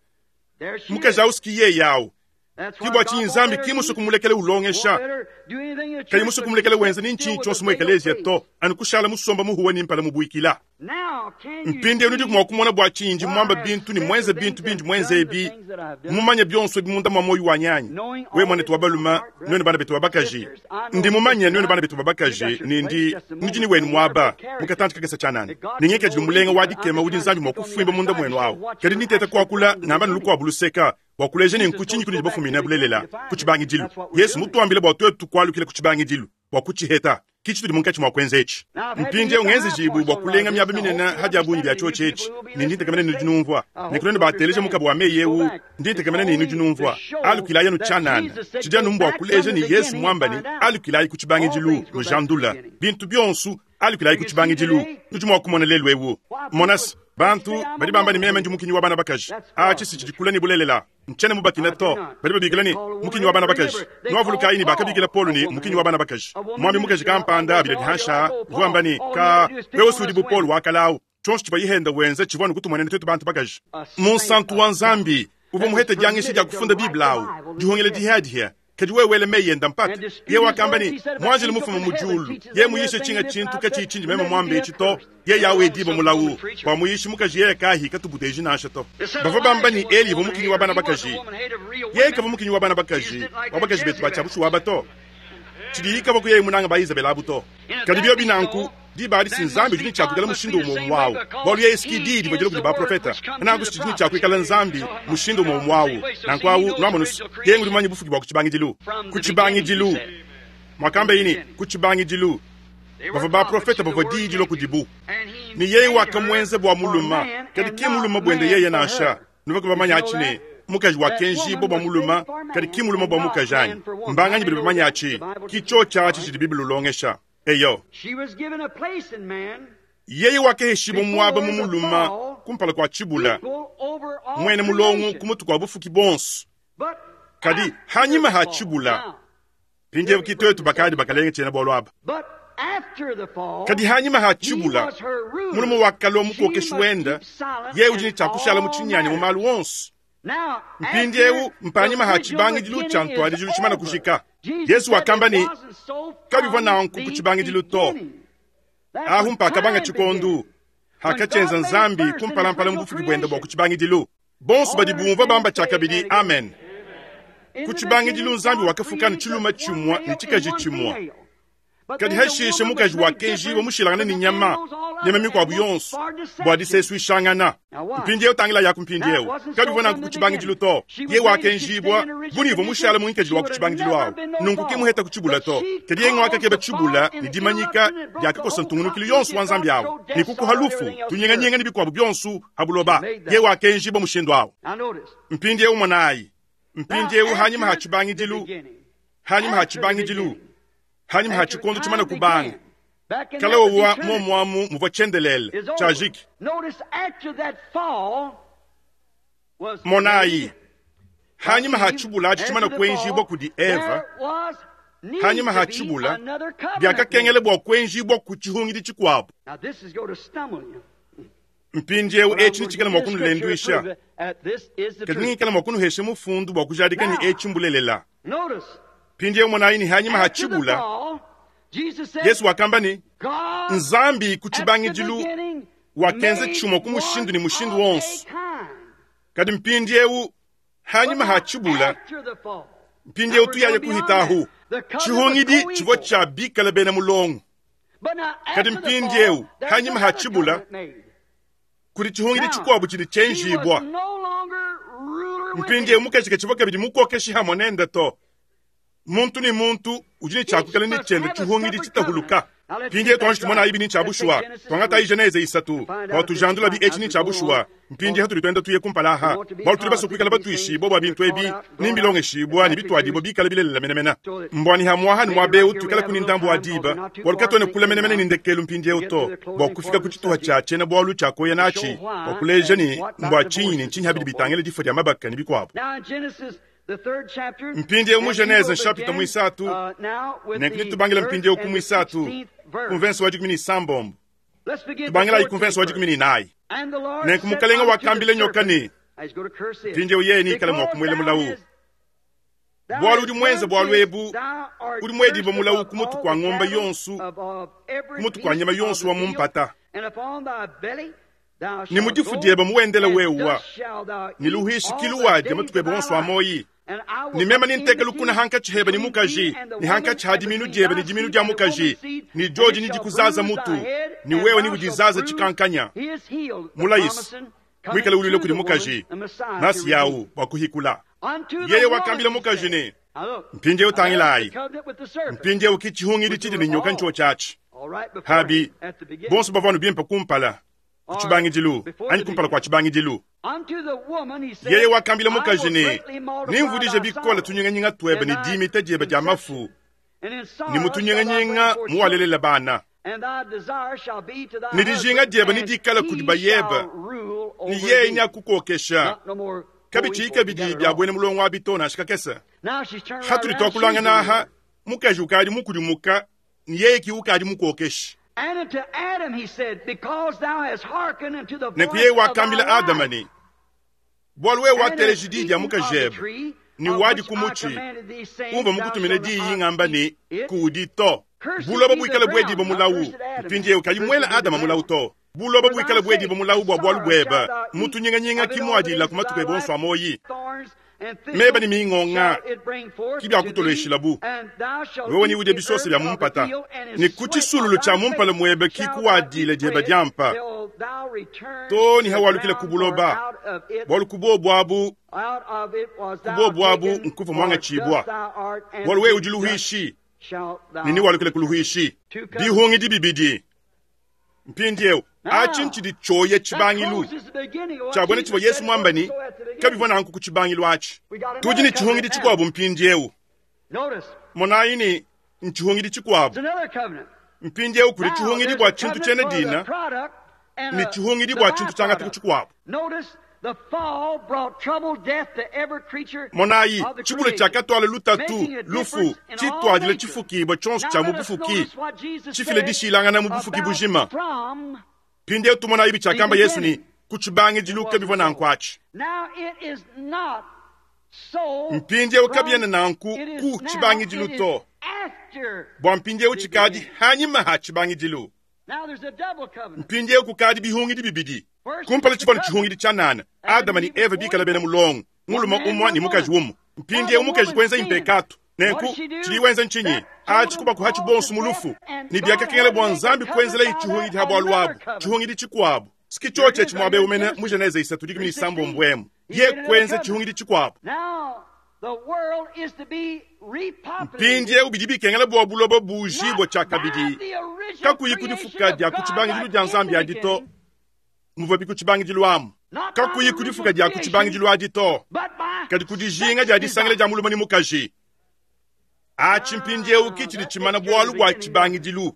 There she Mukaji is. awu siki yeye awu. That's why Ki bua God tshinyi won't Nzambi let her ki musu teach. kumulekele ulongesha. Won't let her do anything in the Kayi church musu but kumulekele she wenza sits ni still ntshinyi with tshonso the mu veiled ekeleziya face. to anu kushala musomba muhuwa ni mpala mubuikila. Now can you Mpindiewu nudi see mua kumona bua tshinyi ndi why muamba I have bintu ni said mwenze the bintu things bindi and mwenze done the ebi. things that I've done? Mumanye byonso ebi munda mwa moyo wa nyanyi. Knowing We all mwana this tu wa in my baluma, heart, nwenu brothers bana betu wa and bakaji. sisters, I know Ndi mumanye that nwenu bana betu wa you bakaji got your ni place ndi just a nudi ni moment. wenu Don't mwaba. worry about Mukatanti kakesa chanani. That God Ningeke can jili mold mulenga you, wa but I'm dikema just udi trying to Nzambi mwa speak on the kufwimba munda outside to mwenu show awu. what Kadi you're nitete actually kuakula from the ngamba beginning. nulukwa buluseka. Bua kuleja ni Jesus nkuchinyi told kudi go back to bafumina the beginning bulelela to find it. kuchibangidilu. That's what we're Yesu doing. mutuambile bua twetu tukwalukile kuchibangidilu bua kuchiheta. Kichi tudi munkatshi mua kuenza etshi. Now, I've had to Mpindiewu hit the ngenze high jibu points bua on a lot kulenga of miaba this, and I minene hope you hadi ya bungi understand bya it, and you tshotsho etshi. people who will be Ni listening nditegemene to nudi this numvua. I hope Nekulonde you bateleje understand. mukabo wa meyi Go ewu. back. It's Nditegemene ni only nudi numvua. to show Alukilayi anu that tshianana. Jesus said, Tshidi anu go mbua back from kuleja the ni Yesu beginning and mwamba ni find out. alukilayi All kuchibangidilu things go back to the lujandula. beginning. Bintu byonso alukilayi You can see kuchibangidilu. today Nudi mua kumona lelu ewu. why people Monasi bantu say I'm a badi bamba ni woman meme ndi mukinyi wa bana bakaji. That's far Achi from si the tshidi kula ni bulelela. Nchene mubakina I do to. not. Badi babikila They ni call a woman mukinyi wa bana bakaji. remember, they Nwavulukayi ni call bakabikila Paul Paul ni a woman mukinyi wa bana bakaji. A woman Mwambi mukaji minister out kampanda there bila all you dihansha like, oh vuamba Paul, ni all you ka had to do is pick wewe on usudi us bu Paul women. wakalawu. Tshonso tshivua yihenda wenza tshivua nukutumwenene twetu bantu bakaji. A saint Munsantu of wa God Nzambi uva that was muhete diangishi dia permitted to kufunda write Biblia the awu. Bible in Dihongele the Text dihadiha. Kadi wewe wele meyenda mpata. and dispute Ye his wakamba words. ni He said, if an mwanjele angel mufuma from heaven mujulu. teaches Ye any other muyishe thing chinga than this chintu I've kachi said, chinji let meme him mwambe be echito. accursed. Ye There yawe was diba some mulawu. woman preacher. Bwa muyishi mukaji yeye kahi katubuteji nansha to. They said Bava bamba ni Elijah was a Eli woman mukinyi wa hater. bana He wasn't bakaji. a woman hater of real Ye women. kava mukinyi wa bana He just bakaji. didn't like Wa them bakaji betu bacha Jezebels. bushuwa bato. Tshidi kava kuye munanga ba Isabel abuto. And if Kadi that byo be binanku so, diba adi then sinzambi must be jini God chakukala must be mushindu the umo same way mwawu. Bwalu because ye eski he didi is bwajele the kudi ba word profeta. which come to Nangu the chijini prophets. chakwikala nzambi So it must mushindu be umo God the mwawu. same way. So see, Nanku he awu knows the nwamonusu. original Ye ngudi creation manyi bufuki bwa kuchibangidilu. from the beginning, he Kuchibangidilu. said. Mwakamba From the ini beginning. kuchibangidilu. They were Bava ba prophets profeta who the bava word didi came to. lokudibu. And he Ni yeye made her wakamwenze bwa for muluma. man Kadi and ki not muluma bwende man yeye for nansha. her. Nubako Did you bamanya know achine. that? Mukaji wa That kenji woman bo bwa was muluma. made for Kadi man ki muluma and bwa not mukaji anyi. man for woman. How Mbanganyi many bidi know bamanya that? achi. The Bible teaches Kicho that, all chachi right? chidi Biblia ulongesha. Eyo. She was given a place in man Yeye wakeheshimu mwaba before mu the muluma fall, kumpala kwa chibula. equal over all Mwene mulongo creation. kumutu kwa bufuki bonso. But Kadi after hanyima the ha fall, chibula. now, Pindiewu kitwetu bakadi bakalenge chena bwalu aba. but Kadi hanyima ha tshibula mulume wakalua mukokeshi wenda, yeye udi ne tshia kushala mu tshinyanya mu malu wonso. Mpindiewu mpanyima ha tshibangidilu tshia ntuadijilu tshimana kujika. Yesu wakamba ne kabivua nanku ku tshibangidilu to. Ahu mpakabanga tshikondu hakatshyenza Nzambi kumpalampala mu bufuki buenda bua ku tshibangidilu. Bonso badi bumva bamba tshiakabidi amen. Ku tshibangidilu Nzambi wakafuka ne tshiluma tshimua ne tshikaji tshimua. Kadi hashishe mukaji wakenjiwa mushilangana ne nyama, nyama mikuabu yonso bua disesuishangana. Mpindiewu tangila yaku mpindiewu kabivua nanku ku tshibangidilu to. Ye wakenjibwa bunivua mushala mu nkadilu wa ku tshibangidilu awu. Nunku ke muheta ku tshibula to. Kadi ye ngwakakeba tshibula ne dimanyika diakakosa ntungunukilu yonso wa Nzambi awu ne kukuha lufu tunyenganyenge ne bikuabu bionso ha buloba. Ye wakenjibwa mushindu awu. Mpindiewu monayi. Mpindiewu hanyima ha tshibangidilu, hanyima ha tshibangidilu, hanyima ha tshikondo tshimana kubanga kalawa momwamu muvua tshiendelele tshiajiki. Monayi hanyima ha tshibula atshi tshimana kuenjibwa kudi Eva, hanyima ha tshibula biakakengela bua kuenjibwa ku tshihungidi tshikuabu. Mpindiewu etshi nitshikala mua kunulenduisha, kadi ningikala mua kunuhesha mufundu bua kujadika ni etshi mbulelela. Mpindiewu monayi ni hanyima ha tshibula Yesu wakamba ne Nzambi ku tshibangidilu wakenza tshimua ku mushindu ne mushindu wonso. Kadi mpindiewu hanyima ha tshibula, mpindiewu tuyaya kuhitahu tshihungidi tshivua tshia bikala bena mulongo. Kadi mpindiewu hanyima ha tshibula kudi tshihungidi tshikuabu tshidi tshienjibwa. Mpindiewu mukaji katshivua kabidi mukokeshi hamwe nende to. Muntu ni muntu udi ne tshiakukala ne tshiende tshihungidi tshitahuluka. Mpindiewu tuanji tumona ibi ni tshia bushuwa. Tuangata Genese isatu bua tujandula bi etshi ni tshia bushuwa. Mpindiewu hatudi tuenda tuye kumpala aha bua tudi basue batuishibua bua bintu ebi ni mbilongeshibua ni bituadibua bikala bilelela menemene. Mbwani hamwaha ni mwabeu tuikala kuni ndambu wa diba bua lukatuene kula menemene ni ndekelu mpindiewu to bua kufika ku tshituha tshia tshiena bualu tshia koya natshi bua kuleja ni mbua tshinyi ne ntshinyi habidi bitangila difua dia mabaka ne bikuabu. Mpindiewu mu Genese chapitre mwisatu nenkuni tubangila mpindiewu ku mwisatu kumvenso wa dikumi ne sambombo tubangila ikumvenso wa dikumi ne inayi. Nenku mukalenga wakambila nyoka ne mpindiewu yeye nikala mua kumuela mulawu. Bualu udi mwenza bualu ebu udi muediba mulawu ku mutu kua ngombe yonsu ku mutu kua nyama yonsu wa mumpata. Ni mudifu dieba muwendela wewa ni luhishi kiluwadya matuku ebe wonso wa moyi. Ni mema ninteka lukuna hankatshi heba ni mukaji ni hankatshi ha diminu dieba ni diminu dia mukaji ni joji ni dikuzaza mutu ni wewe ni udizaza tshikankanya. Mulayisi mwikale ulile kudi mukaji nasi yawu bua kuhikula. Yeye wakambila mukaji ne mpindiewu tangilayi mpindiewu ki tshihungidi tshidi ne nyoka ntsho tshiatshi. Habi bonso bavua bimpe kumpala ku tshibangidilu anyi kumpala kua tshibangidilu. Yeye wakambila mukaji ne nimvudije bikola tunyinganyinga tuebe ne dimita diebe dia mafu ne mutunyinganyinga muwalelela bana. Ne dijinga diebe ne dikala kudi bayebe ne yeye nyakukokesha kabitshi kabidi bia buena mulongo wa bito nansha kakese. Hatudi twakulangana aha mukaji ukadi mukudimuka ne yeye ki ukadi mukokesha. Nenku yeye wakambila Adama ne bualu wewe wateleji diyi dia mukajebe ni wadi ku mutshi umva mukutumina diyi ngamba ne kudi to. Buloba buikale buediba mulawu. Mpindiewu kayi muela Adama mulawu to. Buloba buikale buediba mulawu bua bualu bueba mutunyinganyinga kimuadila ku matuku ebe onso a moyi. Meba ni mingonga kibya kutoleshila bu wewe ni ude bisose bya mumpata ni kutshisululu tshia mumpala muebe kikuwadile dieba diampa to ni hawalukile kubuloba bualu kubobu abu kubobu abu nkuva mwanga tshibwa bualu wewe udi luhishi nini walukile kuluhishi bihungi dibibidi. Mpindiewu atshi ntshidi tshoye tshibangilu tshiabwene tshivua Yesu mwambani kabivua nanku ku tshibangilu atshi. Tudi ne tshihungidi tshikuabu mpindiewu. Monayi ni ntshihungidi tshikuabu mpindiewu kudi tshihungidi bua tshintu tshiena dina ne tshihungidi bua tshintu tshiangata ku tshikuabu. Monayi, tshibula tshiakatwala lutatu, lufu, tshitwadile tshifukibwa tshionso tshia mu bufuki, tshifile dishilangana mu bufuki bujima. Mpindieu tumonayi bitshiakamba Yesu ni ku tshibangidilu kabivua nanku atshi. Mpindieu kabiena nanku ku tshibangidilu to, bua mpindieu tshikadi hanyima ha tshibangidilu. Mpindieu kukadi bihungidi bibidi. Kumpala tshivua tshihungidi tshia nana, Adama ni Eva bikala bena mulongo, mulume umue ni mukaji umue. Mpindieu mukaji kuenza impekatu. Nenku tshidi wenza ntshinyi? Atshi kubakuha tshibonso mu lufu. Ni biakakengela bua Nzambi kuenzela tshihungidi ha bualu abu, tshihungidi tshikuabu. Siki tshotshi etshi muabe umene mu Genese isatu dikumi ne isambombo emu. Ye kuenza tshihungidi tshikuabu. Mpindieu bidi bikengela bua buloba bujibua tshiakabidi, kakuyi kudifuka dia ku tshibangidilu dia Nzambi adi to, muvua bi ku tshibangidilu amu. Kakuyi kudifuka dia ku tshibangidilu adi to, kadi kudijinga dia disangila dia mulume ne mukaji. Atshi mpindieu ki tshidi tshimana bualu bua tshibangidilu.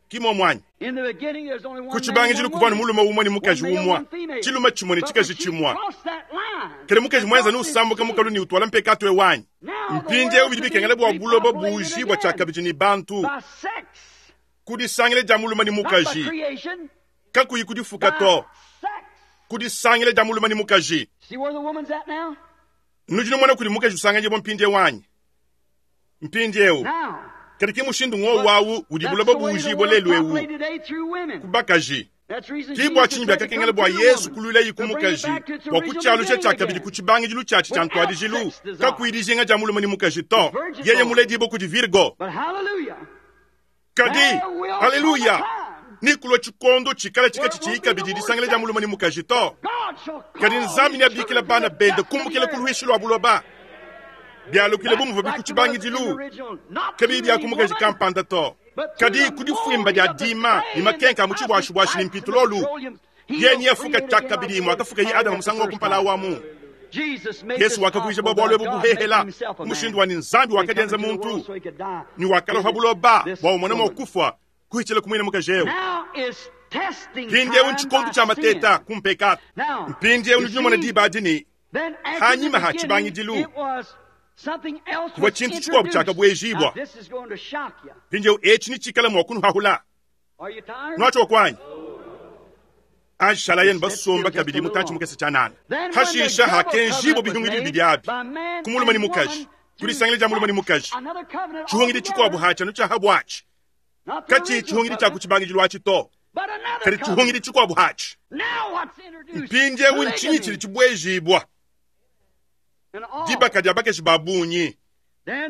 Ki muomu anyi? Ku tshibangidilu kuvua ne mulume umue ne mukaji umue, tshilume tshimue ne tshikaji tshimue. Kadi mukaji muenza ne usambuka mukalu ne utwala mpekatu ewu anyi? Mpindieu bidi bikengela bua buloba bujibua tshiakabidi ne bantu kudisangila dia mulume ne mukaji, kakuyi kudifuka to, kudisangila dia mulume ne mukaji. Nudi numona kudi mukaji usanganyibua mpindieu anyi? Mpindieu kadi ki mushindu ngowu wawu udi buloba bujibua lelu ewu ku bakaji. Ki bua tshinyi biakakengela bua Yesu kuluilayi ku mukaji bua kutshialusha tshiakabidi ku tshibangidilu tshiatshi tshia ntuadijilu, kakuyi dijinga dia mulume ne mukaji to. Yeye muledibue kudi Virgo. Kadi haleluya, ni kulua tshikondo tshikala tshika tshitshiyi kabidi disangila dia mulume ne mukaji to. Kadi Nzambi neabikila bana bende kumbukila ku luishi lua buloba. Bialukile bu muvua bi ku tshibangidilu, kabiyi bia ku mukaji kampanda to. Kadi kudifuimba dia dima ne makenka a mu tshibuashibuashi ne mpitulolu, yeye niyafuka tshiakabidi muakafuka ye Adama musangu wa kumpala awamu. Yesu wakavuija bua bualu ebu buhehela mushindu wa ni Nzambi wakadienza muntu ni wakaloha buloba bua umone mua kufa kuhitshila kumwina mukaji ewu. Mpindieu ntshikondo tshia mateta ku mpekatu. Mpindieu nudi numona diba adi ni hanyima ha tshibangidilu kuvua tshintu tshikuabu tshiakabuejibua. Mpindieu etshi ni tshikala mua kunuhahula. Nuatshioka kwanyi? Anshala yenu basomba kabidi mutantshi mukese tshianana. Hashisha hakenjibua bihungidi bibidi abi ku mulume ne mukaji, kudisangila dia mulume ne mukaji. Tshihungidi tshikuabu hatshia tshia habuatshi, katshi tshihungidi tshia ku tshibangidilu atshi to, kadi tshihungidi tshikuabu hatshi. Mpindieu ntshinyi tshidi tshibuejibua? Dibaka dia bakaji ba bungi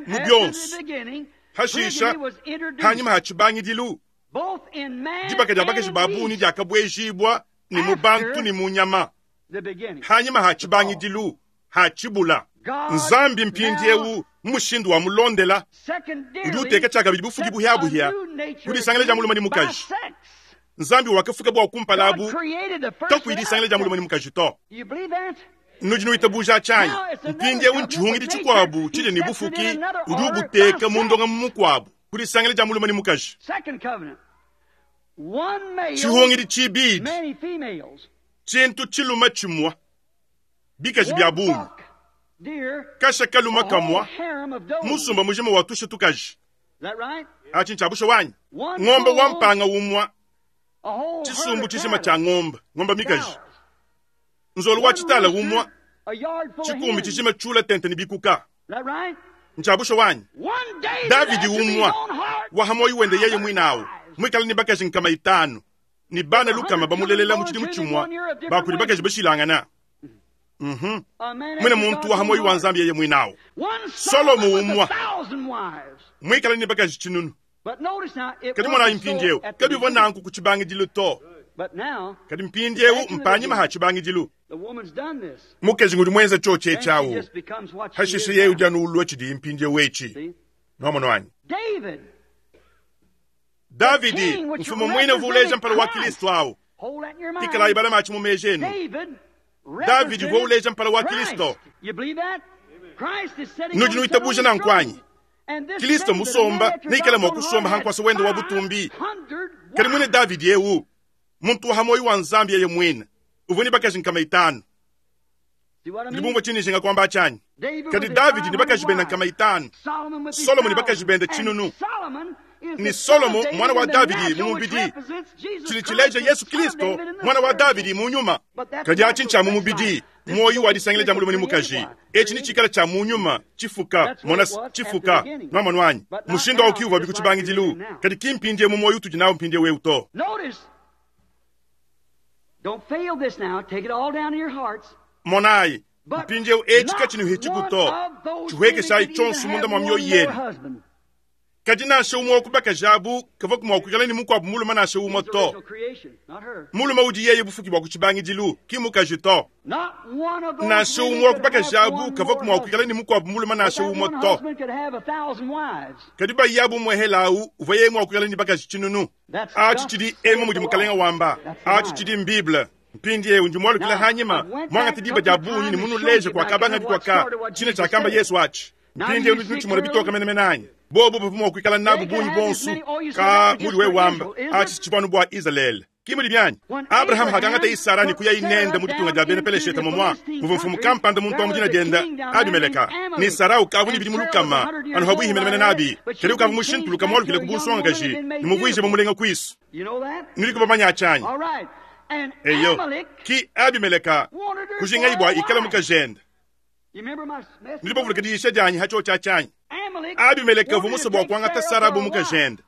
mu bionso. Hashisha hanyima ha tshibangidilu, dibaka dia bakaji ba bungi diakabuejibua ni mu bantu ni mu nyama. Hanyima ha tshibangidilu ha tshibula. Nzambi mpindieu mushindu wa mulondela udi uteka tshiakabidi bufuki buhiabuhia kudisangila dia mulume ne mukaji. Nzambi wakafuka bua kumpala abu kakuyi disangila dia mulume ne mukaji to. Nudi nuitabuja tshianyi? Mpindieu ntshihungidi tshikuabu tshidi ne bufuki udi ubuteka mu ndonga mukuabu kudisangila dia mulume ne mukaji. Tshihungidi tshibidi, tshintu tshilume tshimue, bikaji bia bungi, kasha kaluma kamua, musumba mujima wa tusha tukaji. Atshi ntshiabusha wanyi? Ngombe wa mpanga umua, tshisumbu tshijima tshia ngombe, ngombe mikaji. Nzolu wa tshitala umua, tshikumbi tshijima tshula tente ne bikuka. Ntshiabusha wanyi? Davidi umua, wahamoyi wende yeye mwinawu, mwikala ni bakaji nkama itanu, ni bana lukama bamulelela mu tshidimu tshimua, bakudi bakaji bashilangana. Mhm. Mwene muntu wa hamoyi wa Nzambi yeye mwinawu. Solomo umua, mwikala ni bakaji tshinunu. Kadi mwana mpindieu, kabivua nanku ku tshibangidilu to. Kadi mpindieu mpanyima ha tshibangidilu. Mukaji ngudi mwenza tshotshi etshi Hashishe yeye udi anu ulua tshidi mpindieu etshi. Nuamono anyi? Davidi, mfumu mwine uvuleja mpala wa Kristo awu. Tikalayi bala matshi mu meji enu. Davidi uvua uleja mpala wa Kristo. Nudi nuitabuja nanku anyi? Kristo musomba neikala mua kusomba hankwasa wende wa butumbi. Kadi mwine Davidi ewu, muntu wa hamoyi wa Nzambi yeye mwine, uvua ne bakaji nkama itanu. Nudi bumvua tshindi njinga kuamba tshianyi? Kadi Davidi ne bakaji bende nkama itanu, Solomo ne bakaji bende tshinunu, ne Solomo mwana wa Davidi mu mubidi, tshidi tshileja Yesu Kristo mwana wa Davidi mu nyuma. Kadi atshi ntshia mu mubidi, muoyo wa disangila dia mulume ne mukaji. Etshi ni tshikala tshia mu nyuma, tshifuka, mona tshifuka, nwamonu wanyi. Mushindu awu kiuvua biku tshibangidilu, kadi ki mpindie mu muoyo utudi nawu mpindie wewu to. Monayi, mpindiewu etshi katshinuhitshiku to, tshihuekeshayi tshionso munda mua mioyo yenu. Kadi nansha umwe wa ku bakaji abu kavua mua kuikala ne mukuabu mulume nansha umwe to. Mulume udi yeye bufuki bua ku tshibangidilu, ki mukaji to. Nansha umwe wa ku bakaji abu kavua mua kuikala ne mukuabu mulume nansha umwe to. Kadi bayabu muehela awu uvua yeye mua kuikala ne bakaji tshinunu. Atshi tshidi emu mudi mukalenga wamba, atshi tshidi m'Bible. Mpindiewu ndi mualukila hanyima, muangate diba dia bungi ne munuleje kuakabanga bikuaka tshine tshiakamba Yesu atshi. Mpindiewu nudi nutshimona bitoka menemene anyi? Bobo bavua mua kuikala nabu bungi bonso ka mudi wewe wamba atshi tshivua bua Israele. Ki mudi bianyi? Abraham hakangata Isara ne kuya inende mu ditunga dia bena Peleshete momwa muvua mfumu kampanda muntu wa mu dina diende Abimeleka. Ne Sara ukavua ne bidimu lukama anu habuihi menemene nabi, kadi ukavua mushintuluka mualukile ku bunsongakaji ne muvuije mumulenga kuisu. Nudi kubamanya atshanyi? Eyo, ki Abimeleka kujingayi bua ikala mukajende. Nudi bavuluka diyisha dianyi hatshio tshianyi. Abimeleka uvua musue bua kuangata Sara bu mukajende.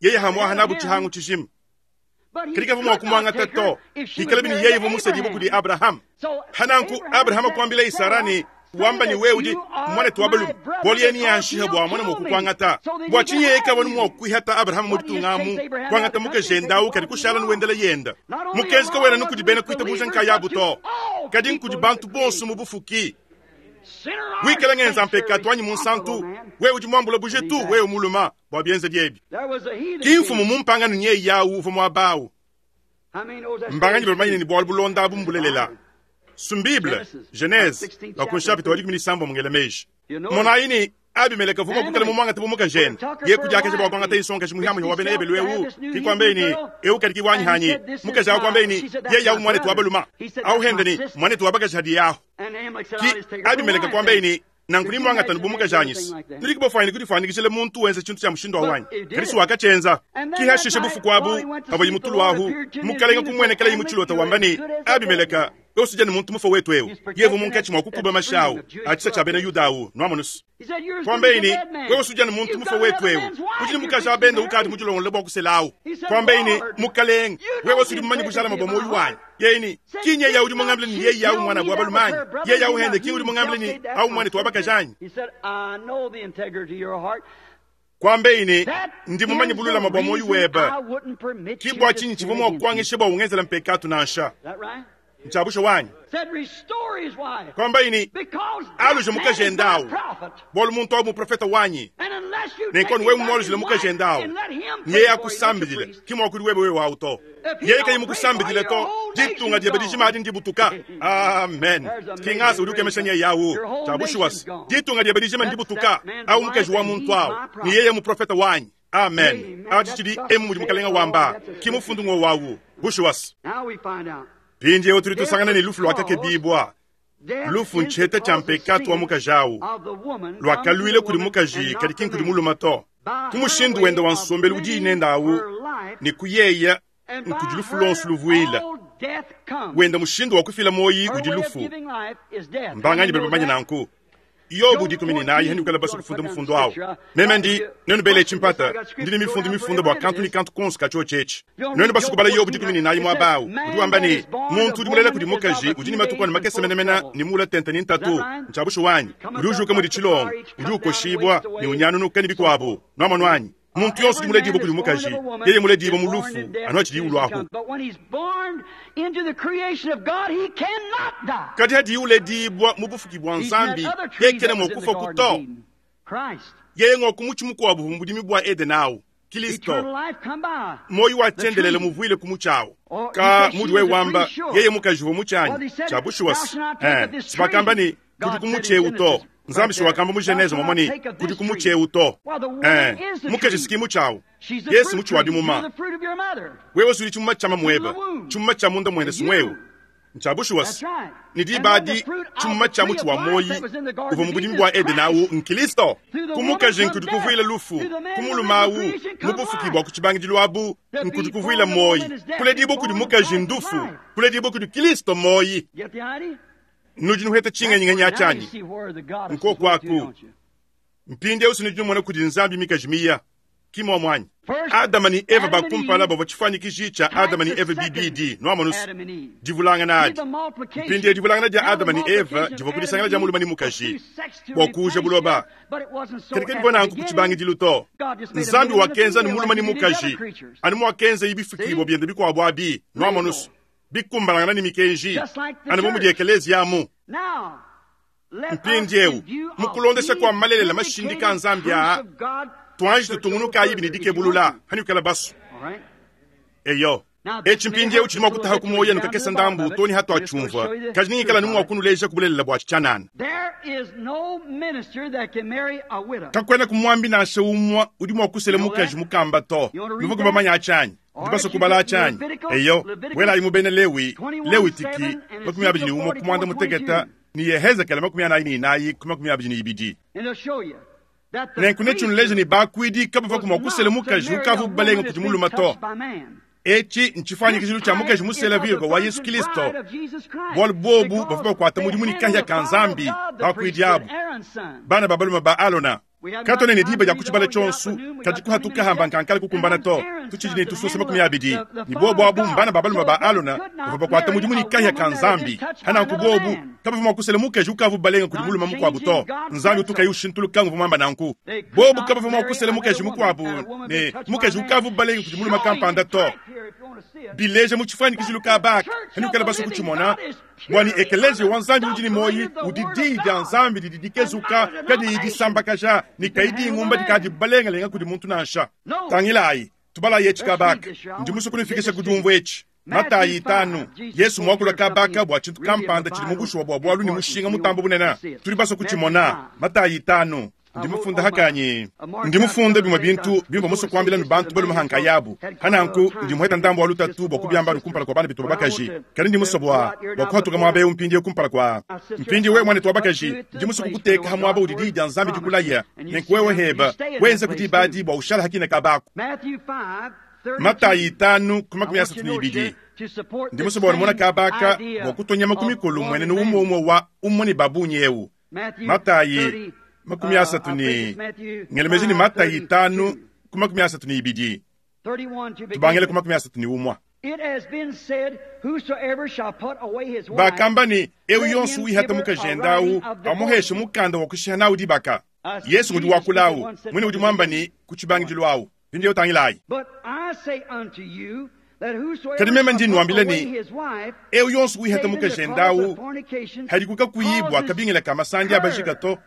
Yeye hamuaha nabu tshihangu tshijima. Kadi kavua mua kumuangata to, ikala bini yeye uvua musedibue kudi Abraham. Hananku Abraham kuambila Isara ne wamba ni wewe udi mwanetu wa balume, bualu yeye niyanshiha bua mwana mua kukuangata. Bua tshinyi yeye kavua mua kuihata Abraham mu ditunga amu, kuangata mukajende awu kadi kushala nuwendela yenda. Mukenji kawena nukudi bena kuitabuja nkayabu to, kadi nkudi bantu bonso mu bufuki. Wikala ngenza mpekatu anyi munsantu, wewe udi muambula bujitu, wewe muluma bua bienze biebi. Ki mfumu mumpangano nye yawu uvua muaba awu. Mbanganyi bamanye ni bualu bulonda abu mbulelela. Sumbible, Genese, bakunshapita wa dikumi ne sambo mungela meji. Monayi ni Abimeleka vuma kukala mu mwangata bu mukajene. Ye kudiakaje bua kuangata insonga muhiamu wa bena Ebelu ewu. Ki kwambe ni ewu kadi kiwanyi hanyi. Mukaji awu kwambe ni ye yawu mwanetu wa baluma. Awu hende ni mwanetu wa bakaji hadi yahu. Ki Abimeleka kwambe ni nankuni mwangata bu mukaji anyisi. Nudi kubafanya kudifanikishile muntu wenze tshintu tsha mushindu wa wanyi. Kadi wakachenza. Ki hashishe bufuku abu abo yimutulu ahu. Mukalenga kumwenekela yimuchilota wamba ni Abimeleka osija ni muntu mufa wetu ewu. Yevu munkatshi mwa kukuba mashawu atshisa tsha bena Yuda awu nwamonusu. Kwambe ni wewe usuja ni muntu mufa wetu ewu. Udi mukaji abende ukadi mujilongola bwa kuselawu. Kwambe ni mukalenga wewe usudi mumanyi bujala mabwa moyo wanyi. Yeye kinye ya udi mungambile ni yeye yawu mwana bwa balumanyi. Yeye yawu hende ki udi mungambile ni awu mwana tu abakajanyi. Kwambe ni ndi mumanyi bulula mabwa moyo weba. Kibwa chinyi chivwa mwa kuangisha bwa ungenzela mpekatu nansha. Nchabusha wanyi. Kwamba ini aluje mukaji ndawu. Bolu muntu awu muprofeta wanyi. Nenkoni wewe mwaluje mukaji ndawu. Yeye akusambidile kimwa kuli wewe wewe auto. Yeye kayi mukusambidile to ditunga diebe dijima adi ndibutuka. Amen. Kingazi udi ukemesha nye yawu. Chabusha wasi. Ditunga diebe dijima ndibutuka. Awu mukaji wa muntu awu. Ni yeye muprofeta wanyi. Amen. Achi chidi emu mudi mukalenga wamba. Kimufundu ngo wawu. Busha wasi. Pindi yewe tuli tusangana ni lufu lwakakebibwa. Lufu ncheta cha mpekatu wa mukaji awu. Lwakalwile kuli mukaji kadi ki nkudi muluma to. Kumushindu wenda wa nsombelu udi inenda awu ni kuyeya nkudi lufu lonso luvuila. Wenda mushindu wa kufila moyi udi lufu. Mbanganyi bali bamanye nanku. Yobu dikumi ne nayi hani ukala basu kufunda mufundo awu. Meme ndi nenu bele chimpata ndini mifundu mifunda bua kantu ni kantu konso kacho chechi. Nenu basu kubala Yobu dikumi ne nayi muaba awu. Udi wamba ni muntu udi mulela kudi mukaji udi ni matuku anu makese menemena ni mula tenta ni ntatu nchabushu wanyi. Udi ujuka mudi chilongo udi ukoshibwa ni unyanunuka ni bikuabu nwamonu wanyi. Muntu yonso udi muledibwa kudi mukaji yeye muledibwa mu lufu anu achidi ulwahu. Kadi hadi uledibwa mu bufuki bwa nzambi yekene mwakufa kuto. Yeye ngokumuchi mukuabu mu bwa Eden awu Kristo. Moyo wa tyendelele muvuile kumuchawo. Ka mudi we wamba yeye mukaji wo muchanyi chabushuwas. Eh, sibakamba ni kudi kumucheu to. Nzambi shiwakamba mu Genese momoni kudi kumucheu to. Eh, mukaji sikimu chawo. Yesu muchi wa bimuma. Wewe suli chimuma chama mweba. Chimuma cha munda mwende sumwewu. Ntshia bushuwa se, ne diba adi tshimuma tshia mutshi wa muoyi uvua mu budimi bua Edene awu n'Kilisto. Ku mukaji nkudi kuvuila lufu, ku mulume awu mu bufuki bua ku tshibangidilu abu nkudi kuvuila muoyi. Kuledibua kudi mukaji ndufu, kuledibua kudi Kilisto muoyi. Nudi nuheta tshingenyingenyi atshanyi nkoku aku. Mpindieu sinudi numona kudi Nzambi mikaji miya ki muamwanyi. Adama ne Eva bakumpala bavua tshifuanyikiji tshia Adama ne Eva bibidi nuamonusu divulangana adi. Mpindieu divulangana dia Adama ne Eva divua kudisangana dia mulume ne mukaji bua kuuja buloba. Kadi kadivua nanku ku tshibangidilu to. Nzambi wakenza ne mulume ne mukaji anu muakenza ibifikibua biende bikuabu abi nuamonusu bikumbalangana ne mikenji anu bu mudi ekeleziya amu. Mpindieu mu kulondesha kua malelela mashindika a Nzambi aa tuanji tutungunukayi bini dikebulula hanukala basu. Eyo etshi mpindieu tshidi mua kutaha ku muoyo nukakesa ndambu toni hatuatshumvua kaji ningikala numu wakunuleja kubulelela bua tshianana. Kakwena kumuambi nansha umwa udi mua kusela mukaji mukamba to. Nuvua kubamanya atshanyi ndibaso kubala atshanyi. Eyo welayi mu bena Lewi Lewitiki makumi abidi ne umwe ku mwanda muteketa ni Yehezekele makumi anayi ne inayi ku makumi abidi ne ibidi. Nenku netshinuleja ne bakuidi kabavua mua kusela mukaji ukavu balenga kudi mulume to. Etshi ntshifuanyikijilu tshia mukaji musela virgo wa Yesu Kristo. Bualu bobu bavua bakuata mudimu ne kahia ka Nzambi bakuidi abu bana ba balume ba Alona. Katone ne diba dia kutshibala tshionso kadi kuhatuka hamba nkankala kukumbana to. Tutshidi ne tususa makumi abidi ne bobu abu mbana ba balume ba Alona bavua bakuata mudimu ne kahia ka Nzambi. Hananku bobu kabavua mua kusela mukaji ukavu balenga kudi mulume mukuabu to. Nzambi utukayi ushintuluka nguvua muamba nanku. Bobu kabavua mua kusela mukaji mukuabu ne mukaji ukavu balenga kudi mulume kampanda to. Bileja mu tshifuanyikijilu ka baka hanukala baso kutshimona bwani ekeleziya wa Nzambi udi ne muoyi udi diyi dia Nzambi didi dikezuka kadiyi disambakaja ne kayi ngumba dikadi balengalenga kudi muntu nansha. Tangilayi tubalayi etshi kabaka ndi musue kunufikisha ku diumvua etshi. Matayi itanu Yesu muakula kabaka bua tshintu kampanda tshidi mu bushuwa bua bualu ne mushinga mutambo bunene. Tudi basue kutshimona. Matayi itanu ndi mufunda hakanyi ndi mufunda bimwe bintu bimba musue kuambila ne bantu balume hankayabu. Hananku ndi muheta ndambo wa lutatu bua kubiamba kumpala kwa bana betu babakaji. Kadi ndi musue bua bua kuhatuka muaba eu mpindieu kumpala kwa mpindi wewe mwana twabakaji ndi musue kukuteka ha muaba udi diyi dia Nzambi dikulaya nenku wewe heba wenze kuti badi bua ushala hakina kabako. Matayi itanu ku makumi asatu ne ibidi ndi musue bua numona kabaka bua kutonya makumi kulu mwenene umwe umwe wa umwe ne babunyi eu. Matayi makumi asatu ne ngelemeji ni Matayi itanu ku makumi asatu ne ibidi tubangele ku makumi asatu ne umwa. Bakamba ne eu yonso wihata mukajenda awu amuheshe mukanda wa kushiha nawu dibaka. Yesu ngudi wakulawu mwene udi muamba ne ku tshibangidilu awu mpindieu tangilayi. Kadi meme ndi nuambila ne eu yonso wihata mukajenda awu hadikuka kuyibwa kabingila ka masandi abajika to.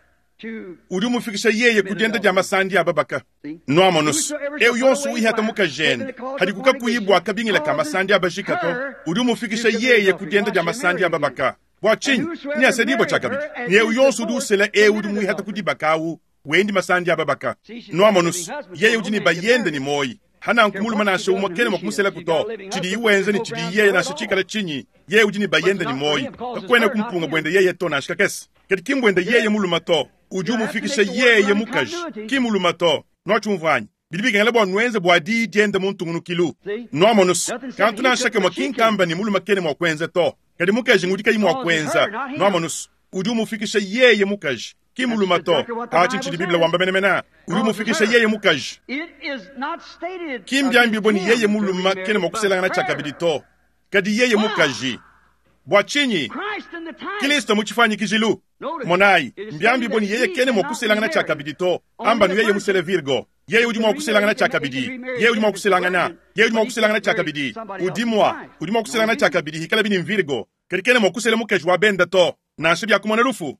Udi umufikisha yeye kudienda dia masandi ababaka. Nuamonusu eu yonso wihata mukajenda hadikuka kuyibwa kabingila ka masandi abajika to. Udi umufikisha yeye kudienda dia masandi ababaka. Bua tshinyi ni asadibwa tshakabidi ni eu yonso udi usela eu udi muihata kudibaka awu wendi masandi ababaka. Nuamonusu yeye udi ne bayende ni moyi. Hananku mulume nansha umwe kene mua kumusela kuto. Tshidi iwenza ne tshidi yeye nansha tshikala tshinyi yeye udi ne bayende ni moyi. Kakwena kumpunga bwende yeye to nansha kakese. Kadi kimbwende yeye mulume to. Udi umufikisha yeye mukaji kimuluma to. Nwatshumvuanyi bidi bikengela bua nuenze bua diyi diende mu ntungunukilu. Nuamonusu kantu nansha kamwe kinkamba ni mulume kene mua kuenza to. Kadi mukaji ngudi kayi mua kuenza. Nuamonusu udi umufikisha yeye mukaji kimuluma to. Atshi tshidi Biblia wamba menemene. Udi umufikisha yeye mukaji kimbiambi ni yeye muluma kene mua kuselangana tshakabidi to. Kadi yeye mukaji bua tshinyi Kristo mu tshifuanyikijilu. Monayi mbiambi boni yeye kene mua kuselangana tshakabidi to. Amba nu yeye musele virgo yeye udi mua kuselangana tshakabidi. Yeye udi mua kuselangana yeye udi mua kuselangana tshakabidi. Udi mua udi mua kuselangana tshakabidi hikala bini virgo. Kadi kene mua kusela mukaji wa benda to nansha bya kumona lufu.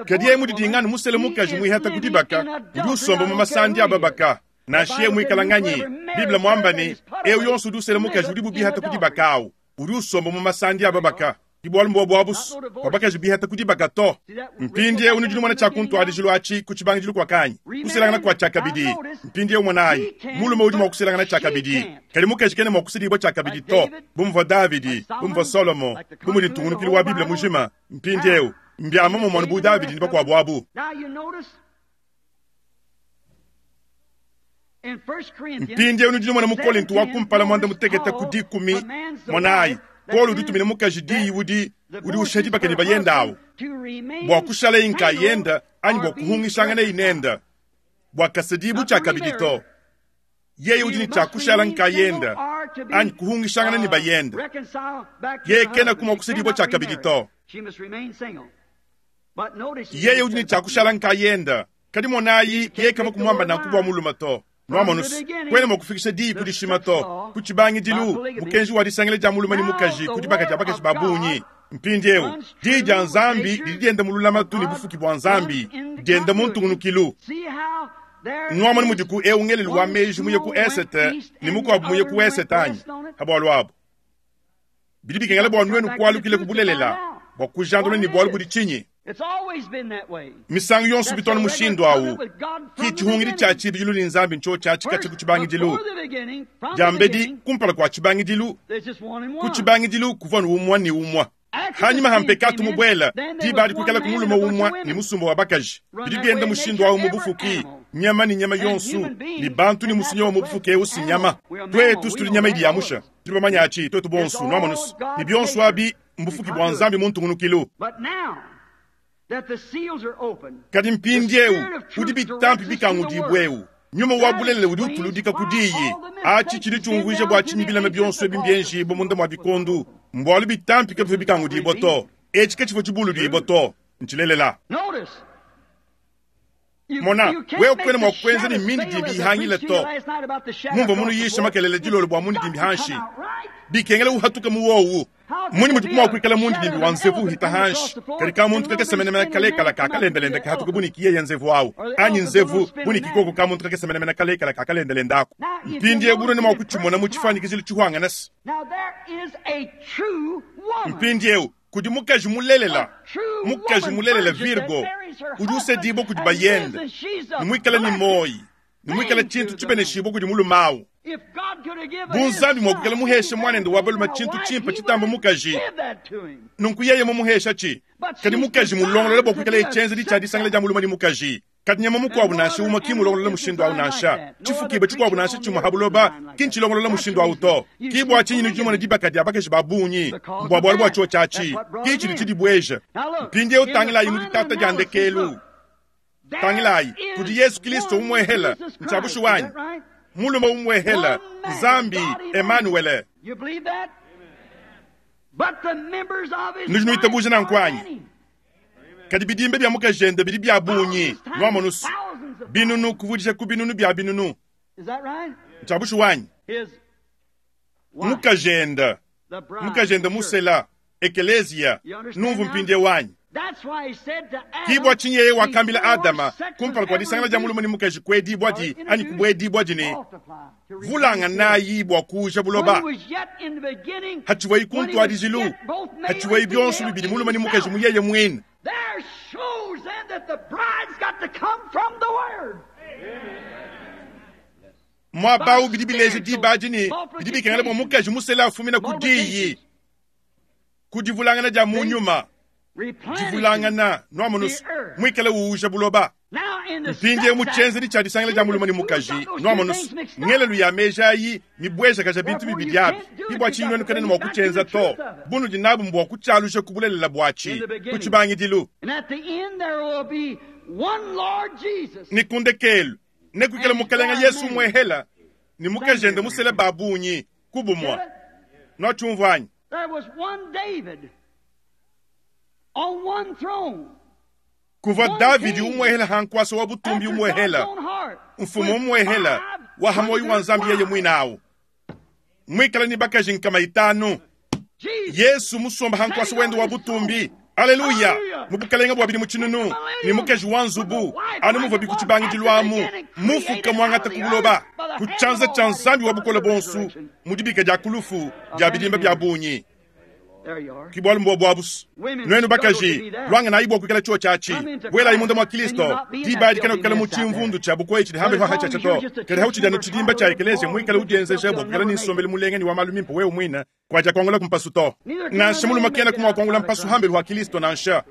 Kadi yeye mudidinganu musele mukaji muihata kudibaka udi usomba mu masandi ababaka nansha yeye muikala nganyi. Biblia muamba ne eu yonso udi usela mukaji udi bubihata kudibaka awu udi usomba mu masandi ababaka. Ki bualu mbua buabusu bua bakaji bihata ku dibaka to. Mpindieu nudi numona tshia kuntuadijilu atshi ku tshibangidilu kua kanyi kuselangana kua tshiakabidi. Mpindieu monayi, mulume udi mua kuselangana tshiakabidi, kadi mukaji kena mua kusedibua tshiakabidi to, bu muvua Davidi, bu muvua Solomo, bu mudi ntungunukilu wa Bible mujima. Mpindieu mbia momumue bu Davidi ne bakuabu abu. Mpindieu nudi numona mu Kolinto wa kumpala muanda mutekete ku dikumi, monayi, Paulo udi utumina mukaji diyi udi udi usha dibaka ne bayenda awu bua kushala nkayenda anyi bua kuhungishangana inenda bua kasedibu tshiakabidi to. Yeye udi ne tshia kushala nkayenda anyi kuhungishangana ne bayenda. Yeye kena kumua kusedibua tshiakabidi to. Yeye udi ne tshia kushala nkayenda, kadi monayi yeye kava kumuamba nanku bua mulume to. Nwamonusu kwena mua kufikisha diyi ku dishima to ku tshibangidilu mukenji wa disangila dia mulume ne mukaji ku dibaka dia bakaji ba bungi. Mpindieu diyi dia Nzambi didi dienda mu lulamatu ne bufuki bua Nzambi dienda mu ntungunukilu. Nwamonu mudiku eu ngelelu wa meji muye ku esete ne mukuabu muye ku esete anyi ha bualu abu. Bidi bikengela bua nuenu kualukile ku bulelela bua kujandula ne bualu budi tshinyi. Misangu yonso bitwana mushindu awu ki tshihungidi tshia tshibidilu ne Nzambi ntsho tshia tshikatshi ku tshibangidilu. Diambedi kumpala kua tshibangidilu, ku tshibangidilu kuvua umua ne umua. Hanyuma ha mpekatu mubuela diba adi kuikala ku mulume umua ne musumba wa bakaji. Bidi bienda mushindu awu mu bufuki, nyama ne nyama yonso ne bantu ne musunya wa mu bufuki eu si nyama. Twetu tuli nyama idi yamusha tudi bamanya atshi twetu bonso nwamonusu ne bionso abi mbufuki bua Nzambi mu ntungunukilu. Kadi mpindieu udi bitampi bikangudibweu nyuma wa bulelela udi utuludika ku diyi. Atshi tshidi tshiumvuija bua tshinyi bilema bionso ebi mbienjibua munda mua bikondu, mbualu bitampi kabivua bikangudibua to. Etshi katshivua tshibuludibua to, ntshilelela. Mona, wewe kwena mua kuenza ne mindidimbi ihangile to. Mumvua munuyisha makelele dilolo bua mundidimbi hanshi bikengela uhatuka mu wowu. Munyi mudi kumua kuikala mundidimbi wa nzevu uhita hanshi kadi ka muntu kakese menemene kalekala kakalendelenda kahatuka buniki yeye nzevu awu anyi nzevu buniki koko ka muntu kakese menemene kalekala kakalendelenda ako. Mpindieu bunene mua kutshimona mu tshifuanyikizilo tshihwanganasa. Mpindieu kudi mukaji mulelela, mukaji mulelela Virgo udi usedibua kudi bayenda ne muikala ne moyi ne muikala tshintu tshibeneshibua kudi mulume awu. Bu Nzambi mua kuikala muheshe mwanende wa balume tshintu tshimpe tshitamba mukaji, nunku yeye mumuhesha tshi. Kadi mukaji mulongolola bua kuikala etshienzedi tshia disangila dia mulume ne mukaji. Kadi nyama mukuabu nansha umue ki mulongolola mushindu awu nansha tshifukibe tshikuabu nansha tshimue ha buloba ki ntshilongolola mushindu awu to. Ki bua tshinyi nudi numona dibaka dia bakaji ba bungi mbua bualu bua tshio tshiatshi ki tshidi tshidibueja. Mpindieu tangilayi mu ditata dia ndekelu, tangilayi kudi Yesu Kristo umuehela ntshiabushu wanyi mulume umuehela Nzambi Emmanuel. Nudi nuitabuja nanku anyi? Kadi bidimbe bia mukajende bidi bia bungi nwamonusu binunu kuvudisha ku binunu bia binunu. Ntshiabushu wanyi mukajende mukajende musela ekelezia numvu mpindie wanyi. Ki bua tshinyi yeye wakambila Adama kumpala kua disangila dia mulume ne mukaji kuedibua di anyi kubuedibua di ne vulanganayi bua kuuja buloba. Hatshivuayi ku ntuadijilu, hatshivuayi bionso bibidi mulume ne mukaji mu yeye muine. Muaba bidi bileja diba adi ne bidi bikengela bua mukaji musela afumina ku diyi, ku divulangana dia mu nyuma, divulangana nwamonusu muikale uuja buloba. Mpindieu mu tshienzedi tshia disangila dia mulume ne mukaji nwamonusu ngelelu ya meji ayi mibuejakaja bintu bibidi abi. Ki bua tshinyi nuenu kanene mua kutshienza to, bunudi nabu mbua kutshialuja ku bulelela buatshi ku tshibangidilu. Ne ku ndekelu nekuikale mukalenga Yesu umuehela ne mukajende musele ba bungi ku bumua. Nwatshiumvua anyi? Kuvua Davidi umuehela hankuasa wa butumbi umuehela mfumu umuehela wa hamoyi wa Nzambi yeye muine awu muikala ni bakaji nkama itanu. Yesu musomba hankuasa wende wa butumbi. Aleluya! Mu bukalenga bua bidi mu tshinunu ne mukaji wa nzubu anu muvua bikutshibangidilu amu mufuka muangata ku buloba ku tshianza tshia Nzambi wa bukole bonso mu dibika dia kulufu dia bidimba bia bungi. Ki bualu mbua buabusu. Nuenu bakaji, lwanganayi bua kuikala chuo chachi. Buelayi munda mwa Kristo. Diba adi kana kukala mu tshimvundu tshia bukoyi tshidi hambe hwa cha to. Kadi hauchidi anu tshidimba tshia ekelezia mwikala udienzeja bua kukala ni nsombelu mulenge ni wa malu mimpe wewe mwina kwaja kuangula kumpasu to. Nansha mulume kena kumwa kuangula mpasu hambe hwa Kristo nansha.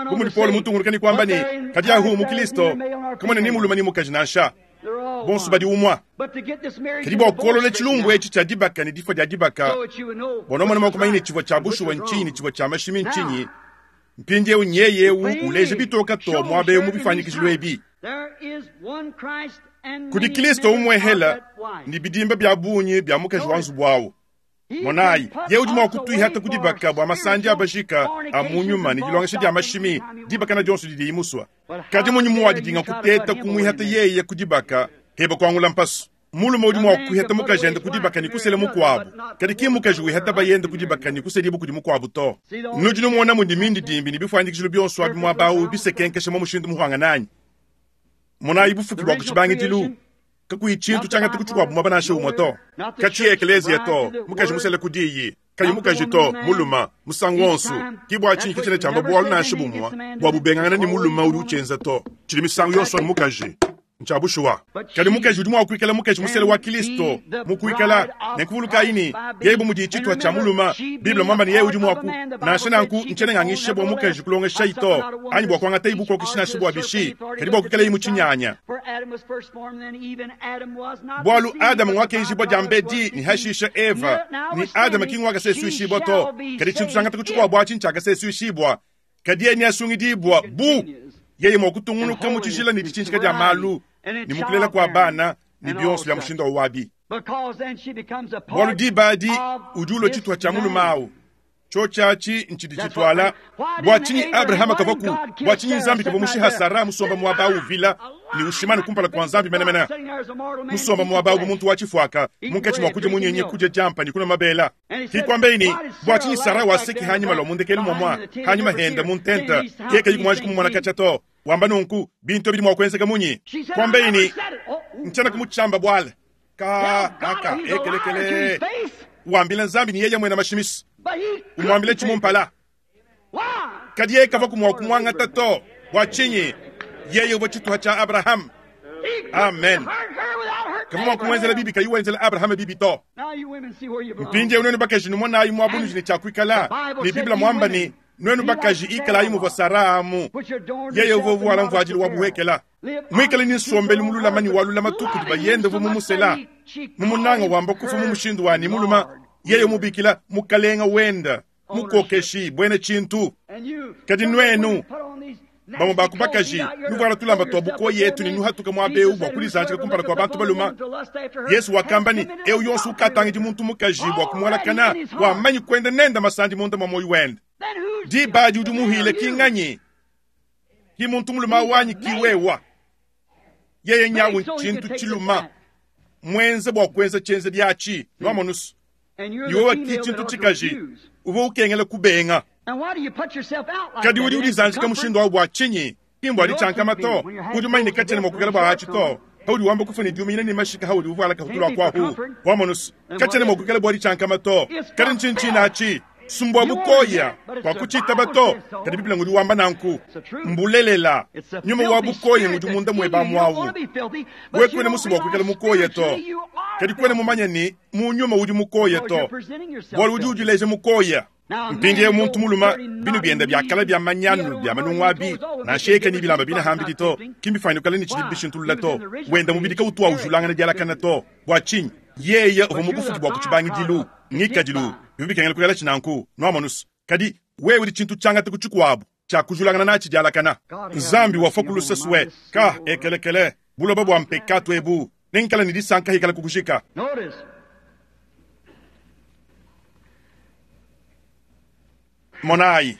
Bu mudi Paulo mutunguluka ni kwamba ni kadi ahu mu Kristo kamwe ni mulume ni mukaji nansha. Bonso badi umwa. Kadi bua kuolola tshilumbu etshi tshia dibaka ni difua dia dibaka. Bona mwana mwakumanya tshivua tshia bushuwa nchinyi tshivua tshia mashimi nchinyi. Mpindiewu nyeyewu uleje bitoka to mwabe mu bifanyikishilu ebi. Kudi Kristo umwehela ni bidimba bya bunyi bya mukaji wa nzubu wawu. Monayi, ye udi mua kutuihata ku dibaka bua masandi abashika a mu nyuma ni dilongesha dia mashimi dibaka na dionso didi imuswa. Kadi munyi muwadidinga kuteta kumwihata yeye ku dibaka heba kuangula mpasu. Mulume udi mua kuihata mukaji ende ku dibaka ni kusela mukuabu. Kadi ki mukaji wihata bayende ku dibaka ni kuselibu kudi mukuabu to. Nudi numona mudi mindi dimbi ni bifanyikishilu bionso abi muabawu bisekenkesha mu mushindu muhwangananyi. Monayi bufuki bua kutshibangidilu. Kakuyi tshintu tshiangata kutshikwabo mwaba nansha umwe to. Katshi ekelezia to, mukaji musele kudiyi. Kayi mukaji to, muluma, musangu wonso. Ki bua tshinyi kitshina tshiamba bualu nansha bumwa, bua bubengangana ni muluma udi utshienza to. Tshidi misangu yonso ni mukaji. Ntsha bushuwa. Kadi mukaji udi mua kuikala mukaji musele wa Kristo, mukuikala nekuvuluka ini, yeye bu mudi tshitwa tshia muluma, Biblia mwamba ni yeye udi mua ku. Nansha nanku ntshene ngangishe bua mukaji kulongesha ito, anyi bua kuangata ibuko kishina shi bua bishi, kadi bua kuikala imu tshinyanya. Bualu Adamu ngwakenjibwa dia mbedi ni hashisha Eva, ni Adamu ki ngwakasesuishibwa to, kadi tshintu tshiangata kutshikuabu atshi ntshiakasesuishibwa. Kadi yeye niasungidibwa bu yeye mua kutungunuka mu tshijila ni ditshinjika dia malu, ni mukulela kwa bana ni bionso bya mushindu wa wabi. Bualu diba adi udi ulua tshituha tshia mulume awu. Cho tshiatshi ntshidi tshituala. Bua tshinyi Abrahama kavaku? Bua tshinyi Nzambi kavua mushiha Sara musomba muaba awu vila ni ushimani kumpala kwa Nzambi menemene? Musomba muaba awu bu muntu wa tshifuaka, munkatshi mua kudia munyenye kudia diampa ni kunwa mabela. Kikwambeini, bua tshinyi Sara waseki hanyima lwa mundekelu mwamwa, hanyima henda muntenta, keka yikumwanji kumumona katsha to. Wamba nunku, bintu bidi mua kuenzeka munyi. Kwambeini, ntshiena kumutshamba bwala. Ka, kaka, ekelekele. Wambila Nzambi ni yeye mwena mashimisi. Umwambile tshimumpala. Kadi yeye kava kumwa kumwangata to. Bua tshinyi? Yeye uvua tshituha tshia Abraham. Amen. Kava mua kumwenzela bibi kayi wenzela Abraham bibi to. Mpindiewu nuenu bakaji numonayi muabunuji ne tshiakuikala. Ni Biblia mwamba ni nuenu bakaji ikalayi muvua Sara amu. Yeye uvua uvuala mvuadilu wa buhekela. Mwikale ni nsombelu mululama ni walulama tuku di bayende uvua mumusela. Mumunanga wamba kufa mu mushindu wani muluma. Yeye mubikila mukalenga wenda mukokeshi bwene tshintu. Kadi nuenu bamwe bakubakaji nuvuala tulamba twa buko yetu ni nuhatuka muabeu bua kulizanjika kumpala kwa bantu baluma. Yesu wakamba ni eu yonso ukatangidi muntu mukaji bua kumualakana wamanyi kwenda nenda masandi munda mwa moyo wenda. Diba adi udi muhile kinganyi ki muntu muluma wanyi kiwewa. Yeye nyawu tshintu tshiluma mwenze bua kuenza tshienze diatshi nwamonusu. Yowa ki tshintu tshikaji uvua ukengela kubenga. Kadi udi ulizanjika mushindu wawu bua tshinyi? Kimbo adi tshiankama to. Udi umanye katshiena mua kuikala bua atshi to. Haudi wamba kufa ni diumina ni mashika haudi uvuala kahutulwa kwahu. Wamonusu katshiena mua kuikala bua adi tshiankama to. Kadi ntshintshina atshi sumbua bukoya kwa kuchitaba to. Kadi Biblia ngudi wamba nanku mbulelela nyuma wa bukoya ngudi munda mweba mwawu. We kwene musu bua kuikala mukoya to. Kadi kwene mumanya ni mu nyuma udi mukoya to. Bualu udi udileja mukoya. Mpindiewu muntu muluma binu bienda biakala bia manyanu bia manungu abi nansha eka ni bilamba bina hambidi to. Kimbifanikala ni tshidi bishintulula to. Wenda mubidi kautua ujulangana dialakana to. Bua tshinyi? Yeye uvua mubufuki bua kutshibangidilu ngikadilu bibikengela kuyala tshinanku nwamonusu. Kadi wewe udi tshintu tshiangata kutshikuabu tshiakujulangana natshi dialakana. Nzambi wafua kulusesue ka ekelekele buloba bua mpekatu ebu nenkala ni disanka hikala kukushika. Monayi,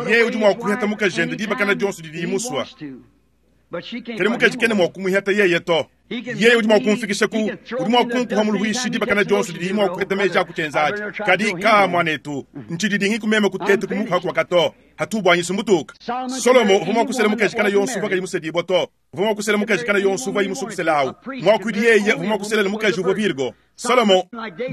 yeye udi mua kuheta mukajende dibakana dionso didi imuswa. Kadi mukaji kena mua kumuheta yeye to. Yeye udi mua kumfikisha ku, udi mua kunkuha muluishi dibakana dionso didi mua kuheta meji akutshenzaji. Kadi ka mwanetu, ntshididingi kumema kutete kumuha kwa kato. Hatubwanyisa mbutuka. Solomo uvua mua kusela mukaji kana yonso uvua kayi musedibwa to. Uvua mua kusela mukaji kana yonso uvua yimusukuselawu. Mwakuidi yeye uvua mua kuselela mukaji uvua Virgo. Solomo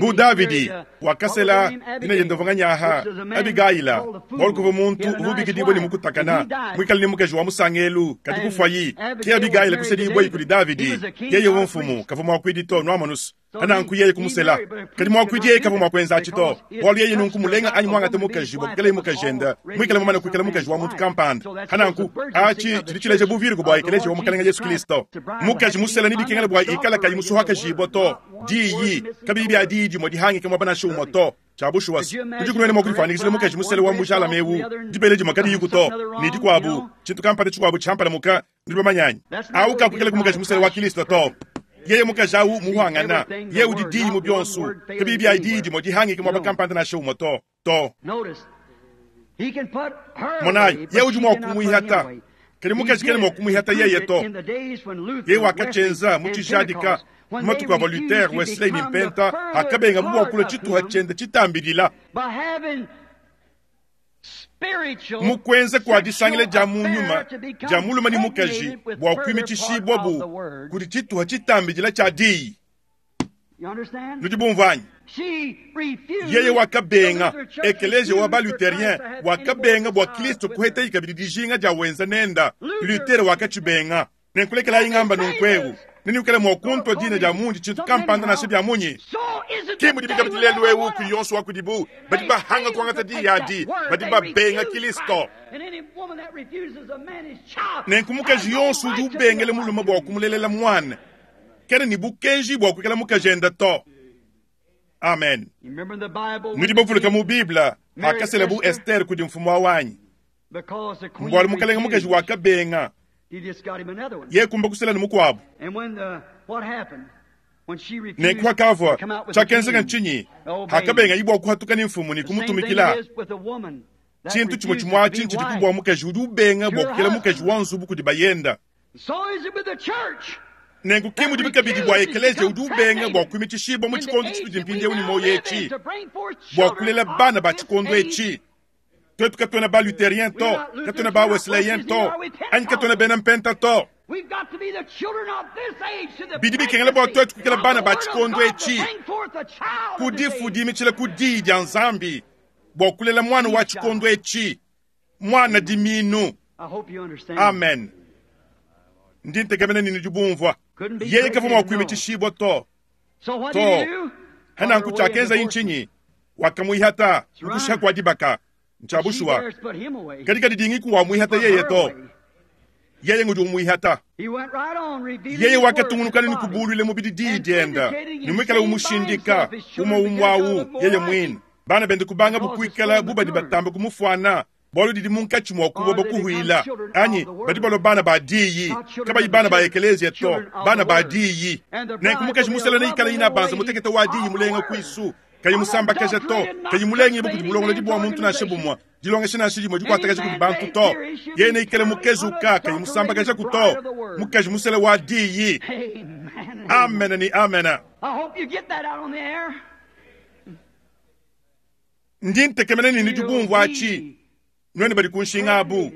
bu Davidi wakasela dina diende uvua nganyaha Abigayila, bualu kuvua muntu uvua ubikidibua ne mukutakana, muikale ne mukaji wa musangelu, kadi kufuayi. Ke Abigayila kusedibua kudi Davidi. Yeye uvua mfumu, kavua muakuidi to, nuamonus. Nanku yeye kumusela. Kadi muakuidi yeye kavua mua kuenza atshi to, bualu yeye nunku mulenga anyi muangate mukaji bua kuikalaye mukaji enda, muikale mumane kuikala mukaji wa muntu kampanda. Hananku atshi tshidi tshileja buvirgo bua ekeleziya wa Mukalenge Yesu Kristo. Mukaji musela nibikengela bua ikala kayi musuhakajibua to, diyi kabiyi bia diyi dimue dihangike muaba nansha umue to. Tshia bushuwa tudi kunuene mua kudifanikishila mukaji musela wa mujalame eu, dibele dimue kadiyiku to, ne dikuabu tshintu kampanda tshikuabu tshiampalamuka, nudi bamanyanyi au kakuikala ku mukaji musela wa Kristo to. Yeye mukaji au muhangana, yeye udi diyi mu bionso, kabiyi bia diyi dimue dihangike muaba kampanda nansha umue to to. Monayi, yeye udi mua kumuihata, kadi mukaji kena mua kumuihata yeye to. Yeye wakatshyenza mu tshijadika mu matuku avua Luther, Wesley ne Mpenta akabenga bu bua kulua tshituha tshiende tshitambilila mu kuenza kua disangila dia mu nyuma dia mulume ne mukaji bua kuimitshishibua bu kudi tshituha tshitambidila tshia diyi. Nudi bumvua anyi? Yeye wakabenga ekeleziya wa ba-Lutherien wakabenga bua Kristo kuhetayi kabidi dijinga dia wenza nenda. Luther wakatshibenga. Nenkulekelayi ngamba nunku neniukela mua kuntwa dina dia mundi tshintu kampanda nansha bia munyi. Ke mudi bikabidi lelu eu ku yonso wa kudibu badi bahanga kuangata diyi adi, badi babenga Kristo. Nenku mukaji yonso udi ubengela mulume bua kumulelela mwana kena ne bukenji bua kuikala mukaji enda to. Amen. Nudi bavuluka mu Bible akasela bu Esther kudi mfumu wa wanyi, mbualu mukalenge mukaji wakabenga ye kumba kusela ne mukuabu. Nenku hakavua tshiakenzeka ntshinyi? Hakabenga ibua kuhatuka ne mfumu ne kumutumikila. Tshintu tshimue tshimue atshi ntshidi kubua mukaji udi ubenga bua kukela mukaji wa nzubu kudi bayenda. Nenku ke mudi bikabidi bua ekeleziya udi ubenga bua kuimitshishibua mu tshikondo tshitudi mpindieu ne moyo etshi, bua kulela bana ba tshikondo etshi. Twetu katuena ba Lutherien to, katuena ba Wesleyen to, anyi katuena bena Mpenta to. Bidi bikengela bua twetu kuikala bana ba tshikondo etshi, kudifudimitshila ku diyi dia Nzambi bua kulela mwana wa tshikondo etshi, mwana diminu. Amen. Ndi ntekemena ne nudi bumvua. Yeye kavua mua kuimitshishibua to to. Hananku tshiakenza ntshinyi? Wakamuihata mukushiha kua dibaka. Ntsha bushuwa kadi kadi dingiku wamuihata yeye to, yeye ngudi umuihata. Yeye wakatungunukana ne kubulwile mubidi diyi dienda ne muikala umushindika umwe umwawu yeye mwine. Bana bende kubanga bukuikala bubadi batamba kumufuana, bualu didi munkatshi mua kubo bakuhuila anyi badi balua bana ba diyi, kabayi bana ba ekeleziya to, bana ba diyi. Nenku mukaji musela neikala ina banza mutekete wa diyi mulenga kuisu, kayi musambakaja to, kayi mulenge kudi bulongolodi bua muntu nansha bumue, dilongesha nansha dimue dikuatakaja kudi bantu to. Yeye neikale mukezuka, kayi musambakaja ku to, mukaji musela wa diyi. Amen ni amen. Ndi ntekemena ne nudi bumvua atshi, nuenu badi ku nshinga abu.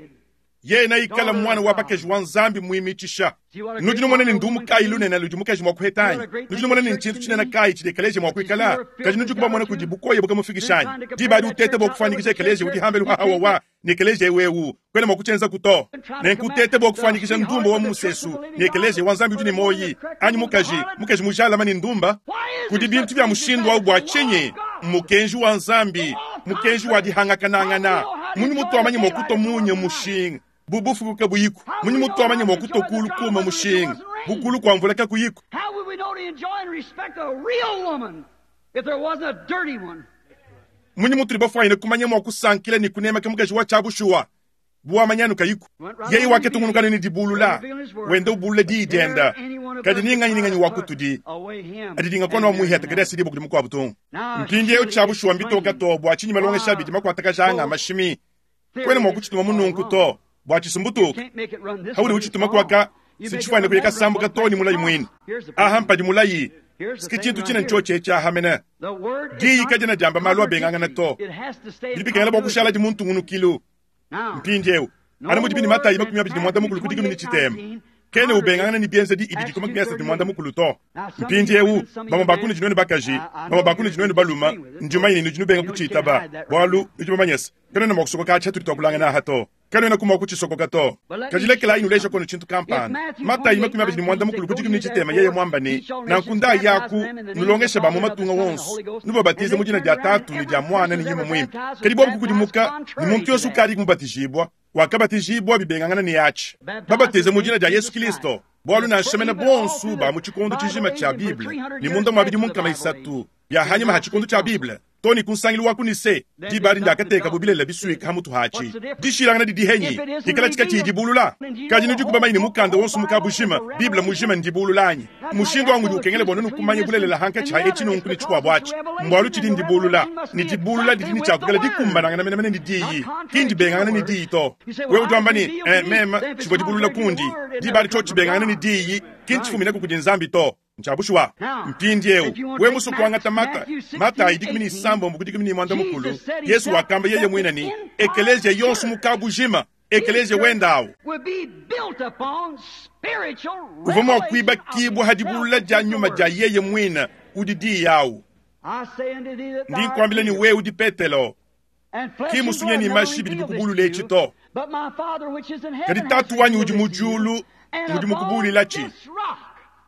Yeye neikale mwana wa bakaji wa Nzambi muimitshisha. Nudi numona ne ndumu kayi lunene ludi mukaji mua kuheta anyi? Nudi numona ne ntshintu tshinene kayi tshidi ekeleziya mua kuikala? Kadi nudi kubamona kudi bukoya bukamufikisha anyi? Diba adi utete bua kufanikisha ekeleziya udi hambelu hahawa wa ne ekeleziya ewu kwena mua kutshienza ku to. Nenku utete bua kufanikisha ndumba wa mu musesu ne ekeleziya wa Nzambi udi ne moyi anyi mukaji, mukaji mujalama ne ndumba. Kudi bintu bia mushindu au bua tshinyi? Mukenji wa Nzambi, mukenji wa dihangakanangana. Munyi mutu amanye mua kuto munye mushinga bubufuku kabuyiku. Munyi mutu amanye mua kuto kulu kuma mushinga bukulu kwa mvula kakuyiku. Munyi mutu libafwanyine kumanya mua kusankila ne kunemeka mukaji wa tshiabushuwa buamanyanu kayiku. Yeye waketungunukana ne dibulula wenda ubulula diyi dienda, kadi ninganyi ninganyi wa kutudi adidinga kono wa muiheta kadi asidi bukudi mukuabu tungu. Mpindieu tshiabushuwa mbitoka to bua tshinyi malongesha abidi makuatakajanga mashimi kwena mua kutshituma mununku to bua tshisumbutuka haudi utshituma kuaka sitshifwane kuyeka sambuka to ni mulayi mwine. Aha mpadi mulayi sike tshintu tshina ntshotshe tshiahamene diyi kadina diamba malu abengangana to bidi bikengela bua kushala di muntu ngunukilu. Mpindieu ana mudi bini Matayi makumi abidi ne muanda mukulu ku dikumi ne tshitema. Kena ubengangana ne bienzedi ibidi ku makumi asatu ne muanda mukulu to. Mpindiewu bamue ba kunudi nuenu bakaji, bamue ba kunudi nuenu balume, ndi mumanye ne nudi nubenga kutshitaba, bualu nudi bamanye se, kanuena mua kusokoka atshi atudi tuakulangana aha to. Kanuena ku mua kutshisokoka to. Kadi lekelayi nuleja kono tshintu kampanda. Matayi makumi abidi ne muanda mukulu ku dikumi ne tshitema yeye muamba ne, nanku ndayaku nulongeshe ba mu matunga wonso, nubabatize mu dina dia Tatu ne dia Mwana ne Nyuma Muimpe. Kadi bobu kukudimuka ne muntu yonso ukadi mubatijibua, wakabatijibua bibengangana ne atshi. Babatize mu dina dia Yesu Kristo, bualu nansha mene bonso ba mu tshikondo tshijima tshia Bible ne munda mua bidimu nkama isatu bia hanyima ha tshikondo tshia Bible, to ne ku nsangilu wa ku Nise, diba adi ndiakateka bu bilela bisuika ha mutu hatshi. Dishilangana didi henyi, dikala tshikatshi dibulula. Kadi nudi kubamanya ne mukanda wonso muka bujima, Bible mujima ndibulula anyi? Mushindu wangu udi ukengela bua nunu kumanya bulelela hankatshi ha etshi nunku ne tshikuabu atshi. Mbualu tshidi ndibulula, ne dibulula didi ne tshiakukala dikumbanangana menemene ne diyi, ki ndibengangana ne diyi to. Wewe udi wamba ne, eh, meme tshivua dibulula kundi, diba adi tshio tshibengangana ne diyi, ki ntshifuminaku kudi Nzambi to. Ntshiabushuwa. Mpindiewu we musu kuangata Mata, Matayi dikumi ne isambombo ku dikumi ne muanda mukulu, Yesu wakamba yeye muine ne, ekeleziya yonso muka bujima, ekeleziya wendawu uvua mua kuibakibua ha dibulula dia nyuma dia yeye muine udi diyi awu. Ndi nkuambila ne wewe udi Petelo, ki musunye ne mashi bidi bikubulula etshi to, kadi Tatu wanyi udi mu diulu ngudi mukubululatshi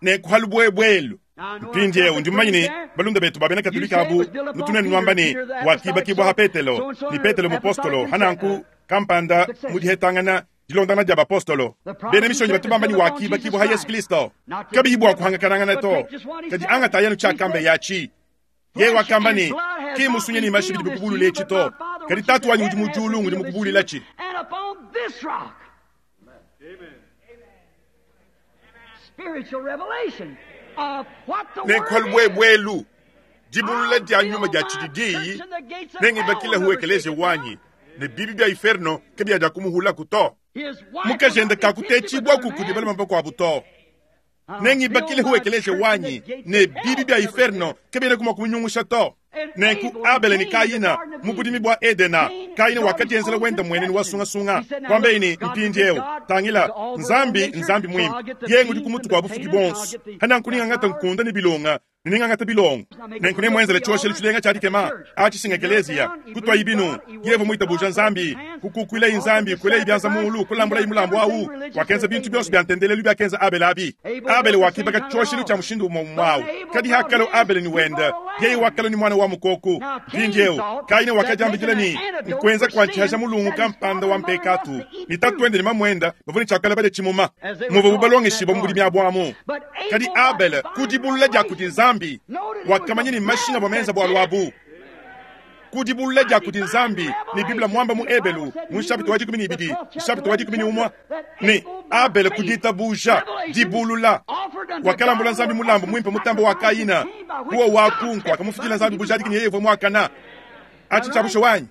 ne kuhalu buebwelu. Mpindiewu ndi mumanye ne balunda betu ba bena Katolika abu nutunene nuamba ne wakibakibua ha Petelo, ne Petelo mupostolo hananku kampanda mu dihetangana dilondana dia bapostolo. Bena mishonyi batu bamba ne wakibakibua ha Yesu Kristo, kabiyi bua kuhangakanangana to, kadi angata yanu tshiakamba yatshi. Yeye wakamba ne, ki musunye ne mashi bidi bikubulula etshi to, kadi Tatu wanyi udi mu diulu ngudi mukubululatshi. Nenkuhalu buebwelu, dibulula dia nyuma dia tshidi diyi, nengibakile hu ekeleziya wanyi, ne bibi bia inferno kabiya kumuhulaku to. Mukajende kakutetshibua kudi balume bakuabu to. Nengibakile hu ekeleziya wanyi, ne bibi bia inferno kabiena mua kumunyungusha to. Nenku Abele ne Kaina mu budimi bua Edena, Kaina wakadienzela wenda muenenu wa sungasunga, kwambeyi ne mpindiewu tangila Nzambi Nzambi muimpe, yeye udi ku mutu kua bufuki bonso, hananku ningangata nkunda ne bilonga, ne ningangata bilongo, nenku nemuenzele tshioshelu tshilenga tshia dikema atshisinga ekeleziya, kutwayi binu, yevu muitabuja Nzambi, kukukuilayi Nzambi, kuelayi bianza mulu, kulambulayi mulambu awu, wakenza bintu byonso bya ntendelelu byakenza Abele abi. Abele wakibaka tshioshelu tshia mushindu umwe umwe kadi hakalo Abele ni wenda, yeye wakalo ni mwana wa mukoku. Mpindiewu Kaina wakadiambidila ne nkwenza kwa ntihaja mulungu kampanda wa mpekatu, ne tatuende ne mamuenda bavua ne tshiakala badya tshimuma, muvua bubalongeshiba mu budimi abu. Kadi Abele kudibulula dia kudi Nzambi, wakamanya ne mashinga bua menza bualu abu. Kudibulula dia kudi Nzambi ne Biblia mwamba mu Ebelu mu chapitre wa dikumi ne ibidi, chapitre wa dikumi ne umwe, ne Abele kuditabuja dibulula wakalambula Nzambi mulambu muimpe mutambo wa Kaina, kuwa wakunku akamufidila Nzambi bujadiki ne yeye mwakana achi tshiabusha wanyi.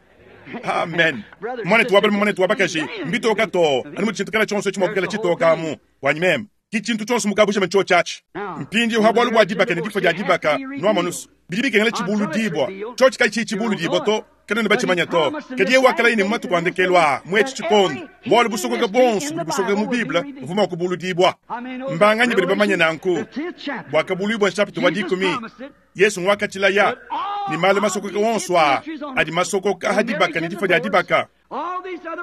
Amen. Mwanetu wa balume, mwanetu wa bakaji, mbitoka to anu mu tshintu kala tshionso tshimwakukela tshitoka amu wanyi meme ki tshintu tshionso mukabusha mtsho tshatshi. Mpindiewu ha bualu bua dibaka ne difua dia dibaka nuamonusu bidi bikengela tshibulu dibua tshio tshikayi tshi tshibulu dibua to kanene batshimanya to. Kadi yeye wakalayi ne matuku andekelu aa mwetshi tshikondo, bualu busokoka bonso budi busokoka mu Bible buvua mua kubulu dibua. Mbanganyi badi bamanya nanku bwakabuluibua nshapita wa dikumi, Yesu ngwakatshilaya ne malu masokoka wonso aa adi masokoka ha dibaka ne difua dia dibaka.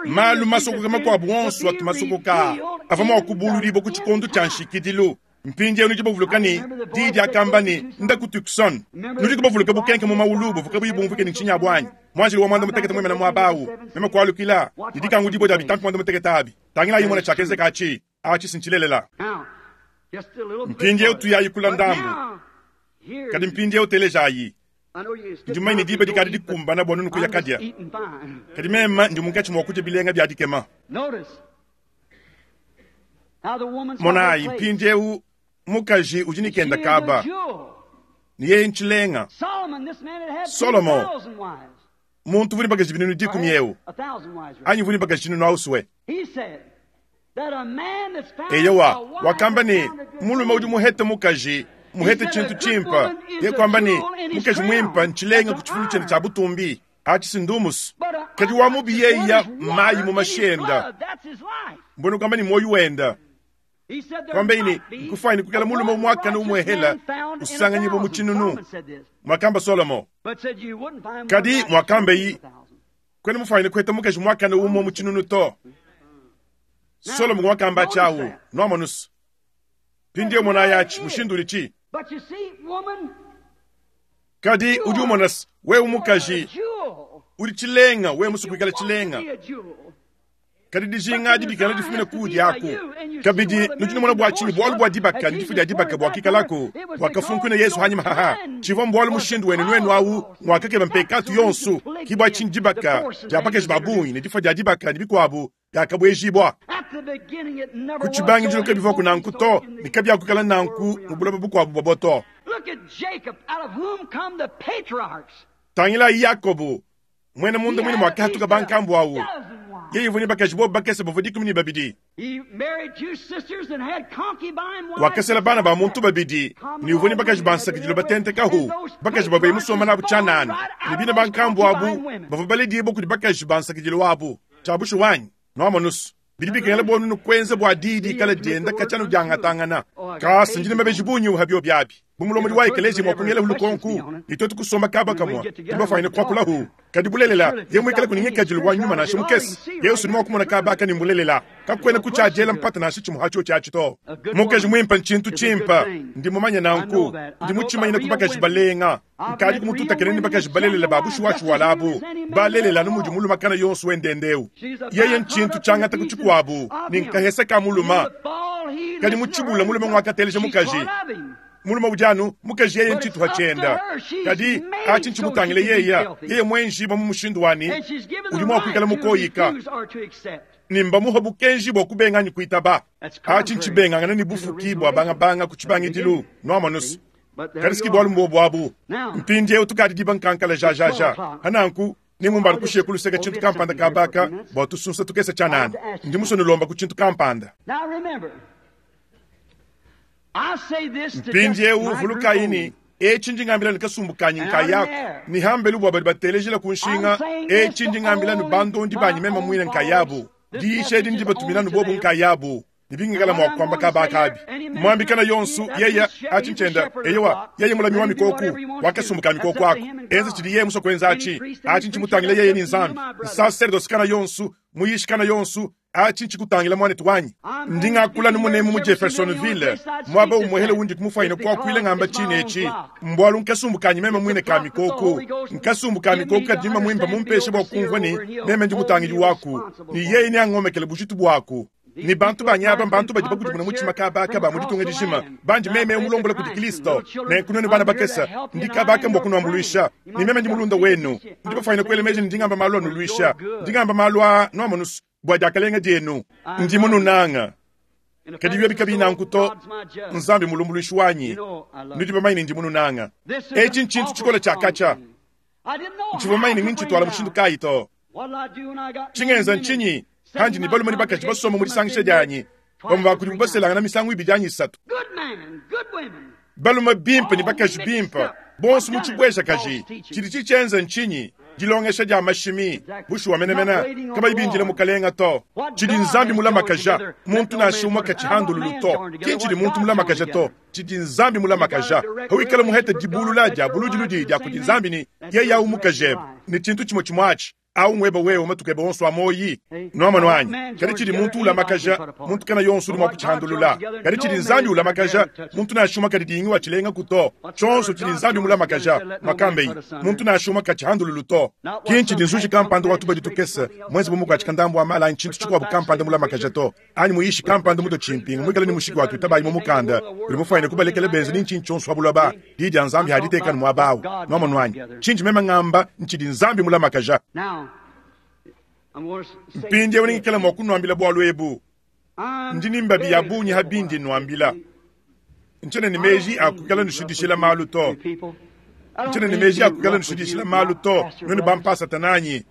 Malu masokoka makuabu wonso atu masokoka avua mua kubuludibua ku tshikondo tshia nshikidilu. Mpindiewu nudi bavuluka ne diyi diakamba ne nda ku Tucson. Nudi kubavuluka bukenke mu maulu buvuka buyibumvuke ne ntshinya buanyi. Mwanjili wa mwanda mutekete mwemena muaba awu, meme kualukila ne dikangudibua dia bitampi mwanda mutekete abi. Tangilayi mona tshiakenzeka atshi, atshi sintshilelela. Mpindiewu tuyayi kula ndambu, kadi mpindiewu telejayi. Ndi mumanye ne diba dikadi dikumbana bua nunu kuya kadya, kadi meme ndi munkatshi mua kudya bilenga bia dikema. Monayi mpindiewu mukaji udi ne kenda kaba, ne yeye ntshilenga. Solomo muntu vuni bakaji binunu dikumi ewu, anyi vuni bakaji tshinunu auswe. Eyowa wakamba ne mulume udi muhete mukaji muhete tshintu tshimpa, ye kwamba ne mukaji muimpa ntshilenga ku tshifulu tshiende tshia butumbi atshi sindumusu. Kadi wa mubi yeya mayi mu mashenda, mbona kwamba ne moyo wenda Kwambeini nkufaini kukala mulume mwakana umwehela usanganyibo muchinunu mwakamba Solomo kadi mwakambeyi kwene mufaine kweta mukaji mwakana umwe muchinunu to Solomo mwakamba chawu nwamonusu pindiyo mona yachi mushindulichi kadi udi umonas we umukaji udi chilenga we musukuikala chilenga kadi dijinga dibikana difumina kudi yako kabidi nudi bwa chini bwalu bwa dibaka ndifu dia dibaka bwa kikalako bwakafunkuna Yesu hanyuma haha chiva mbwalu mushindu wene nwenu awu mwakakeba mpekatu yonsu kibwa chini dibaka diapakeji babunyi ne difa dia dibaka nibikwabu yakabwejibwa kuchibangijilo kebiva kunanku to nikabyakukala nanku mubulaba bukwabu bwaboto tangila Yakobo mwene mundu mwine mwakahatuka bankambu awu yeye vuni bakaji bo bakese bavua dikumi ne babidi wakasela bana ba muntu babidi ni uvuni bakaji bansakidilo batentekahu bakaji babaye musoma nabu chanana ni bina bankambu abu bavua balediye kudi bakaji bansakidilo abu chabushu wanyi nwamonusu bidi bikengela bonu kwenza bwa didi kala dienda kachanu diangatangana kasi ndine mabeji bunyi uhabyo byabi bumulomodi wa ekelezi mwakungela hulukonku nitotu kusomba kaba kamwa tibafaine kwakulahu kadi bulelela ye mwikala kuningekajilo wa nyuma nashe mukesi yesu ni mwakumona kaba akani mbulelela kakwena kuchajela mpata nashe chimuhacho chachito mukeji mwimpa nchintu chimpa ndi mumanya nanku ndi muchimanyina kubakaji balenga nkali kumututakene ni bakaji balelela babushuwashu walabu balelela numudi mulumakana yonsu wendendeu yeye nchintu changata kuchikwabu ni nkahesa ka muluma kadi muchibula mulume mwakateleja mukaji muluma ujanu mukaji yeye nchitu hachenda kadi achi nchimutangile yeya yeye mwenji ba mumushindu wani uli mwakwikala mukoyika nimba muha bukenji bwa kubenganyi kuitaba achi nchibengangana ni bufuki bwa bangabanga kuchibangidilu nwamanusu kadi bwalu mbo bwabu mpindi eu tukadi diba nkankala jajaja hananku nimumbali kushiye kuluseka chintu kampanda kabaka bwa tusunsa tukesa chanana ndi musonilomba ku chintu kampanda mpindi eu vulukaini echi ndingambila nikasumbukanyi nkayako nihambelu bwa badi batelejela kunshinga echi ndingambila ni bandondi banyi mema mwine nkayabu diisha edi ndi batumina bobu nkayabu nibingikala mwakwamba kabakabi mwambikana yonsu yeya achinchenda eyewa yeye mulami wa mikoku wakasumbuka mikoko ako enza chili yeye muso kwenza achi achi nchimutangila yeye ni nzambi nsaserdosikana yonsu muyishikana yonsu achi nchikutangila mwanetu wanyi ndingakula numunemu mu Jeffersonville mwaba umwehele wundi kumufaina kwakwile ngamba chine echi mbwalu nkasumbukanyi meme mwine ka mikoko nkasumbuka mikoko kadima mwimba mumpeshe bwa kumvwa ni meme ndimutangili waku ni yeye ni angomekele bujitu bwaku ni bantu banyaba bantu badi bakudimuna muchima kabaka ba muditunga dijima bandi meme umulombola kudi Kristo nenkunoni bana bakesa ndi kabaka mbwa kunwambuluisha ni meme ndi mulunda wenu ndi bafaina kwele meji ndingamba malu anuluisha ndingamba malu a nwamonusu bwa diakalenga dienu ndi mununanga kadi byo bikabina nkuto nzambi mulumbuluishi wanyi ndi bamaini ndi mununanga echi nchintu chikola chakacha nchivamaini ninchitwala mushindu kayi to chingenza nchinyi hanji ni balume ni bakaji basoma muri sangisha dyanyi bamwe bakuri baselanga na misango ibiri dyanyi isatu balume bimpe ni bakaji bimpe bonso muchibwesha kaji chili chichenza nchinyi dilongesha dia mashimi bushuwa menemena kaba ibindile mukalenga to chidi nzambi mulamakaja muntu nashumwa kachihandululu to kinchidi muntu mulamakaja to chidi nzambi mulamakaja hawikala muhete dibulula dia buludiludi dia kudi nzambi ni yeya umukajebe ni chintu chimwe chimwachi au mweba wewe matukebe onso amoyi nwamano wanyi kadi chidi muntu ulamakaja muntu kana yonso uli mwakuchihandulula kadi chidi nzambi ulamakaja muntu nashuma kadi dingi wachilenga kuto chonso chidi nzambi mulamakaja makambeyi muntu nashuma kachihandululu to kinchi dinzuji kampanda watu badi tukesa mwezi bumuku achikandambu amala anyi chintu chikwabu kampanda mulamakaja to anyi muyishi kampanda muto chimpinga mwikala ni mushiki watu itabayi mumukanda uli mufaine kubalekele benzi ni nchinchi chonso wabulaba didi ya nzambi haditekani mwabawu nwamano wanyi chinchi mema ng'amba nchidi nzambi mulamakaja mpindi eu ningikela mwa kunwambila bwalu ebu ndi nimbabi ya bunyi habindi nwambila nchene ni meji akukala nushidishila malu to nchene ni meji akukala nushidishila malu to nuni bampasa tananyi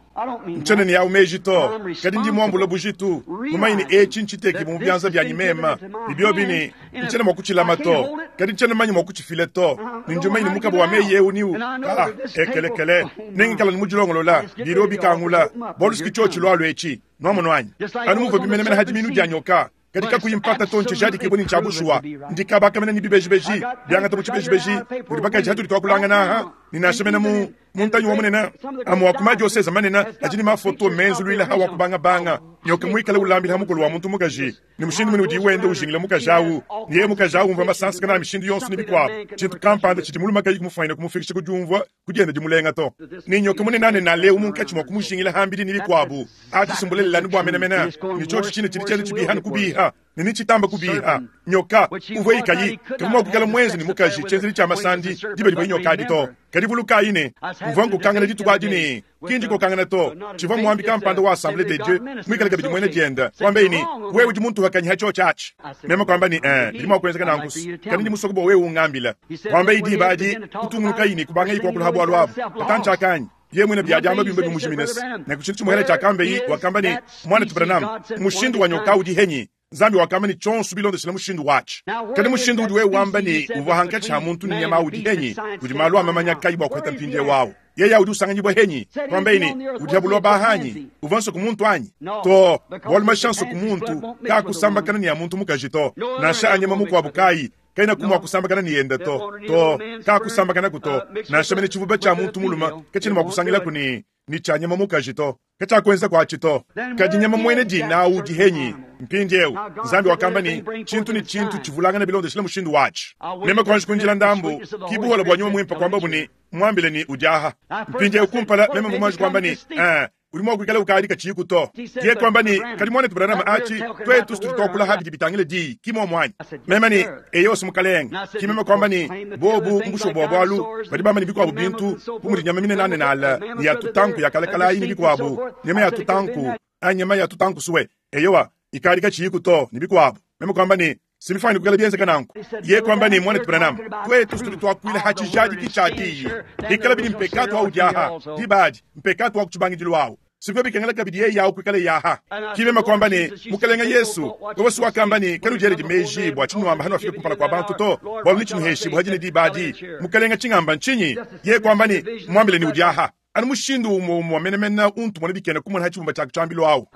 nchene ni yau meji to kadi ndi mwambula bujitu mumaini echi nchiteki mu byanza byanyi mema ibyo bini nchene mwakuchilama to kadi nchene manyi mwakuchifile to ninjumaini mukabo wa meyi eu niu ah ekelekele nengikala nimujilongolola biro bikangula boluski chochi lwalo echi nwamonwanyi anu muva bimenemene hadi minu dyanyoka Kadi kakuyi mpata to ntshijadikibue ne ntshia bushuwa. Ndi kabaka mene ne bibejibeji biangata mu tshibejibeji mudi bakaji hatudi tuakulangana aha ne nansha mene mu mu ntanyi wa munene amwe wa ku madioseze manene adi ne mafoto menzuluila ha wa kubangabanga nyoka muikale ulambila ha mukolo wa muntu mukaji ne mushindu mune udi wenda ujingila mukaji awu ne yeye mukaji awu umvua masansa kana mishindu yonso ne bikuabu tshintu kampanda tshidi mulume kayi kumufuanyina kumufikisha ku diumvua ku dienda dimulenga to ne nyoka munene anene aleu munkatshi mua kumujingila hambidi ne bikuabu atshisumbulelela bua menemene ne tshiotshi tshine tshidi tshienda tshibiha ne kubiha ne nitshitamba kubiha nyoka uvua ikayi kavua mua kuikala mwenze ne mukaji tshienzedi tshia masandi diba divua nyoka adi to kadi vulukayi ne mvua nkokangana dituku adi ne kindi kokangana to tshivua muambi kampanda wa Assemblée de Dieu muikale kabidi muena dienda wambaye ne wewe udi muntu wakanyiha tshiotshi atshi meme kwamba ne eh bidi mua kuenzeka nanku kadi ndi musoko bua wewe ungambila wambaye diba adi kutungunukayi ne kubangayi kuakula bualu abu katantshi akanyi ye mwene biadiamba bimbe bimujiminesi ne kutshintu tshimuhela tshiakambeyi wakamba ne mwana Branham mushindu wa nyoka udi henyi Nzambi wakamba ne tshionso bilondeshela mushindu watshi kadi mushindu udi wewe wamba ne uvua hankatshi ha muntu ne nyama udi henyi udi malu amamanya kayi bua kuheta mpindie wawu yeye udi usanganyibwa henyi kwambaye ne udi habulwa bahanyi uvua nso ku muntu anyi to bualu mashanso ku muntu kakusambakana ne ya muntu mukaji to nansha anyama mukuabu kayi kaina kumwa kusambakana ni yenda to to kakusambakana kuto nansha mene tshivuba tshia muntu muluma katshina mua kusangila ni ni tshia nyama mukaji to katshiakuenza kuatshi to kadi nyama mwene dina udi henyi mpindiewu Nzambi wakamba ni tshintu ni tshintu tshivulangana bilondeshela mushindu watshi meme kuanji kunjila ndambu kibuhola bua nyuma mwimpa kwamba buni mwambile ni udiaha mpindiewu kumpala meme mvumanji kwamba ni eh udi mua kuikala ukadi katshiku to ye kwamba ni kadi mwana Branham achi twetu situdi twakula habidi bitangile diyi kimo mwanyi meme ni eyosi mukalenga kimeme kwamba ni bobu mbusho bua bualu badi bamba ni bikuabu bintu bu mudi nyama minene anene ni ya tutanku ya kalakalayi ni bikuabu nyama ya tutanku anyama ya tutanku suwe eyowa ikadi katshiku to ni bikuabu meme kwamba ni simifani kukala bienzeka nanku ye kwamba ni mwana Branham twetu situdi twakuila hatshijadiki tshia diyi ikala bidi mpekatu au diaha dibadi mpekatu wa kutshibangidilu awu sivyo bikengela kabidi yeye yawu kuikala yaha kimema kwamba ni mukalenga Yesu wewe wakamba ni kaludiele dimeji bua tshinuamba hanu afike kumpala kwa bantu to bualu ni tshinuheshi buhadi ne dibadi mukalenga tshingamba ntshinyi ye kwamba ni mwambile ni udiaha anu mushindu umwe umwe wamenemena untu mwana bikena kumona hatshibumba tshia kutshambilu awu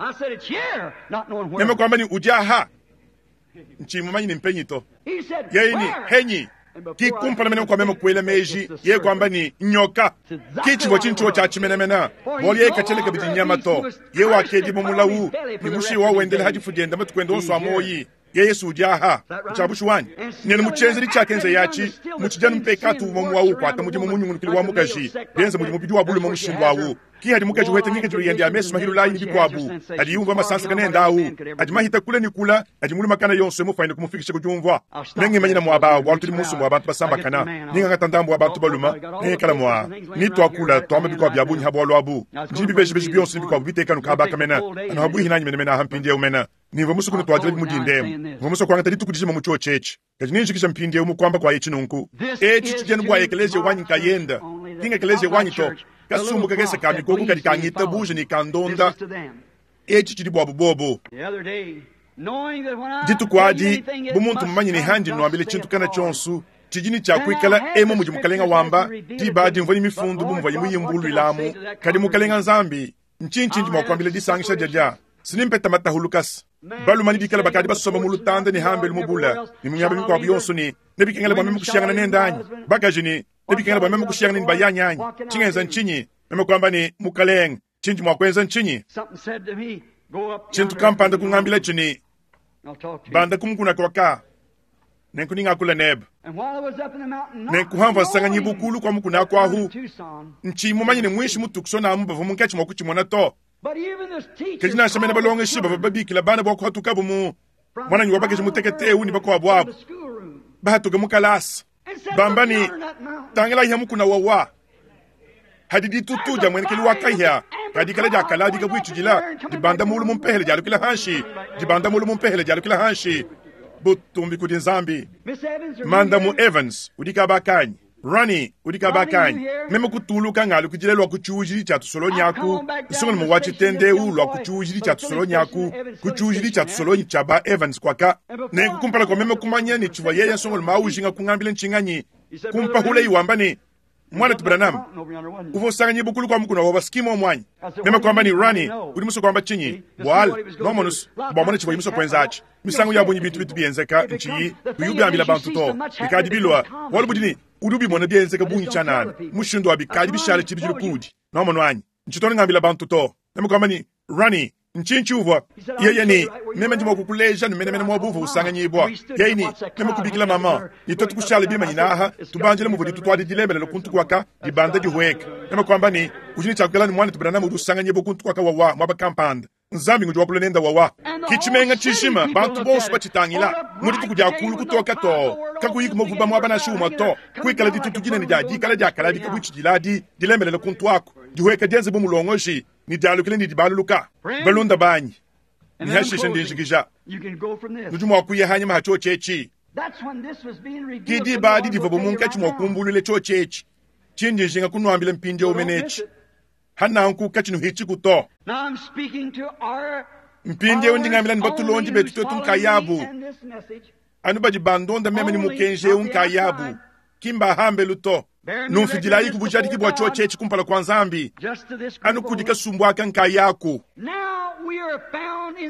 meme kwamba ni udiaha nchimumanyi ni mpenyi to yeye ni henyi kikumpala mene kwa meme kuela meji ye kwamba ni nyoka kichivua tshintshuo tshia tshimenemena bualu ye katshele kabidi nyama to ye wakedi mumulawu ni mushi wa wendele hadifu dienda matuku onso a moyi ye Yesu udiaha ntshiabushu wanyi nene mutshenzeli tshiakenza yatshi mutshijanu mpekatu umwe wawu kuata mudimu munyungulukili wa mukaji bienza mudi mubidi wa bulume mushindu awu ki hadi mukaji wete ngikadilu yende ya mesu mahilulayi ni bikuabu adi yumvua masansa kanenda awu adi mahita kula ni kula adi mulumakana yonso emufaine kumufikisha kudiumvua nengimanyina muaba bualu tudi musumbu wa bantu basambakana ningangata ndambu wa bantu baluma nengikala mua nituakula tuamba bikuabu bia bunyi ha bualu abu ndi bibejibeji bionso ni bikuabu bitekanu kabaka mena anu habuihi nanyi menemene aha mpindiewu mena nimva musuku nituadila bimudindemu mva musuku kuangata dituku dijima mu tshiotshi etshi kadi ninjikisha mpindiewu mukuamba kwa etshi nunku etshi tshidienu bua ekeleziya wanyi nkayenda kinga ekeleziya wanyi to kasumbu kakese ka mikoko kadi kangita buja ni kandonda etshi tshidi buabu bobo dituku adi bu muntu mumanye ne handi nuambile tshintu kana tshionso tshidi ni tshia kuikala emo mudi mukalenga wamba diba adi mvua ni mifundu bu muvua muyimbuluilamu kadi mukalenga Nzambi ntshintshindi mua kuambila disangisha diadia sinimpeta matahulukasa balumani bikala bakadi basomba mu lutanda ne hambelu mubula ne mu miaba mikuabu yonso ne nebikengela bua meme kushiyangana nende anyi bakaji ne nebikengela bua meme kushiyangana ne bayanyi anyi tshingenza ntshinyi meme kuamba ne mukalenga tshindi mua kuenza ntshinyi tshintu kampanda kungambila tshini banda kumukuna kwaka nenku ningakula nebe nenkuhamva nsanganyi bukulu kwa mukuna kwahu ntshimumanye ne mwishi mutukusona amu bavua munkatshi mua kutshimona to kadi nansha mene balongeshi bavua babikila bana bua kuhatukabu mu mwananyi wa bakaji mutekete ni bakuabu abu bahatuka mu kalasa bamba ni tangila ihe mukuna wawa hadi ditutu dia mwenekeli wa kahia kadi kala dia kaladika buitshidila dibanda mulu mumpehele dialukila hanshi dibanda mulu mumpehele dialukila hanshi butumbi kudi Nzambi Mandamu Evans udi kabakanyi Rani udi kabakanyi meme kutuluka ngalu kudila lwa kutshiujili tshia tusolonyaku nsongolo mu wa tshitendeu lwa kutshiujili tshia tusolonyaku kutshiujili tshia tusolonyi tshia ba Evans kwaka nenku kumpala kwa meme kumanya ni tshivua yeye nsongolo maujinga kungambila ntshinganyi kumpahula iwamba ni Mwanetu Branham, uvua usanganyibwa kulu kua mukuna wa skimo mwanyi. Meme kwamba ni Rani, udi musue kuamba tshinyi? Bwal, nomonus, bua mona tshivua musue kuenza atshi. Misangu ya bungi bintu bitu bienzeka ntshiyi kuyubiambila bantu to. Bikadi bilua, bualu budi ni udi ubimona bienzeka bungi tshianana. Mushindu wa bikadi bishale tshibidilu kuudi. Nomono anyi. Ntshitona ngambila bantu to. Meme kwamba ni Rani, nchinchi uvua yeye ni meme ndi mwakukuleja ni menemene mwa buvu usanganyibwa yeye ni meme kubikila mama ni twetu kushala bimanyina aha tubanjile muvudi tutwadi dilembelelo kuntu kwaka dibanda dihueka meme kwamba ni udi ni tshiakukela ni mwana Branham udi usanganyibwa kuntu kwaka wawa mwaba kampanda nzambi ngudi wakula nenda wawa kichimenga chishima bantu bonso bachitangila mudi tukudia kulu kutoka to kakuyi muvuba mwaba na shuma to kuikala ditutu dinene dia dikala diakala dikabuitshidiladi dilembelelo kuntu ako dihueka dienze bu mulongoshi ni dialukile ni dibaluluka balunda banyi nihashishe ndinjikija nudi mua kuya hanyuma ha tshotshetshi kidi badi divua munkatshi mua kumbulule tshotshetshi tshindi njinga kunuambila mpindieu menetshi hananku katshinuhitshiku to mpindieu ndingambila ni batulondi betu twetu nkayabu anu badi bandonda meme ni mukenji eu nkayabu kimbahambelu to numfidilayi kubujadiki bua tshotshetshi kumpala kua nzambi anu kudi kasumbu aka nkayaku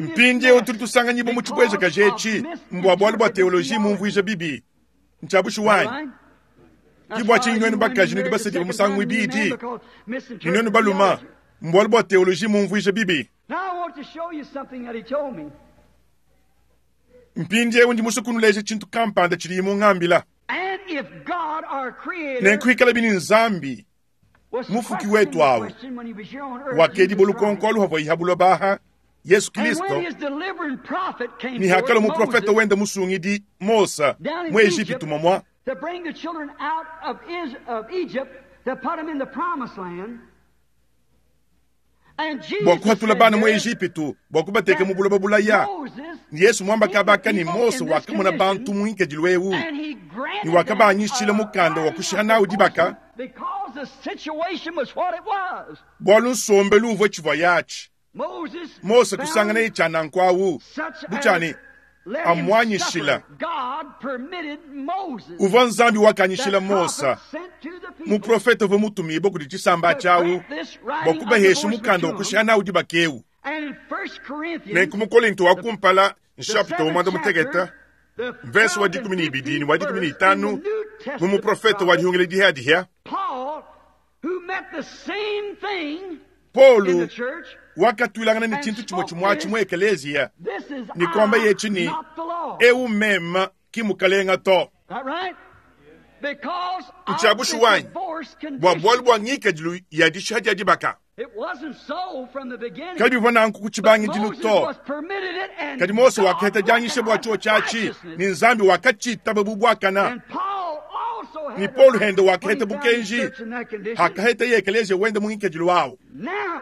mpindieu tuli tusanganyibwa mu tshibwezeka jetshi mbua bualu bua teoloji mumvuija bibi ntshiabushu wanyi kibua tshinyi bakaji nudi basadibwa musangu ibidi ni nwenu baluma mbualu bua teoloji mumvuija bibi mpindieu ndi musue kunuleja tshintu kampanda tshidi mungambila nenkuikala bini nzambi mufuki wetu awu wakedi bolukonko aluhavua ihabulwa baha Yesu Kristo ni hakala muprofeta wenda musungidi Mosa mu Egipitu momwa to bring the children out of, Is of Egypt to put them in the promised land. And Jesus bua kuhatula bana mu said Egipitu bua kubateka mu buloba bulaya Moses, ni Yesu mwamba kabaka ni Mose wakamona bantu mu nkedilu eu and he granted ni wakabanyishila them a mukanda wa writing kushiha of nawu dibaka because the situation was what it was. bualu nsombelu uvua tshivua yatshi Moses Mose found kusangana ye tshianankwawu such butshani as let him amwanyishila. suffer. God permitted Moses, uvua nzambi wakanyishila that Mosa prophet sent to the people, muprofeta uvua mutumibwa kudi tshisamba to tshiawu grant this writing bua of kubahesha divorce mukanda wa to kushiha them. nawu dibaka eu And in First Corinthians, nenku mukolinto wa kumpala the nshapita seventh umwanda muteketa chapter, the mvesi wa twelfth and dikumi ni ibidi ni wa fifteenth dikumi ni verse in itanu the New mu Testament muprofeta wa prophet, dihungile dihadiha Paul, who met the same thing in the Paulo church, wakatwilangana ni tshintu tshimwe tshimwatshi mu ekeleziya this is ni kwamba I, yetshi ni not the law. eu mema kimukalenga to That right? Because of Ntshiabushu the wanyi divorce bua condition. bualu bua ngikadilu ya dishiha dia dibaka It wasn't so from the beginning. kadi bivua nanku ku But tshibangidilu Moses to was permitted it and kadi Mose God wakaheta dianyisha bua recognized tshotshatshi righteousness. ni nzambi wakatshitaba bubwakana And Paul also had ni the Paulo right hende when wakaheta he found his bukenji church in that condition. hakaheta ye ekeleziya wende mu ngikadilu wawu Now,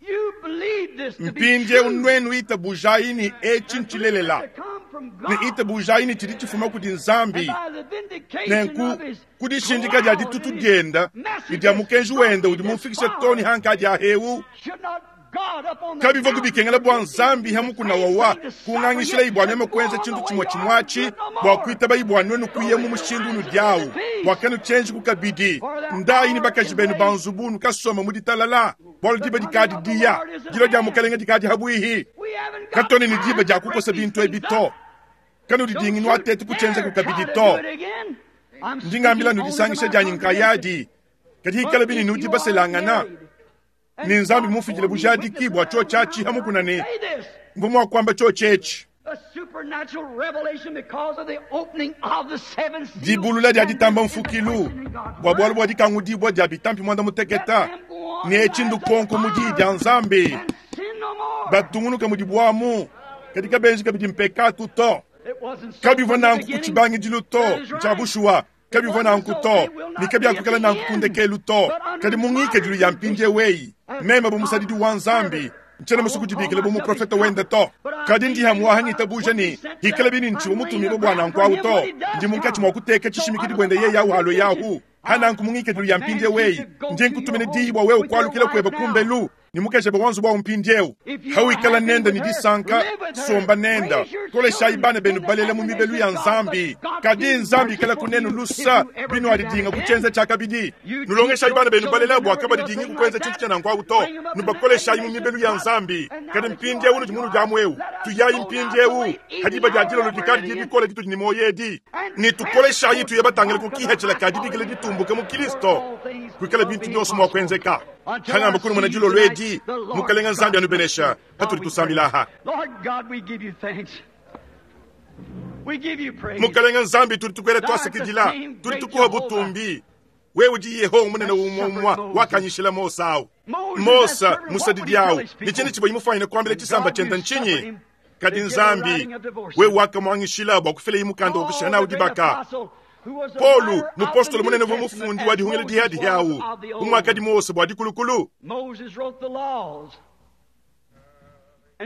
you believe this to be mpindieu true. nwenu itabujayi ni etshi ntshilelela To come from God. ni itabujayi ni tshidi tshifuma kudi nzambi And by the vindication nenku of his kudishindika dia cloud ditutu and his dienda message ni dia mukenji wenda udi this mumfikishe far, toni hanka adi ahewu should not God up on the kabivua mountain kubikengela bua nzambi do the hamukuna same wawa thing to suffer kung'ang'ishila yet ibwa meme and go kuenza on tshintu the tshimwe way you are tshimwatshi good no bua more. kuitaba ibwa nwenu kuya mu mushindu unu diawu bua kanu tshienji kukabidi ndayi ni bakaji benu banzubunu kasoma mu ditalala bualu diba dikadi diya dilo dia mukalenga dikadi habwihi We haven't got katoni ni time diba dia to break kukosa these bintu ebi things to up. kanu Don't didingi you nwatete kutshenza dare kukabidi try to to do it again. I'm ndingambila speaking only to nudisangisha my dianyi congregation. nkayadi kadi hikala bini But if nudi you are baselangana married, and ni nzambi God mufikile bore me bujadiki witness bua that I tshotshatshi will hamukuna ni say this, mvumwa kwamba tshotshetshi a supernatural revelation because of the opening of the seven seals dibulula dia and ditamba this is the mfukilu question in God's bua bualu word. bua dikangudibua dia bitampi mwanda muteketa Let them go on ni etshi as they ndukonko mu diyi dia are nzambi and sin no more. batungunuka mudi buamu kadi kabenji kabidi mpekatu to It wasn't so kabivua from the nanku ku beginning. tshibangidilu to That is right. tshia bushuwa kabivua nanku to ni kabiakukala nanku kundekelu to kadi mu ngikadilu ya mpindiewu eyi meme bu musadidi wa nzambi ntshiena musu kudibikila bu muprofeta wende to kadi ndi hamuwahangita buja ni hikala bini ntshiwa mutumibue bua nanku awu to ndi munkatshi mua kuteka tshishimikidi buende yeyi awu halo yahu hananku mu ngikadilu ya mpindiewu eyi ndi nkutumina diyi bua wewe kualukila kueba kumbelu Ne mukajebe wa nzubu awu mpindiewu. Hawikala nenda ne disanka, somba nenda. Koleshayi bana benu balela mu mibelu ya Nzambi. Kadi Nzambi ikala kunenu lusa binuadidinga ku tshienza tshia kabidi. Nulongeshayi bana benu balela bua kabadidingi ku kuenza tshintu tshia nanku awu to. Nubakoleshayi mu mibelu ya Nzambi. Kadi mpindiewu nudi munudiamu ewu. Tuyayi mpindiewu. Hadiba dia dilolo dikadi dibikole ditudi ne muoyo edi. Ne tukoleshayi tuye batangile ku kihethela ka dibikila ditumbuke mu Kristo. Kuikala bintu byonso mua kuenzeka. Hangamba kunu muna dilolo edi. Mukalenga Nzambi anubenesha. Patudi tusambilaha. Lord God, we give you thanks. We give you praise. Mukalenga Nzambi tudi tukwela twasakidila. Tudi tukuha butumbi. Wewe udi Yehowa munene umwe wakanyishila Mose awu. Mose musadidi awu. Ni chini chibwe imufanyine kuambila chisamba chenda nchinyi. Kadi Nzambi wewe wakamwangishila bua kufila imukanda wa kushana udibaka. Paulo mupostolo munene wa mufundi wa dihungila dihadi yawu. Umwakadi Mose bua dikulukulu. Moses wrote the laws.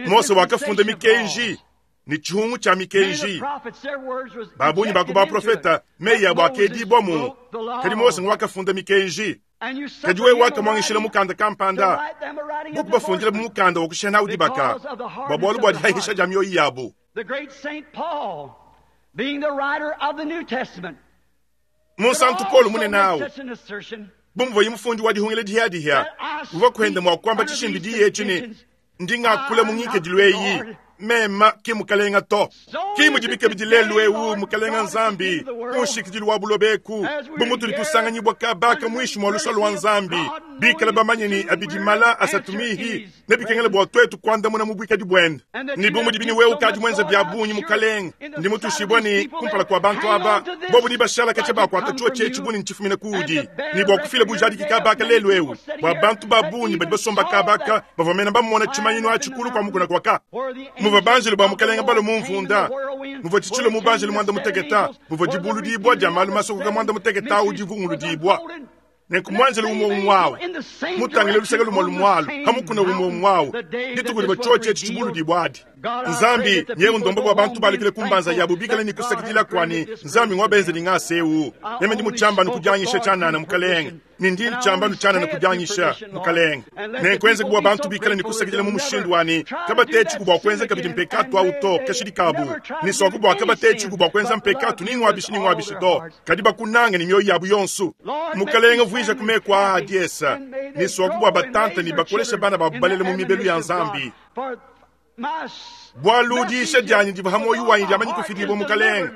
Mose wakafunda mikenji ni chihungu cha mikenji. Babunyi baku baprofeta meyi abo akedibwamu. Kadi Mose wakafunda mikenji. Kadi wewe wakamwangishila mukanda kampanda. Buku bafundila mu mukanda wa kushana udibaka. Bua bualu bua dihahisha dia mioyo yabo. The great Saint Paul, being the writer of the New Testament, Munsantu Paulo munene awu. such an assertion Bumva yimufundi wa dihungila dihadiha. Uva kwenda mwa kwamba chishimbi diye chini. Ndingakula mungikedilu eyi. Mema ki mukalenga to. Ki mudibike bidilelu ewu mukalenga Nzambi. Mushikidilu wa bulobeku. Bumutuli tusanganyibwa kabaka mwishi mwa lusalo wa Nzambi. Bikala bamanye ni abidimala asatumihi. Nebikengele bua twetu kuandamuna mu bwikadi bwenda. Ni bumudi wewe ukadi mwenza bya bunyi mukalenga. Ndi mutushibwa ni kumpala kwa bantu aba. Bobu ni bashala kache bakwata chuo chechi buni nchifumine kuudi. Ni bua kufila bujadiki kabaka lelu ewu. Bua bantu babunyi badi basomba kabaka. Bavamena bamona chimanyino achikulu kwa mukuna kwaka. Muva banjelu ba mukalenga balo mumvunda. Muva chichilo mubanjelu mwanda muteketa. Muva dibulu dibwa dia malu masokoka mwanda muteketa udivungulu dibwa. Nenku mwanjelu umwe umwawu. Mutangile luseke lumwe lumwalu. Hamukuna umwe umwawu. Dituku liba chuo chechi chibulu dibwa adi. Nzambi nyewe ndombo bwa bantu balikile kumbanza yabo bikale ni kusakidila kwani Nzambi ngwabenze ningasewu. Neme ndi muchamba nukujanyisha chanana mukalenga. Ni ndi nchamba nuchana nukujanyisha mukalenga. Nenkwenze kubwa bantu bikale ni kusakidila mu mushindu wani kabatechi kubwa kwenza kabidi mpekatu au to kashidikabu. Ni swa kubwa kabatechi kubwa kwenza mpekatu ningwabishi ningwabishi do. Kadi bakunanga ni mioyo yabo yonsu. Mukalenga vuija kumekwa adiesa. Ni swa kubwa batanta ni bakolesha bana babalele mu mibelu ya Nzambi. Bwalu diisha dyanyi diva hamoyo wanyi dyamanyi kufidibwa mukalenga.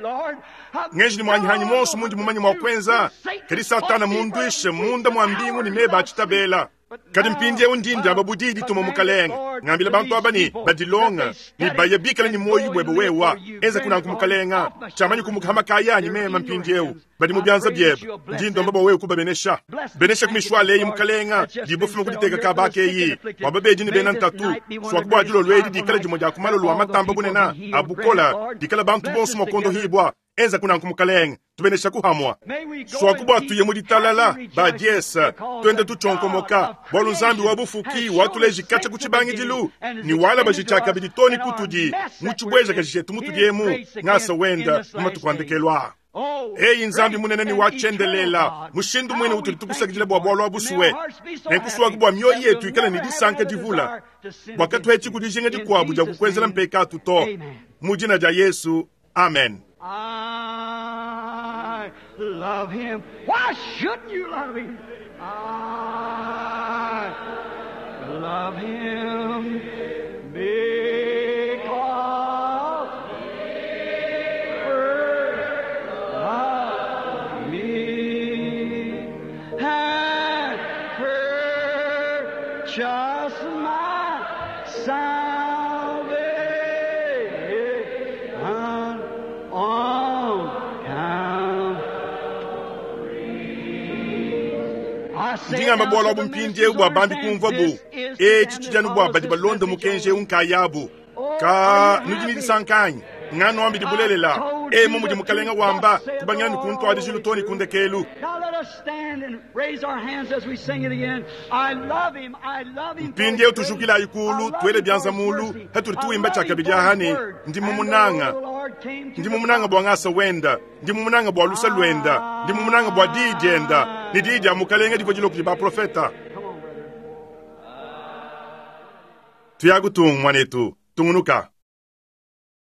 Ngenji ni mwanyihanyi monso mundi mumanyi mwa kwenza. Kadi satana mundwishe munda mwa mbingu ni meba achitabela. Kadi mpindiewu ndindi aba budidi tuma mukalenga. Ngambila bantu aba ni badilonga. Ni baya bikala ni moyo bwebe wewa. Enza kunanku mukalenga. Chamanyi kumukhama kayanyi mema mpindiewu. Badi mu byanza byebe. Ndindo mbaba wewe kubabenesha. Benesha kumishwale eyi mukalenga. Dibofuma kuditeka kabaka eyi. Wababedi ni bena ntatu. Swakubwa dilo lwedi dikala dimo dia kumalolo wa matamba bunena. Abukola. Dikala bantu bonso mwakondo hibwa. Enza kunanku mukalenga. Tubenesha kuhamwa. Swakubwa tuye muditalala badiesa twende tuchonkomoka bwalu Nzambi wa bufuki watuleji kacha kuchibangidilu ni wala bajichaka biditoni kutudi muchibweja kajishetu mutudiemu ngasa wenda mumatukuandekelwa. Eyi Nzambi munene ni wachendelela mushindu mwene utuli tukusakidila bwa bwalwa busuwe nenkuswaku bwa mioyo yetu ikala ni disanka divula bwakatwechi kudijinga dikwabu dia kukwenzela mpekatu to mu jina dia Yesu, amen. I love him. Why shouldn't you love him? I love him because he first loved me and purchased my salvation on Calvary. Ndingamba bwalwa bumpindiewu bwa bambi kumva bu echi chijanu bwa badi balonda mukenje unkayabu ka nudi nidisankanyi ngano ambi dibulelela emu mudi mukalenga wamba kubangila nikuntwadi jilutoni kundekelu. Now let us stand and raise our hands as we sing it again. I love him. I love him. Mpindiewu tujukila ikulu twele byanza mulu hatuli tuwimba chakabidi ahani ndi mumunanga ndi mumunanga bwa ngasa wenda ndi mumunanga bwa lusa lwenda ndi mumunanga bwa didienda ni didi ya mukalenga divo dilo kudi baprofeta. Come on, brother. Tuyaku tung, mwanetu. Tungunuka.